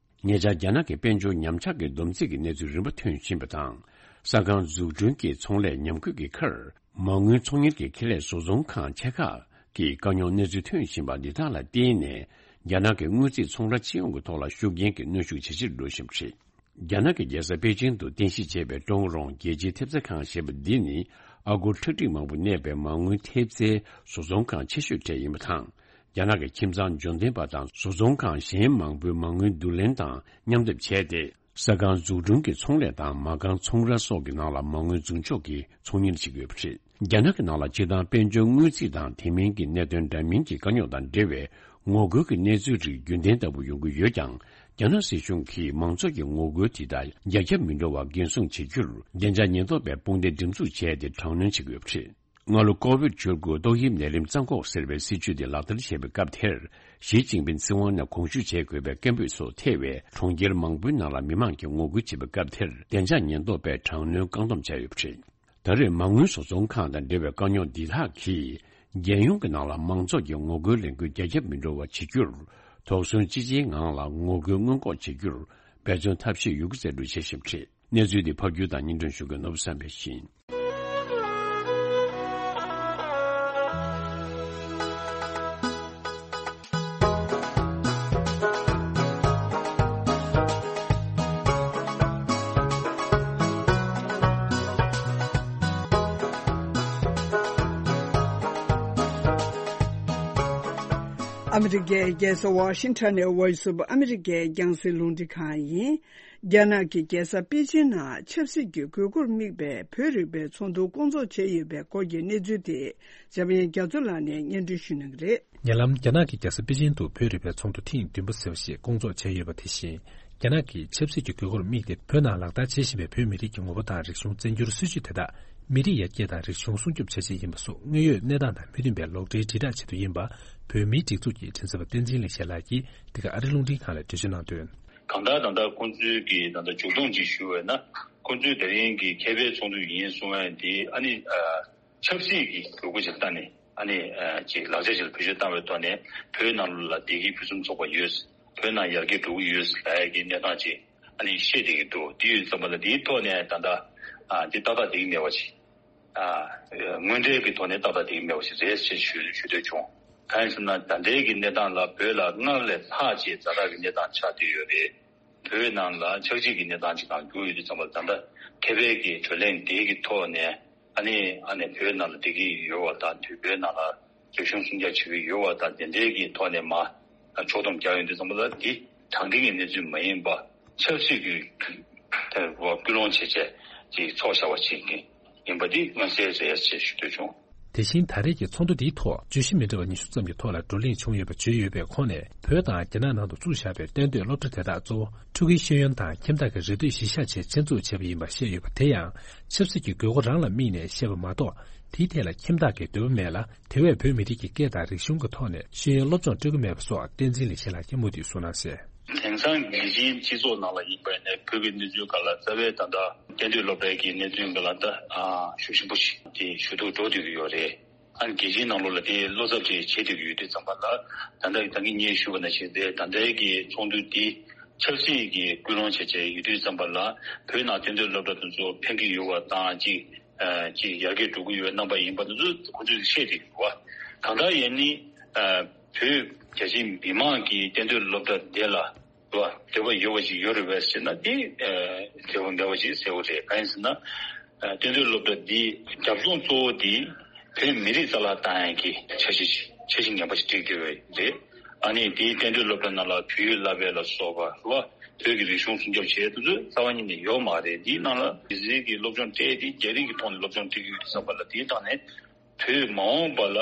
ཉེ་ཆར་རྒྱ་ནག་གི་དཔལ་འབྱོར་ཉམས་ཆག་གི་སྡོམ་རྩིས་ཀྱི་གནས་ཚུལ་རིམ་པ་ཐོན་བཞིན་པ་དང་། ས་ཁང་འཛུགས་སྐྲུན་གྱི་ཚོང་ལས་ཉམས་རྒུད་ཀྱི་ཁར། མ་དངུལ་ཚོང་གཉེར་གྱི་ཁེ་ལས་བཟོ་ཚོང་ཁང་ཆེ་ཁག་གི་དཀའ་རྙོག་གནས་ཚུལ་ཐོན་བཞིན་པ་འདི་དག་ལ་བརྟེན་ནས། རྒྱ་ནག་གི་དངུལ་རྩིས་ཚོང་ར་སྤྱི་ཡོངས་ཀྱི་ཐོག་ལ་ཤུགས་རྐྱེན་གྱི་གནོན་ཤུགས་ཇེ་ཆེར་འགྲོ་བཞིན་པ་རེད། རྒྱ་ནག་གི་རྒྱལ་ས་པེ་ཅིང་དུ་རྟེན་གཞི་བྱས་པའི་ཀྲོང་རོང་རྒྱལ་སྤྱིའི་ཐེབས་རྩ་ཁང་ཞེས་པ་འདི་ནི། ཨ་སྒོར་ཁྲག་ཁྲིག་མང་པོ་གནས་པའི་མ་དངུལ་ཐེབས་རྩའི་བཟོ་ཚོང་ཁང་ཆེ་ཤོས་གྲས་ཡིན་པ་དང་། རྒྱ་ནག་གི་ཁྱིམ་ཚང་འབྱོར་ལྡན་པ་དང་བཟོ་ཚོང་ཁང་གཞན་མང་པོའི་མ་དངུལ་བསྡུ་ལེན་དང་མཉམ་སྡེབ་བྱས་ཏེ། ས་ཁང་འཛུགས་སྐྲུན་གྱི་ཚོང་ལས་དང་མ་རྐང་ཚོང་ར་སོགས་ཀྱི་ནང་ལ་མ་དངུལ་འཛུགས་འཇོག་གིས་ཚོང་གཉེར་བྱེད་ཀྱི་ཡོད་པ་རེད། རྒྱ་ནག་གི་ནང་ལ་སྤྱིར་བཏང་དཔལ་འབྱོར་དངུལ་རྩིས་དང་དེ་མིན་གྱི་གནད་དོན་འདྲ་མིན་གྱི་དཀའ་རྙོག་དང་འབྲེལ་བའི་ངོ་རྒོལ་གྱི་གནས་ཚུལ་རིགས་རྒྱུན་ལྡན་ལྟ་བུ་ཡོང་གི་ཡོད་ཀྱང་། རྒྱ་ནག་སྲིད་གཞུང་གིས་མང་ཚོགས་ཀྱི་ངོ་རྒོལ་དེ་དག་རྒྱ་ཁྱབ་མི་འགྲོ་བར་འགན་སྲུང་བྱེད་རྒྱུར། བདེ་འཇགས་ཉེན་རྟོག་པའི་དཔུང་སྡེ་སྒྲིག་འཛུགས་བྱས་ཏེ་དྲག་གནོན་བྱེད་ཀྱི་ཡོད་པ་རེད། སྔ་ལོ་ཀོ་ཝིཌ་བཅུ་དགུ་ཏོག་དབྱིབས་ནད་རིམས་རྩ་འགོག་ཟེར་བའི་སྲིད་ཇུས་དེ་ལག་བསྟར་བྱས་པའི་སྐབས་དེར། ཞི་ཅིན་ཕིན་སྲིད་དབང་ནས་དགོངས་ཞུ་བྱེད་དགོས་པའི་སྐད་འབོད་སོགས་ཐེ་བའི་གྲོང་ཁྱེར་མང་པོའི་ནང་ལ་མི་མང་གིས་ངོ་རྒོལ་བྱེད་པའི་སྐབས་དེར། བདེ་འཇགས་ཉེན་རྟོག་པས་དྲག་གནོན་བཀག་སྡོམ་བྱས་ཡོད་པ་རེད། ད་རེས་མ་དངུལ་བཟོ་ཚོང་ཁང་དང་འབྲེལ་བའི་དཀའ་རྙོག་འདི་དག་གིས། རྒྱལ་ཡོངས་ཀྱི་ནང་ལ་མང་ཚོགས་ཀྱི་ངོ་རྒོལ་ལས་འགུལ་རྒྱ་ཁྱབ་མི་འགྲོ་བ་བྱེད་རྒྱུར། དོགས་ཟོན་ཅི་ཆེའི་ངང་ལ་ངོ་རྒོལ་སྔོན་འགོག་བྱེད་རྒྱུར། འབད་བརྩོན་ཐབས་ཤེས་ཡོད་རྒུ་མཛད་རུ་བྱེད་བཞིན་པ་རེད། གནས་ཚུལ་འདི་ཕབ་སྒྱུར་དང་སྙན་སྒྲོན་ཞུ་མཁན་ནོར་བུ་བསམ་འཕེལ་ཡིན། ཨ་མི་རི་ཀའི་རྒྱལ་ས་ཝ་ཤིང་ཊོན་ནས་Voice of America རྒྱང་སྲིང་རླུང་འཕྲིན་ཁང་ཡིན། རྒྱ་ནག་གི་རྒྱལ་ས་པེ་ཅིན་ནང་ཆབ་སྲིད་ཀྱི་དགོས་མཁོར་དམིགས་པའི་བོད་རིག་པའི་ཚོགས་འདུ་སྐོང་ཚོགས་བྱས་ཡོད་པའི་སྐོར་གྱི་གནས་ཚུལ་དེ་འཇམ་དབྱངས་རྒྱ་མཚོ་ལགས་ནས་སྙན་སྒྲོན་ཞུ་གནང་གི་རེད། ཉེ་ལམ་རྒྱ་ནག་གི་རྒྱལ་ས་པེ་ཅིན་དུ་བོད་རིག་པའི་ཚོགས་འདུ་ཐེངས་བདུན་པ་ཟེར་བ་ཞིག་སྐོང་ཚོགས་བྱས་ཡོད་པ་དེ་བཞིན། རྒྱ་ནག་གི་ཆབ་སྲིད་ཀྱི་དགོས་མཁོར་དམིགས་ཏེ་བོད་ནང་ལག་བསྟར་བྱེད་བཞིན་པའི་བོད་མི་རིགས་ཀྱི་ངོ་བོ་དང་རིག་གཞུང་བཙན་སྒྱུར་སྲིད་བྱུས་དེ་དག་མི་རིགས་ཡར་རྒྱས་དང་རིག་གཞུང་སྲུང་སྐྱོབ་བྱ་ཆེད་ཡིན་པ་སོགས་དངོས་ཡོད་གནས་སྟངས་དང་མི་མཐུན་པའི་ལོག་འགྲེལ་དྲིལ་བསྒྲགས་བྱེད་དུ་ཡིན་པ། བོད་མིའི་སྒྲིག་འཛུགས་ཀྱི་མགྲིན་ཚབ་པ་བསྟན་འཛིན་ལེགས་བཤད་ལགས་ཀྱིས་འདི་ག་ཨ་རི་རླུང་འཕྲིན་ཁང་ལ་འགྲེལ་བརྗོད་གནང་དོན། གང་ལྟར་ད་ལྟ་ཁོང་ཚོའི་གི་ད་ལྟ་མཇུག་སྡོམ་ཅིག་ཞུ་བས་ན། ཁོང་ཚོའི་ད་རིང་གི་མཁས་པའི་ཚོགས་འདུ་ཡིན་གསུང་བ་འདི་ཨ་ནི་ཨ། ཆབ་སྲིད་ཀྱི་དགོས་མཁོ་ཅིག་ལ་བལྟས་ནས་ཨ་ནི་ཨ་ཅིག་ལག་ཆ་ཅིག་ལ་བེད་སྤྱོད་བཏང་བའི་ཐོག་ནས་བོད་ནང་ལ་བདེ་སྐྱིད་ཕུན་སུམ་ཚོགས་པ་ཡོད། བོད་ནང་ཡར་རྒྱས་འགྲོ་གི་ཡོད་ལབ་ཡ་གི་གནས་སྟངས་ཅིག་ཨ་ནི་བཤད་བསྡད་ཀྱི་འདུག་དེ་ཡོད་ཙམ་པ་ལ་དེའི་ཐོག་ནས་ད་ལྟ་ ཨ་འདི་ཏག་ཏག་འགྲིག་མེད་པ་ཞིག་ཨ་དངོས་འབྲེལ་གྱི་ཐོག་ནས་ཏག་ཏག་འགྲིག་མེད་པ་ཞིག་རེད་ཅེས་ཞུ་ཞུ་འདོད་བྱུང་། གང་ཡིན་ཟེར་ན་ད་ལྟའི་གི་གནས་སྟངས་ལ་བོད་ལ་སྔར་ལས་ལྷག་ཅིག་ཛ་དྲག་གི་གནས་སྟངས་ཆགས་བསྡད་ཡོད་རེད། བོད་ནང་ལ་ཆག་འཇིག་གི་གནས་སྟངས་ཅིག་གང་གྱུར་ཡོད་དུས་ཙམ་པ་ད་ལྟ་ཁེ་ཕན་གྱི་གྲོས་གླེང་དེ་གི་ཐོག་ནས་ཨ་ནི་ཨ་ནི་བོད་ནང་ལ་བསྡད་ཀྱི་ཡོད་པ་དང་དུས་བོད་ནང་ལ་རིག་གཞུང་སྲུང་སྐྱོབ་བྱེད་ཀྱི་ཡོད་པ་དང་དེ་འདྲའི་གི་ཐོག་ནས་མ་ཕྱོགས་བསྡོམས་རྒྱག་ཡོང་དུས་ཙམ་པ་ལ་འདི་དྲང་བདེན་གྱི་གནས་ཚུལ་མ་ཡིན་པ་ཆབ་སྲིད་ཀྱི་དེ་སྐུལ་སློང་བྱེད་བྱས་ཀྱི་ཚོགས་བཞག་པ་ཅིག་ཡིན་པ་འདི་མངོན་གསལ་རེད་ཅེས་ཞུ་འདོད་བྱུང་། དེ་བཞིན་ད་རེས་ཀྱི་ཚོགས་འདུ་འདིའི་ཐོག་བརྗོད་གཞི་མི་འདྲ་བ་ཉི་ཤུ་ཙམ་གྱི་ཐོག་ལ་བགྲོ་གླེང་བྱུང་ཡོད་པ་བརྗོད་ཡོད་པའི་ཁོངས་ནས་བོད་དང་རྒྱ་ནག་ནང་དུ་བཙུགས་བཞག་པའི་གཏན་སྡོད་སློབ་གྲྭ་དེ་དག་གཙོ་བོ་ཕྲུ་གུའི་ཤེས་ཡོན་དང་ཁྱིམ་བདག་གི་རེ་འདོད་གཞི་བཞག་ཆེད་ཆེད་འཛུགས་བྱས་པ་ཡིན་པ་བཤད་ཡོད་པ་དེ་ཡང་ཆབ་སྲིད་ཀྱི་དགོས་མཁོ་རང་ལ་དམིགས་ནས་བཤད་པ་མ་གཏོགས་དེའི་ཐད་ལ་ཁྱིམ་བདག་གི་འདོད་པ་མེད་ལ་དེ་བས་བོད་མི་རིགས་ཀྱི་སྐད་དང་རིག་གཞུང་གི་ཐོག་ནས་ཤེས་ཡོན་སློབ་སྦྱོང་སྤྲོད་ཀྱི་མེད་པ་སོགས་བསྟན་འཛིན་ལེགས་བཤད་ལགས་ཀྱིས་མུ་མཐུད་གསུངས་གནང་གསལ། དེང་སང་རྒྱལ་སྤྱིའི་སྤྱི་ཚོགས་ནང་ལ་ཡིན་པ་ཡིན་ན་བོད་ཀྱི་གནས་ཚུལ་སྒང་ལ་རྩ་བའི་ད་ལྟ་གཏན་སྡོད་སློབ་གྲྭའི་གི་གནས་ཚུལ་སྒང་ལ་ད་ཨ་ཤུགས་ཆེན་པོ་ཞིག་དེ་ཞུ་གཏུག་འགྲོ་བསྡད་ཀྱི་ཡོད་རེད། ཨ་ནི་རྒྱལ་སྤྱིའི་ནང་ལོགས་ལ་དེ་བློ་འཚབ་ཅིག་བྱེད་བསྡད་ཀྱི་ཡོད་དུས་ཙམ་པ་ལ་ད་ལྟ་ད་གིན་ངས་ཞུས་པ་ནང་བཞིན་རེད། ད་ལྟའི་གི་ཚོགས་འདུ་འདི་ཆབ་སྲིད་ཀྱི་སྐུལ་སློང་བྱས་བྱས་ཡོད་དུས་ཙམ་པ་ལ་བོད་ནང་གཏན་སྡོད་སློབ་གྲྭ་དེ་ཚོ་ཕན་གྱི་ཡོད་པ་དང་ཅིག་ཨ་ཅིག་ཡར་རྒྱས་འགྲོ་གི་ཡོད་རྣམ་པ་ཡིན་པ་དེ་ཚོ་ཁོ་ཚོས་བཤད་བསྡད་ཀྱི་ཡོད་པ། གང་ལྟར་ཡིན་ནི་ཨ་བོད་རྒྱ་ཆེའི་མི་མང་གིས་གཏན་སྡོད་སློབ་གྲྭ་དེ་ལ་འདོད་པ་ཡོད་པ་ཞིག་ཡོད་རེད་པས་ཟེར་ན་དེ་ཨ་འབྲས་བུ་མེད་པ་ཞིག་གསལ་པོ་རེད། གང་ཡིན་ཟེར་ན་ཨ་གཏན་སྡོད་སློབ་གྲྭ་འདི་རྒྱབ་ལྗོངས་གཙོ་བོ་དེ་བོད་མི་རིགས་རྩ་བརླག་བཏང་ཡག་གི་འཆར་གཞི་ཆ་ཤས་ངན་པ་ཞིག་བསྒྲིགས་བསྡད་པ་རེད། ཨ་ནི་དེའི་གཏན་སྡོད་སློབ་གྲྭ་ནང་ལ་བོད་ཡིག་བསླབ་པ་ལ་སོགས་པ་རེད་བ། བོད་ཀྱི་རིག་གཞུང་སྲུང་སྐྱོབ་བྱེད་དུས་རྩ་བ་ཉིད་ནས་ཡོད་མ་རེད། འདིའི་ནང་ལ་ཡིག་གཟུགས་ཀྱི་སློབ་སྦྱོང་སྤྲད་དེ་རྒྱ་རིགས་ཀྱི་ཐོག་ནས་སློབ་སྦྱོང་སྤྲད་ཀྱི་ཡོད་དུས་ཙམ་པ་ལ་དེའི་སྟེང་ནས་བོད་མ་འོངས་པ་ལ་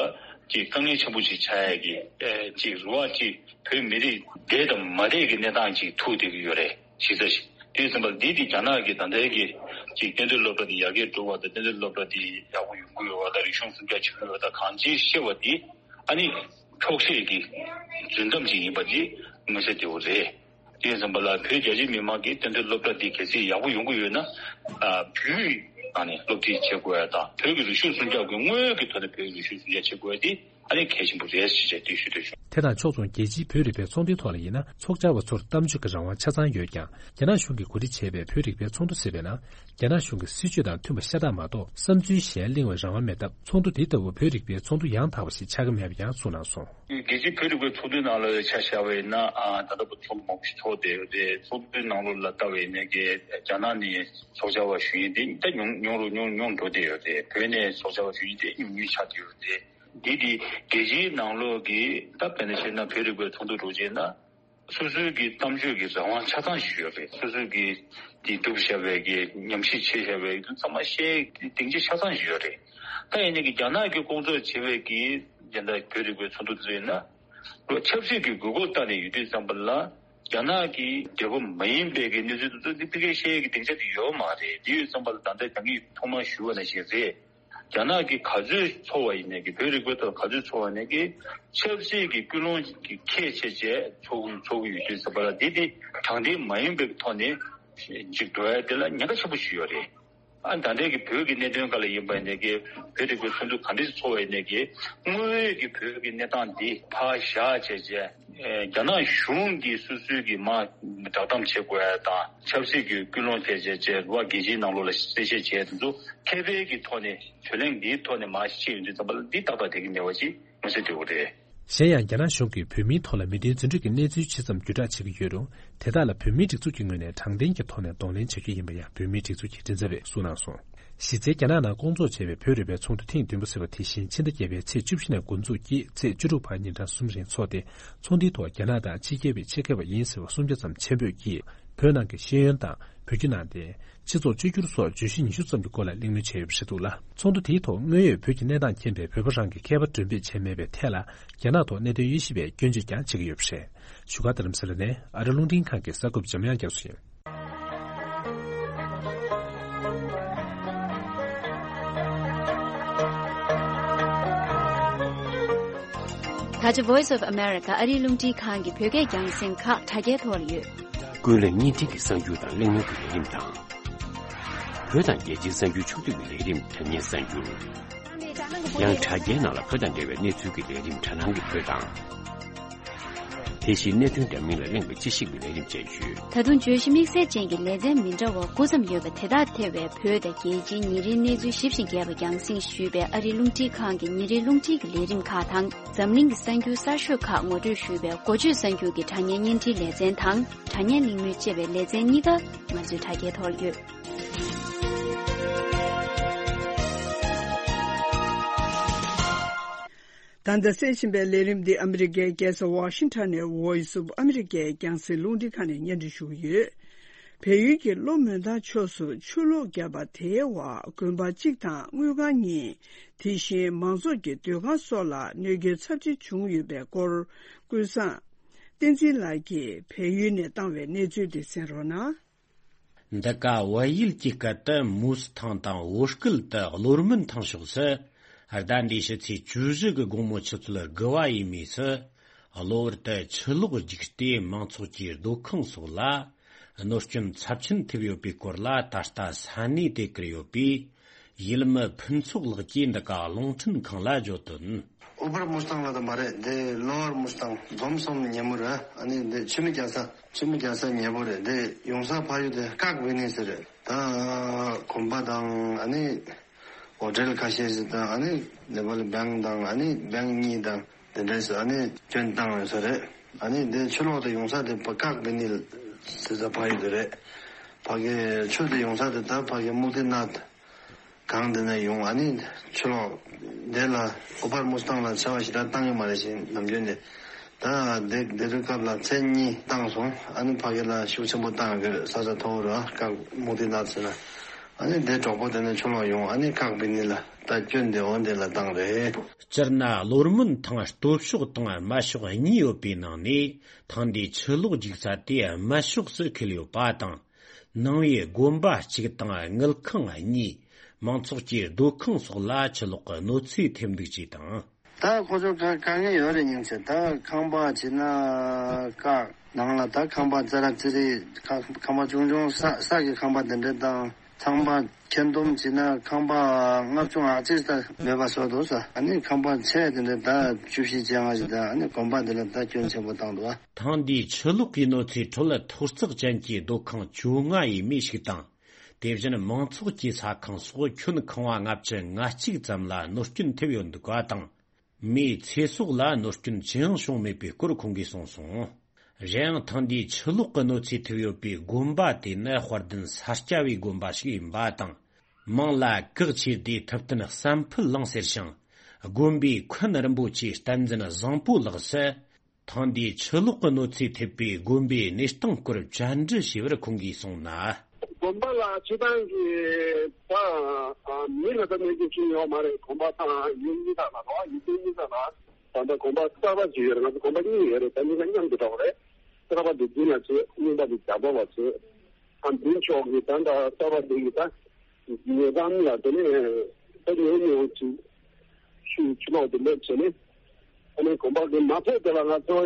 ཅིག་དཀའ་ངལ་ཆེན་པོ་ཞིག་ཆགས་ཡག་གི་ཨེ་ཅིག་རེད་བ། ཅིག་བོད་མི་རིགས་བསྡད་དང་མ་བསྡད་ཀྱི་གནས་སྟངས་ཅིག་ཐུག་བསྡད་ཀྱི་ཡོད་རེད། གཞི་རྩ་ཞིག་དེ་ཙམ་པ་འདི་དེ་རྒྱ་ནག་གི་ད་ལྟའི་གི་ཅིག་གཏན་སྡོད་སློབ་གྲྭ་དེ་ཡར་རྒྱས་འགྲོ་བ་དང་གཏན་སྡོད་སློབ་གྲྭ་དེ་ཡག་པོ་ཡོང་གི་ཡོད་པ་དང་རིག་གཞུང་སྲུང་སྐྱོབ་བྱེད་ཀྱི་ཡོད་པ་དང་གང་ཅིའི་བཤད་པ་དེ་ཨ་ནི་འཁྱོག་བཤད་ཀྱི་རྫུན་གཏམ་ཅིག་ཡིན་པ་དེ་མངོན་གསལ་དོད་པོ་རེད། དེ་ཙམ་པ་ལ་བོད་རྒྱ་ཆེའི་མི་མང་གིས་གཏན་སྡོད་སློབ་གྲྭ་འདི་གལ་སྲིད་ཡག་པོ་ཡོང་གི་ཡོད་ན་ཨ་བོད་ཡིག་ནང་ནས་སློབ་ཁྲིད་བྱེད་དགོས་ཡ་དང་བོད་ཀྱི་རིག་གཞུང་སྲུང་སྐྱོབ་ཀྱི་དངོས་ཡོད་ཀྱི་ཐོག་ནས་བོད་ཀྱི་རིག་གཞུང་སྲུང་སྐྱོབ་བྱེད་དགོས་ཡ་དེ་ཨ་ནི་གལ་ཆེན་པོ་རེད་ཞེས་བཤད་དེ་ཞུ་འདོད་བྱུང་། དེ་དང་ཕྱོགས་མཚུངས་རྒྱལ་སྤྱིའི་བོད་རིག་པའི་ཚོགས་འདུའི་ཐོག་ལ་ཡིན་ན་ཚོགས་བཅར་བ་ཚོར་གཏམ་བརྗོད་ཀྱི་རང་དབང་ཆ་ཚང་ཡོད་ཀྱང་རྒྱ་ནག་གཞུང་གིས་གོ་སྒྲིག་བྱས་པའི་བོད་རིག་པའི་ཚོགས་འདུ་ཟེར་བའི་ནང་རྒྱ་ནག་གཞུང་གི་སྲིད་བྱུས་དང་མཐུན་པ་ཤ་སྟག་མ་གཏོགས་བསམ་ཚུལ་གཞན་གླེང་བའི་རང་དབང་མེད་སྟབས་ཚོགས་འདུ་འདི་ལྟ་བུ་བོད་རིག་པའི་ཚོགས་འདུ་ཡང་དག་པ་ཞིག་ཆགས་ཀྱི་མེད་པ་ཡང་གསུངས་གནང་སོང་། རྒྱལ་སྤྱིའི་བོད་རིག་པའི་ཚོགས་འདུའི་ནང་ལ་ཆ་བཞག་པ་ཡིན་ན་ཨ་ད་ལྟ་བར་ཚོགས་མང་པོ་ཞིག་ཚོགས་བསྡད་ཡོད་རེད། ཚོགས་འདུའི་ནང་ལོགས་ལ་ལྟ་བ་ཡིན་ན་གི་རྒྱ་ནག་ནས་ཚོགས་བཅར་བ་ཞུ་མཁན་དེ་ད་ཉུང་ཉུང་རུ་ཉུང་ཉུང་འགྲོ་བསྡད་ཡོད་རེད། བོད་ནས་ཚོགས་བཅར་བ་ཞུ་མཁན་དེ་ཉུང་ཉུང་ཆགས་བསྡད་ཡོད་རེད། འདི་དེ་རྒྱལ་སྤྱིའི་ནང་ལོགས་ཀྱི་ད་དཔེར་ན་བཤད་ན་བོད་རིག་པའི་ཚོགས་འདུ་འགྲོ་བྱས་ན། སོ་སོའི་གི་གཏམ་བརྗོད་ཀྱི་རང་དབང་ཆ་ཚང་ཞིག་ཡོད་རེད། སོ་སོའི་གི་དེ་སྒྲུབ་བཞག་པའི་གི་ཉམས་ཞིབ་བྱེད་བཞག་པའི་གི་ཚང་མ་བཤད་སྡིངས་ཆ་ཆ་ཚང་ཞིག་ཡོད་རེད། ད་ཡིན་ནའི་གི་རྒྱ་ནག་གི་སྐོང་ཚོགས་བྱེད་པའི་གི་རྒྱ་ནག་བོད་རིག་པའི་ཚོགས་འདུ་དེ་ཚོ་ཡིན་ན་ལོ་ཆབ་སྲིད་ཀྱི་དགོས་མཁོ་ལྟ་ནས་ཡོད་དུས་ཙམ་པ་ལ་རྒྱ་ནག་གི་འབྲེལ་བ་མ་ཡིན་པའི་གི་གནས་ཚུལ་དེ་ཚོ་འདི་ཕ་གིར་བཤད་ཡས་ཀྱི་སྡིངས་ཆ་དེ་ཡོད་མ་རེད། དེ་ཡོད་ཙམ་པ་ལ་ད་ལྟ་ད་གིན་ཐོག་མར་ཞུས་པ་ནང་བཞིན་རེད། རྒྱ་ནག་གི་ག་ཚོད་ཚོགས་པ་ཡིན་ནའི་གི་བོད་རིག་པའི་ཐོག་ག་ཚོད་ཚོགས་པ་ཡིན་ནའི་གི་ཆབ་སྲིད་ཀྱི་ཀུན་སློང་གི་ཁྱད་ཆེ་བྱས་ཚོགས་ཚོགས་ཀྱི་ཡོད་དུས་ཙམ་པ་ལ་འདི་དེ་དྲང་བདེན་མ་ཡིན་པའི་ཐོག་ནས་ཅིག་འགྲོ་ཡ་དེ་ལ་ཉེན་ཁ་ཆེན་པོ་ཞིག་ཡོད་རེད། ཨ་ད་ལྟའི་གི་བོད་ཀྱི་གནད་དོན་སྒང་ལ་ཡིན་པ་ཡིན་ནའི་གི་བོད་རིག་པའི་ཚོགས་འདུ་ག་འདྲ་ཞིག་ཚོགས་པ་ཡིན་ནའི་གི་དངོས་ཡོད་ཀྱི་བོད་ཀྱི་གནས་སྟངས་འདི་ཕར་བཞག་བྱས་བྱས། ཨེ་རྒྱ་ནག་གཞུང་གིས་སོ་སོའི་གི་མ་བསྒྲགས་གཏམ་བྱེད་དགོས་ཡ་དང་ཆབ་སྲིད་ཀྱི་ཀུན་སློང་དེ་བྱས་བྱས་རེད་བ། རྒྱལ་སྤྱིའི་ནང་ལོགས་ལ་གསལ་བཤད་བྱས་དེ་ཚོ་མཁས་པའི་གི་ཐོག་ནས་གྲོས་གླེང་འདིའི་ཐོག་ནས་མར་བཤད་ཡོང་དུས་ཙམ་པ་ལ་འདི་ཏག་ཏག་བསྡད་ཀྱི་མེད་པ་ཅིག་མངོན་གསལ་དོད་པོ་རེད། གཞན་ཡང་རྒྱ་ནག་གཞུང་གིས་བོད་མིའི་ཐོག་ལ་མི་མཐུན་རྫུ་འཕྲུལ་གྱི་གནས་ཚུལ་ཇི་ཙམ་བརྒྱུད་བསྒྲགས་བྱེད་ཀྱི་ཡོད་རུང་དེ་དག་ལ་བོད་མིའི་སྒྲིག་འཛུགས་ཀྱི་ངོས་ནས་དྲང་བདེན་གྱི་ཐོག་ནས་གདོང་ལེན་བྱ་རྒྱུ་ཡིན་པ་ཡང་བོད་མིའི་སྒྲིག་འཛུགས་ཀྱི་མགྲིན་ཚབ་པས་གསུངས་གནང་སོང་། གཞི་རྩའི་རྒྱ་ནག་ནང་བསྐོང་ཚོགས་བྱས་པའི་བོད་རིག་པའི་ཚོགས་འདུ་ཐེངས་བདུན་པ་ཟེར་བ་དེ་བཞིན་ཕྱི་ཟླ་བརྒྱད་པའི་ཚེས་བཅུ་བཞི་ནས་འགོ་འཛུགས་ཀྱིས་ཚེས་བཅུ་དྲུག་བར་ཉིན་གྲངས་གསུམ་རིང་འཚོགས་ཏེ་ཚོགས་འདུའི་ཐོག་རྒྱ་ནག་དང་ཕྱི་རྒྱལ་བའི་ཆེད་མཁས་པ་ཡིན་ཟེར་བ་སུམ་བརྒྱ་ཙམ་ཆེད་འབོད་ཀྱིས་བོད་ནང་གི་ཤེས་ཡོན་དང་བོད་བརྒྱུད་ནང་བསྟན། སྤྱི་ཚོགས་བཅོས་བསྒྱུར་སོགས་བརྗོད་གཞི་ཉི་ཤུ་ཙམ་གྱི་སྐོར་ལ་གླེང་མོལ་བྱས་ཡོད་པ་རེད་འདུག་ལ། ཚོགས་འདུ་དེའི་ཐོག་དངོས་ཡོད་བོད་ཀྱི་གནས་སྟངས་མཁྱེན་པའི་བོད་པ་རང་གིས་མཁས་པ་གྲོས་འདེབས་བྱས་མེད་པའི་ཐད་ལ་རྒྱ་ནག་ཐོག་གནད་དོན་དབྱེ་ཞིབ་པས་སྐྱོན་བརྗོད་ཀྱང་བྱེད་ཀྱི་ཡོད་པ་རེད། བཞུགས་སྒར་རྡ་རམ་ས་ལ་ནས་ཨ་རི་རླུང་འཕྲིན་ཁང་གི་གསར་འགོད་པ་འཇམ་དབྱངས་རྒྱ་མཚོ་ཡིན། ད་ཆ་Voice of America ཨ་རིའི་རླུང་འཕྲིན་ཁང་གི་བོད་སྐད་རྒྱང་སྲིང་ཁག་དྲ་རྒྱའི་ཐོག་ལ་ཡོད། ཀུན་གླེང་བརྙན་འཕྲིན་གྱི་གསར་འགྱུར་དང་གླེང་མོལ་གྱི་ལས་རིམ་དང་། བོད་དང་རྒྱལ་སྤྱིའི་གསར་འགྱུར་ཕྱོགས་བསྡུས་ཀྱི་ལས་རིམ་དྲ་བརྙན་གསར་འགྱུར། ཡང་དྲ་རྒྱའི་ནང་ལ་བོད་དང་འབྲེལ་བའི་གནས་ཚུལ་གྱི་ལས་རིམ་དྲ་སྣང་གི་བོད་དང་། དེ་བཞིན་གནད་དོན་འདྲ་མིན་ལ་གླེང་བའི་དཔྱད་ཞིབ་ཀྱི་ལས་རིམ་སྤྱན་བཤད། ད་དུང་བརྗོད་གཞི་དམིགས་བསལ་ཅན་གྱི་ལེ་ཚན་མི་འདྲ་བ་དགུ་ཙམ་ཡོད་པ་དེ་དག་ཐེ་བའི་བོད་དང་རྒྱལ་སྤྱིའི་ཉིན་རེའི་གནས་ཚུལ་ཞིབ་ཅིང་རྒྱས་པ་རྒྱང་སྲིང་ཞུས་པའི་ཨ་རིའི་རླུང་འཕྲིན་ཁང་གི་ཉིན་རེའི་རླུང་འཕྲིན་གྱི་ལས་རིམ་ཁག་དང་། འཛམ་གླིང་གི་གསར་འགྱུར་གསར་ཤོས་ཁག་ངོ་སྤྲོད་ཞུས་པའི་འགོ་བརྗོད་གསར་འགྱུར་གྱི་དྲ་བརྙན་བརྙན་འཕྲིན་ལེ་ཚན་དང་། དྲ་བརྙན་གླེང་མོལ་ཅེས་པའི་ལེ་ཚན་གཉིས་ཀ་ང་ཚོའི་དྲ་རྒྱའི་ཐོག་ཡོད། ད་ལྟ་གསན་བཞིན་པའི་ལས་རིམ་འདི་ཨ་མི་རི་ཀའི་རྒྱལ་ས་ཝ་ཤིང་ཊོན་ནས་Voice of America རྒྱང་སྲིང་རླུང་འཕྲིན་ཁང་ནས་སྙན་སྒྲོན་ཞུ་གི་ཡོད། བལ་ཡུལ་གྱི་གློ་མོན་ཐང་ཕྱོགས་སུ་ཆུ་ལོག་བརྒྱབ་པ་དེའི་འོག་དགོན་པ་གཅིག་དང་དངུལ་ཁང་གཉིས། དེ་བཞིན་མང་ཚོགས་ཀྱི་སྡོད་ཁང་སོགས་ལ་གནོད་སྐྱོན་ཚབས་ཆེ་བྱུང་ཡོད་པའི་སྐོར། ཀུན་བཟང་བསྟན་འཛིན་ལགས་ཀྱིས་བལ་ཡུལ་ནས་བཏང་བའི་གནས་ཚུལ་དེ་གསན་རོགས་གནང་། འདི་ག་བལ་ཡུལ་གྱི་སྐད་དུ་མུའུ་སི་ཐང་དང་བོད་སྐད་དུ་གློ་སྨོན་ཐང་ཕྱོགས་སུ། ཟླ་འདིའི་ཕྱི་ཚེས་བཅུ་བཞི་གི་དགོང་མོ་ཆུ་ཚོད་དགུ་པ་ཡས་མས་སུ། གློ་བུར་དུ་ཆུ་ལོག་རྒྱུགས་ཏེ་མང་ཚོགས་ཀྱི་སྡོད་ཁང་སོགས་ལ་གནོད་སྐྱོན་ཚབས་ཆེན་ཐེབས་ཡོད་པའི་སྐོར་ལ། ད་ལྟ་ས་གནས་དེར་བཀུར་ཡོད་པའི་ཡུལ་མི་ཕུན་ཚོགས་ལགས་ཀྱིས་འདི་ག་རླུང་འཕྲིན་ཁང་ལ་བརྗོད་དོན། ཨོ་པར་མུ་སི་ཐང་ལ་དང་མ་རེད། འདི་ལོ་ཨར་མུ་སི་ཐང་འཛོམས་སོང་ཉེ་མོ་རེད། ཨ་ནི་འདི་ཆུ་མིག་རྒྱག་ས་ཆུ་མིག་རྒྱག་ས་ཉེ་པོ་རེད། འདི་ཡོང་ས་ཕ་ཡུལ་དེ་ཀག་བི་ནི་ཟེར་རེད། ད་གོམ་པ་དང་ཨ་ནི་ཧོ་ཊེལ་ཁ་ཤས་ཤིག་དང་ཨ་ནི་ནེ་པ་ལི་བེང་དང་ཨ་ནི་བེང་གཉིས་དང་དེ་འདྲས་སུ་ཨ་ནི་སྐྱོན་བཏང་ཡོད་ས་རེད། ཨ་ནི་འདི་ཆུ་ལོག་དེ་ཡོང་ས་དེ་ཀག་བི་ནི་ཟེར་ས་ཕ་ཡུལ་དེ་རེད། ཕ་གི་ཆུ་དེ་ཡོང་ས་དེ་ད་ཕ་གི་མུག་ཏི་ནཱཐ། གང་དེ་ན་ཡོང་ཨ་ནི་ཆུ་ལོག་དེ་ལ་ཨོ་པར་མུ་སི་ཐང་ལ་ཆར་པ་ཞེ་དྲག་བཏང་གི་མ་རེད་ཤིང་ནམ་རྒྱུན་ནས་ད་དེ་དེ་དུས་སྐབས་ལ་ཚན་གཉིས་བཏང་སོང་། ཨ་ནི་ཕ་གི་ལ་ཤུགས་ཆེན་པོ་བཏང་ཡོད་ས་ཆ་མཐོ་བོ་ར་ཀག་མུག་ཏི་ནཱཐ་ཟེར་ན། ཨ་ནི་དེ་གྲོགས་པོ་དེ་ནས་ཆུ་ལོག་ཡོང་ཨ་ནི་ཀག་བི་ནི་ལ་ད་སྐྱོན་དེ་འོ་དེ་ལ་བཏང་རེད། སྤྱིར་ན་གློ་སྨོན་ཐང་སྟོད་ཕྱོགས་དང་སྨད་ཕྱོགས་གཉིས་ཡོད་པའི་ནང་ནས་ཐེངས་འདིའི་ཆུ་ལོག་རྒྱུག་ས་དེ་སྨད་ཕྱོགས་སུ་འཁེལ་ཡོད་པ་དང་། ནང་པའི་དགོན་པ་གཅིག་དང་དངུལ་ཁང་གཉིས། མང་ཚོགས་ཀྱི་སྡོད་ཁང་སོགས་ལ་ཆུ་ལོག་གི་གནོད་འཚེ་ཐེབས་འདུག་ཅེས་དང་། ད་ཁོ་ཚོ་དཀའ་དཀའ་ངལ་ཡོད་རེད་སྙམ་བྱས། ད་ཁང་པ་བྱས་ན་ཀག་ནང་ལ་ད་ཁང་པ་ཙ་ར་ཙི་རི་ཁ་ཁང་པ་ཆུང་ཆུང་ས་ས་གི་ཁང་པ་དེ་འདྲ་དང་ཚང་མ་ཁྱེར་འདུམ་བྱས་ན་ཁང་པ་ལྔ་བཅུ་ང་གཅིག་ད་མེད་པ་བཟོ་འདུག་ས། ཨ་ནི་ཁང་པ་ཆེ་དེ་འདྲ་ད་བཅུ་བཞི་བཅོ་ལྔ་ཞིག་ད་ཨ་ནི་དགོན་པ་འདི་ལ་ད་སྐྱོན་ཆེན་པོ་བཏང་འདུག་ཨ། ཐེངས་འདིའི་ཆུ་ལོག་གི་གནོད་འཚེའི་ཁྲོད་ཐོག་བརྩེགས་ཅན་གྱི་སྡོད་ཁང་བཅོ་ལྔ་ཡས་མས་ཤིག་དང་། དེ་བཞིན་མང་ཚོགས་ཀྱི་ས་ཁང་སོགས་ཁྱོན་ཁང་བ་ལྔ་བཅུ་ང་གཅིག་ཙམ་ལ་གནོད་སྐྱོན་ཐེབས་ཡོད་འདུག་པ་དང་། མིའི་ཚེ་སྲོག་ལ་གནོད་སྐྱོན་ཅི་ཡང་བྱུང་མེད་པའི་སྐོར་ཁོང་གིས་གསུངས་སོང་། གཞན་ཡང་ཐེངས་འདིའི་ཆུ་ལོག་གི་གནོད་འཚེ་ཐེབས་ཡོད་པའི་དགོན་པ་དེ་ནི་དཔལ་ལྡན་ས་སྐྱ་པའི་དགོན་པ་ཞིག་ཡིན་པ་དང་། མིང་ལ་གེགས་ཆེ་དེ་ཐུབ་བསྟན་བསམ་འཕེལ་གླིང་ཟེར་ཞིང་། དགོན་པའི་མཁན་རིན་པོ་ཆེ་བསྟན་འཛིན་བཟང་པོ་ལགས་སུ། ཐེངས་འདིའི་ཆུ་ལོག་གི་གནོད་འཚེ་ཐེབས་པའི་དགོན་པའི་གནས་སྟངས་སྐོར་བཅར་འདྲི་ཞུས་པར་ཁོང་གིས་གསུངས་ན། དགོན་པ་ལ་སྤྱི་བཏང་གི་ད་མི་ལ་ད་གནོད་སྐྱོན་ཅི་ཡོད་མ་རེད། གོམ་པ་དང་ཡུལ་གཉིས་དག་ལ་རོ་ཡུལ་གཉིས་དག་ལ་ད་ལྟ་གོམ་པ་གསར་པ་ཅིག་ཡོད་རེད། ང་ཚོ་གོམ་པ་གཉིས་ཡོད་རེད། ད་གཉིས་ཀ་མཉམ་དུ་འགྲོ་བ་རེད། གསར་པ་དེ་མདུན་ལ་བྱེད། རྙིང་པ་དེ་རྒྱབ་པ་བ་བྱེད། ཨ་མདུན་ཕྱོགས་ཀྱི་ད་ད་གསར་པ་དེ་གི་ད་ཉེ་འགྲམ་ལ་དེ་ནས་ད་ཉེ་ཉེ་བོ་ཅིག་ཆུ་ཆུ་ལོག་དེ་སླེབས་བྱས་ནས། ཨ་ནི་དགོན་པ་གི་མ་ཐེབས་དེ་ལ་ང་ཚོ་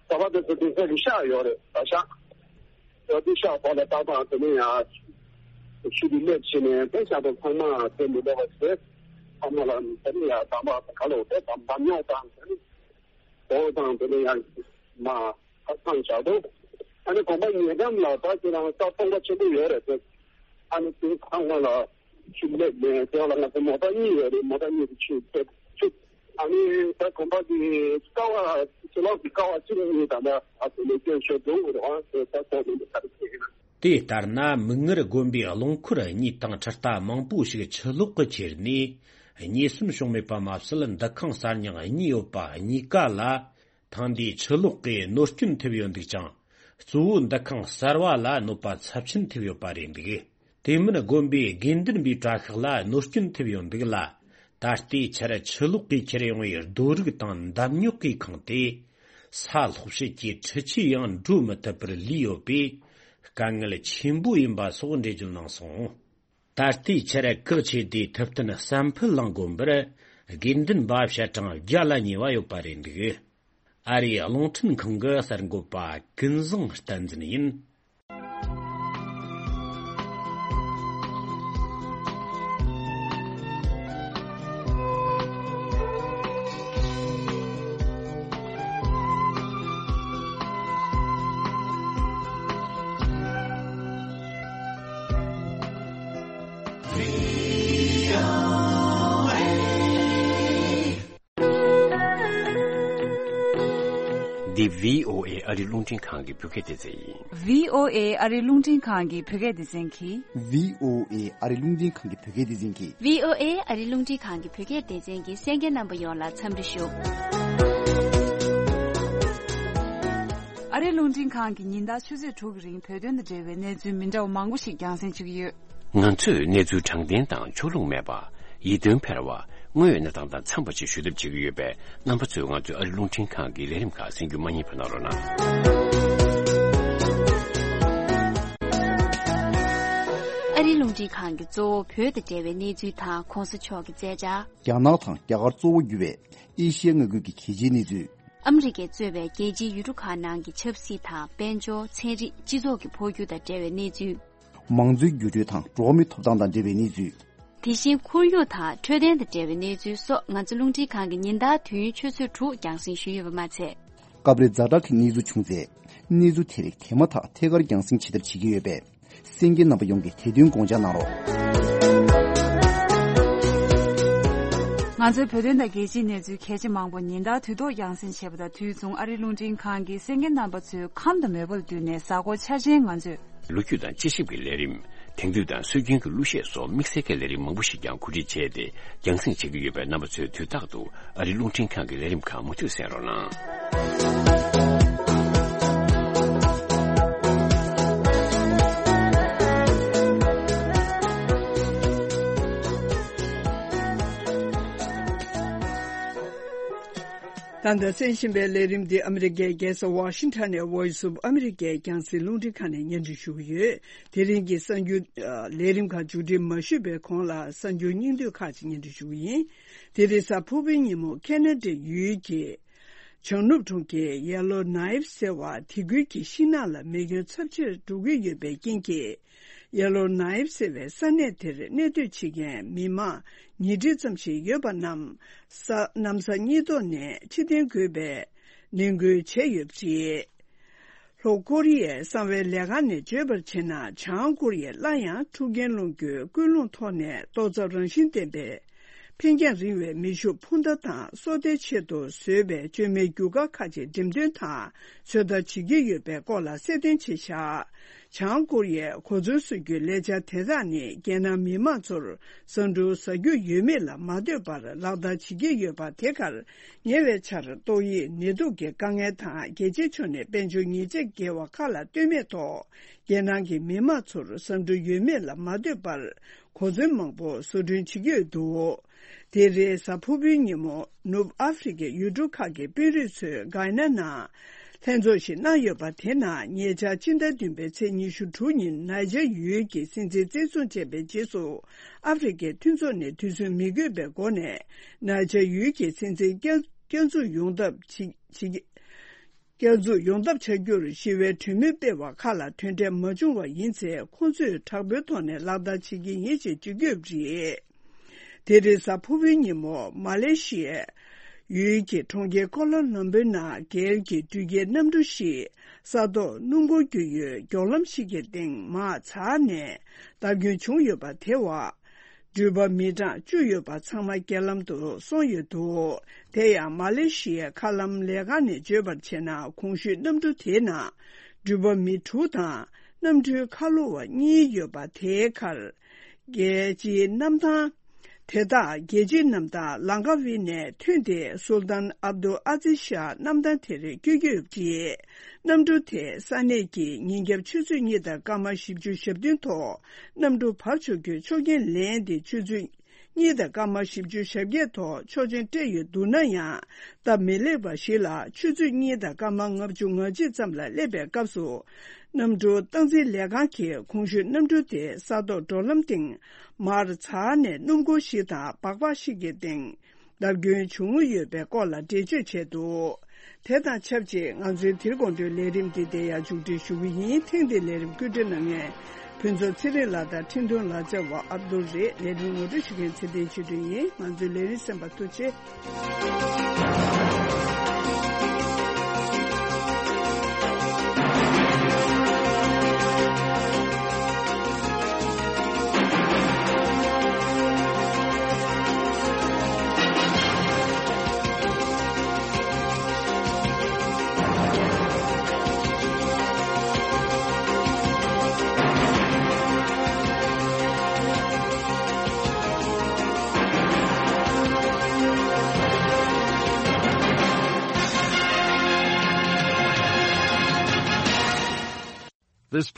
གསར་པ་དེ་ཚོ་དེ་ཚོ་གི་ཤག་ཡོད་རེད། ད་ཤག་ཡོད་དེ་ཤག་བར་ལ་ཏག་ཏག་དེ་ནས་ཡང་ཆུ་དེ་སླེབས་བྱས་ནས་དེ་ཤག་དང་ཚང་མ་དེ་མི་འདྲ་བ་བྱས། ཚང་མ་ལ་དེ་ནས་ཡང་དམ་པ་ག་ལོ་དེ་དམ་དམ་ཉོག་དང་དེ་ནས་དོ་དང་དེ་ནས་ཡང་མ། ཁ་སང་བཞག་འདུག་ཨ་ནི་དགོན་པ་ཉེ་འགྲམ་ལ་ད་ཁྱེད་རང་ས་སྟོང་པ་ཆེན་པོ་ཡོད་རེད་ཟེར། ཨ་ནི་དེ་ཚང་མ་ལ་ཆུ་སླེབས་ནས་དེ་ལ་ང་ཚོ་མོ་ཊ་གཉིས་ཡོད་རེད། མོ་ཊ་གཉིས་དེ་ཆུ་ཐེབས་ཆུ། ཨ་ནི་ད་དགོན་པ་གི་ཀ་བ་ཕྱི་ལོགས་ཀྱི་ཀ་བ་གཅིག་གཉིས་དང་འདྲ་ཨ་ཚོ་ལས་སྐྱོན་ཤོར་འདུག་རེད། ཨ་དེ་ད་ཐོག་ནས་ག་རེ་བྱེད་ཀྱི་ན། དེ་ལྟར་ན་མིག་སྔར་དགོན་པའི་རླངས་འཁོར་གཉིས་དང་འཕྲུལ་རྟ་མང་པོ་ཞིག་ཆུ་ལོག་གིས་ཁྱེར་ནས་ཉེན་ཟོན་བྱུང་མེད་པ་མ་ཟད། འདུ་ཁང་གསར་རྙིང་གཉིས་ཡོད་པ་གཉིས་ཀ་ལ། ཐེངས་འདིའི་ཆུ་ལོག་གིས་གནོད་སྐྱོན་ཐེབས་ཡོད་འདུག་ཅིང་། གཙོ་བོ་འདུ་ཁང་གསར་བ་ལ་གནོད་པ་ཚབས་ཆེན་ཐེབས་ཡོད་པ་རེད་འདུག་དེ་མིན་དགོན་པའི་དགེ་འདུན་པའི་གྲྭ་ཤག་ལ་གནོད་སྐྱོན་ཐེབས་ཡོད་འདུག་ལ། ད་ལྟའི་ཆར་ཆུ་ལོག་གིས་ཁྱེར་ཡོང་བའི་རྡོ་རིགས་དང་འདམ་རྙོག་གིས་ཁེངས་ཏེ། ས་སློག་བྱེད་ཀྱི་འཕྲུལ་ཆས་ཡང་འགྲོ་མི་ཐུབ་པར་ལུས་ཡོད་པས། དཀའ་ངལ་ཆེན་པོ་ཡིན་པ་སོགས་འགྲེལ་བརྗོད་གནང་སོང་། ད་ལྟའི་ཆར་གེགས་ཆེ་དེ་ཐུབ་བསྟན་བསམ་འཕེལ་གླིང་དགོན་པར་དགེ་འདུན་པ་བྱ་གྲངས་བརྒྱ་ལ་ཉེ་བ་ཡོད་པ་རེད་འདུག་ཨ་རིའི་རླུང་འཕྲིན་ཁང་གི་གསར་འགོད་པ་ཀུན་བཟང་བསྟན་འཛིན་ཡིན། འདི་བྷི་ཨོ་ཨེ་ཨ་རི་རླུང་འཕྲིན་ཁང་གི་བོད་སྐད་སྡེ་ཚན་ཡིན། བྷི་ཨོ་ཨེ་ཨ་རི་རླུང་འཕྲིན་ཁང་གི་བོད་སྐད་སྡེ་ཚན་གྱིས། བྷི་ཨོ་ཨེ་ཨ་རི་རླུང་འཕྲིན་ཁང་གི་བོད་སྐད་སྡེ་ཚན་གྱིས། བྷི་ཨོ་ཨེ་ཨ་རི་རླུང་འཕྲིན་ཁང་གི་བོད་སྐད་སྡེ་ཚན་གྱི་གསན་མཁན་རྣམ་པ་ཡོངས་ལ་འཚམས་འདྲི་ཞུ། ཨ་རི་རླུང་འཕྲིན་ཁང་གིས་ཉིན་ལྟར་ཆུ་ཚོད་དྲུག་གི་རིང་བོད་དོན་དང་འབྲེལ་བའི་གནས་ཚུལ་མི་འདྲ་བ་མང་པོ་ཞིག་རྒྱང་སྲིང་བྱེད་ཀྱི་ཡོད། ང་ཚོས་གནས་ཚུལ་དྲང་བདེན་དང་ཕྱོགས་ལྷུང་མེད་པ། ཡིད་རྟོན་འཕེར་བ། དངོས་ཡོད་གནས་སྟངས་དང་འཚམས་པ་ཞིག་ཞུ་ཐབས་བྱེད་ཀྱི་ཡོད་པས། རྣམ་པ་ཚོས་ང་ཚོའི་ཨ་རི་རླུང་འཕྲིན་ཁང་གི་ལས་རིམ་ཁག་གསན་རྒྱུ་མ་བསྙེལ་བ་གནང་རོགས་གནང་། ཨ་རི་རླུང་འཕྲིན་ཁང་གིས་གཙོ་བོ་བོད་དང་འབྲེལ་བའི་གནས་ཚུལ་དང་གོང་ས་མཆོག་གི་མཛད་འཆར། རྒྱ་ནག་དང་རྒྱ་གར་གཙོ་བོ་གྱུར་བའི་ཨེ་ཤི་ཡ་མངའ་ཁུལ་གྱི་གལ་ཆེའི་གནས་ཚུལ། ཨ་མི་རི་ཀས་གཙོས་པའི་རྒྱལ་སྤྱིའི་ཡུལ་གྲུ་ཁག་ནང་གི་ཆབ་སྲིད་དང་དཔལ་འབྱོར། ཚན་རིག་སྤྱི་ཚོགས་ཀྱི་འཕོ་འགྱུར་དང་འབྲེལ་བའི་གནས་ཚུལ། མང་གཙོའི་འགྱུར་འགྲོས་དང་འགྲོ་བ་མིའི་ཐོབ་ཐང་དང་འབྲེལ་བའི་གནས་ཚུལ། དེ་བཞིན་ཁོར་ཡུག་དང་འཕྲོད་བསྟེན་དང་འབྲེལ་བའི་གནས་ཚུལ་སོགས་ང་ཚོ་རླུང་འཕྲིན་ཁང་གིས་ཉིན་ལྟར་དུས་ཡུན་ཆུ་ཚོད་དྲུག་རྒྱང་སྲིང་ཞུས་ཡོད་པ་མ་ཚད། སྐབས་རེ་ཛ་དྲག་གི་གནས་ཚུལ་བྱུང་ཚེ། གནས་ཚུལ་དེ་རིགས་དེ་མ་ཐག་ཐད་ཀར་རྒྱང་སྲིང་བྱེད་ཐབས་བྱེད་ཀྱི་ཡོད་པས། གསན་མཁན་རྣམ་པ་ཡོངས་ཀྱིས་དེ་དོན་དགོངས་འཇགས་གནང་རོགས། ང་ཚོའི་བོད་དོན་དང་རྒྱལ་སྤྱིའི་གནས་ཚུལ་གལ་ཆེ་མང་པོ་ཉིན་ལྟར་དུས་ཐོག་རྒྱང་སྲིང་བྱེད་པ་དང་དུས་མཚུངས་ཨ་རིའི་རླུང་འཕྲིན་ཁང་གིས་གསན་མཁན་རྣམ་པ་ཚོའི་ཁམས་དང་མོས་པ་ལ་བསྟུན་ནས་གཟའ་འཁོར་འཆར་ཅན་ང་ཚོས། ལོ་རྒྱུས་དང་དཔྱད་ཞིབ་ཀྱི་ལས་རིམ། དེང་དུས་དང་སྲོལ་རྒྱུན་གྱི་གླུ་གཞས་སོགས་དམིགས་བསལ་གྱི་ལས་རིམ་མང་པོ་ཞིག་ཀྱང་གོ་སྒྲིག་བྱས་ཏེ་རྒྱང་སྲིང་བྱེད་ཀྱི་ཡོད་པས། རྣམ་པ་ཚོས་དུས་རྟག་ཏུ་ཨ་རིའི་རླུང་འཕྲིན་ཁང་གི་ལས་རིམ་ཁག་མུ་མཐུད་གསན་རོགས་གནང་། ད་ལྟ་གསན་བཞིན་པའི་ལས་རིམ་འདི་ཨ་མི་རི་ཀའི་རྒྱལ་ས་ཝ་ཤིང་ཊོན་ནས་Voice of America རྒྱང་སྲིང་རླུང་འཕྲིན་ཁང་ནས་སྙན་སྒྲོན་ཞུ་གི་ཡོད། དེ་རིང་གི་གསར་འགྱུར། ཨ། ལས་རིམ་ཁག་མཇུག་སྒྲིལ་མ་ཞུས་པའི་གོང་ལ་གསར་འགྱུར་སྙིང་བསྡུས་ཁག་ཅིག་སྙན་སྒྲོན་ཞུ་གི་ཡིན། དེ་རིང་གཟའ་ཕུར་བུའི་ཉིན་མོ་ཁེ་ན་ཌའི་ཡུལ་གྱི་བྱང་ནུབ་གྲོང་ཁྱེར་ཡེ་ལོ་ནའིབ་ཟེར་བ་དེ་ཁུལ་གྱི་ཤིང་ནགས་ལ་མེ་སྐྱོན་ཚབས་ཆེར་འགྲོ་གི་ཡོད་པའི་རྐྱེན་གྱིས། ཡེ་ལོ་ནའིབ་ཟེར་བའི་ས་གནས་དེར་གནས་སྡོད་བྱེད་མཁན་མི་མང་ཉིས་ཁྲི་ཙམ་ཞིག་ཡོད་པ་རྣམས་ས་གནམ་ས་གཉིས་ཐོག་ནས་ཕྱིར་འཐེན་དགོས་པའི་ནན་སྐུལ་བྱས་ཡོད་པ་རེད། ལྷོ་ཀོ་རི་ཡའི་གསང་བའི་ལས་ཁང་ནས་བརྗོད་པར་བྱས་ན། བྱང་ཀོ་རི་ཡས་སླར་ཡང་འཁྲུག་རྐྱེན་སློང་རྒྱུའི་ཀུན་སློང་ཐོག་ནས་ཏོག་ཙམ་རང་བཞིན་ལྡན་པའི་འཕེན་རྒྱང་རིང་བའི་མེ་ཤུགས་འཕུར་མདའ་དང་སོ་ལྟའི་ཆེད་དུ་བཟོས་པའི་བཅོས་མའི་རྒྱུ་སྐར་ཁག་ཅིག་འགྲེམས་སྟོན་དང་ཚོད་ལྟ་བྱེད་ཀྱི་ཡོད་པའི་སྐོར་ལ་གསལ་སྟོན་བྱས་བཞག་བྱང་ཀོ་རི་ཡས་གོ་མཚོན་བཟོ་རྒྱུའི་ལས་འཆར་དེ་དག་ནི་རྒྱལ་ནང་མི་མང་ཚོར་ཟ་འབྲུ་ཟ་རྒྱུ་ཡོད་མེད་ལ་མ་ལྟོས་པར་ལག་བསྟར་བྱེད་ཀྱི་ཡོད་པ་དེ་གར་ཉེ་བའི་ཆར་ཏོག་དབྱིབས་ནད་དུག་གི་དཀའ་ངལ་དང་རྒྱལ་སྤྱིའི་ཕྱོགས་ནས་དཔལ་འབྱོར་ཉེས་ཆད་འགེལ་བ་ཁག་ལ་ལྟོས་མེད་ཐོག་རྒྱལ་ནང་གི་མི་མང་ཚོར་ཟ་འབྲུ་ཡོད་མེད་ལ་མ་ལྟོས་པར་གོ་མཚོན་མང་པོ་བཟོ་སྐྲུན་བྱེད་ཀྱི་ཡོད་འདུག་དེ་རིང་གཟའ་ཕུར་བུའི་ཉིན་མོ་ནུབ་ཨ་ཧྥེ་རི་ཁའི་ཡུལ་གྲུ་ཁག་གི་དཔོན་རིགས་ཚོས་གྷ་ན་ནང་ལྷན་ཚོགས་ཤིག་གནང་ཡོད་པ་དེ་ནང་ཉེ་ཆར་སྤྱི་ཟླ་བདུན་པའི་ཚེས་ཉི་ཤུ་དྲུག་ཉིན་ནཱི་ཇར་ཡུལ་གྱི་སྲིད་འཛིན་བཙན་བཟུང་བྱས་པའི་རྗེས་སུ་ཨ་ཧྥེ་རི་ཁའི་མཐུན་ཚོགས་ནས་དུས་ཚོད་མི་དགོས་པའི་སྒོ་ནས་ནཱི་ཇར་ཡུལ་གྱི་སྲིད་འཛིན་བསྐྱར་བསྐྱར་འཛུགས་ཡོང་ཐབས་བྱེད་བྱེད། བསྐྱར་འཛུགས་ཡོང་ཐབས་བྱ་རྒྱུར་ཞི་བའི་གྲོས་མོལ་སྤེལ་བ་ཁག་ལ་དོན་འབྲས་མ་བྱུང་བ་ཡིན་ཚེ། ཁོང་ཚོས་དྲག་པོའི་ཐོག་ནས་ལག་བསྟར་བྱེད་ཀྱི་ཡིན་ཞེས་བརྗོད་ཀྱི་ཡོད་པ་རེད། དེ་རིང་གཟའ་ཕུར་བུའི་ཉིན་མོ་མ་ལེ་ཤི་ཡའི་ཡུལ་གྱི་གྲོང་ཁྱེར་ཀོ་ལ་ལམ་པུར་ནང་སྒེར་གྱི་འགྲུལ་སྐྱེལ་གནམ་གྲུ་ཞིག་ས་ཐོག་སྣུམ་འཁོར་རྒྱུག་ཡུལ་མགྱོགས་ལམ་ཞིག་གི་སྟེང་མར་འཛེགས་ནས་བརྡབ་སྐྱོན་བྱུང་ཡོད་པ་དེ་བ། འགྲུལ་པ་མི་གྲངས་བཅུ་ཡོད་པ་ཚང་མ་རྐྱེན་ལམ་དུ་སོང་ཡོད་འདུག་དེ་ཡང་མ་ལེ་ཤི་ཡའི་མཁའ་ལམ་ལས་ཁང་ནས་བརྗོད་པར་བྱས་ན། གོང་ཞུས་གནམ་གྲུ་དེའི་ནང་འགྲུལ་པ་མི་དྲུག་དང་གནམ་གྲུའི་ཁ་ལོ་བ་གཉིས་ཡོད་པ་དེའི་ཁར། རྒྱལ་སྤྱིའི་གནམ་ཐང་། དེ་དག་རྒྱལ་སྤྱིའི་གནམ་ཐང་ལང་ཀ་ཝི་ནས་ཐོན་ཏེ་སུལ་ཏཱན་ཨབ་དུལ་ཨ་ཛིཛ་ཤཱ་གནམ་ཐང་དེར་བསྐྱོད་ཀྱི་ཡོད་པ་རེད། གནམ་གྲུ་དེས་ས་གནས་ཀྱི་ཉིན་རྒྱབ་ཆུ་ཚོད་གཉིས་དང་སྐར་མ་བཞི་བཅུ་ཞེ་བདུན་ཐོག་གནམ་གྲུ་བབས་ཆོག་རྒྱུའི་ཆོག་མཆན་ལེན་ཏེ། ཆུ་ཚོད་གཉིས་དང་སྐར་མ་བཞི་བཅུ་ཞེ་བརྒྱད་ཐོག་ཆོག་མཆན་སྤྲད་ཡོད་འདུག་ན་ཡང་། སྟབས་མི་ལེགས་པ་ཞིག་ལ། ཆུ་ཚོད་གཉིས་དང་སྐར་མ་ལྔ་བཅུ་ང་གཅིག་ཙམ་ལ་སླེབས་པའི་སྐབས་སུ། གནམ་གྲུ་སྟངས་འཛིན་ལས་ཁང་གིས་གོང་ཞུས་གནམ་གྲུ་དེ་ས་ཐོག་འགྲོ་ལམ་སྟེང་མར་འཛེགས་ནས། སྣུམ་འཁོར་ཞིག་དང་སྦག་སྦག་ཞིག་གི་སྟེང་བརྡབ་སྐྱོན་བྱུང་ཡོད་པའི་སྐོར་ལ་འགྲེལ་བརྗོད་བྱས་འདུག་དེ་དང་ཆབས་ཅིག་ང་ཚོའི་དེ་རིང་དགོང་དྲོའི་ལས་རིམ་འདི་འདིར་ཡང་མཇུག་སྒྲིལ་ཞུ་གི་ཡིན། ཐེངས་འདིའི་ལས་རིམ་བཀོད་སྒྲིག་གནང་མཁན་ཕུན་ཚོགས་ཚེ་རིང་ལགས་དང་འཕྲིན་གཏོང་ལག་རྩལ་བ་ཨབ་དུལ་རེད། ལས་རིམ་ངོ་སྤྲོད་ཞུ་མཁན་ཚེ་བརྟན་ཆོས་སྒྲོན་ཡིན། ང་ཚོའི་ལས་རིམ་གསན་པར་ཐུགས་རྗེ་ཆེ། This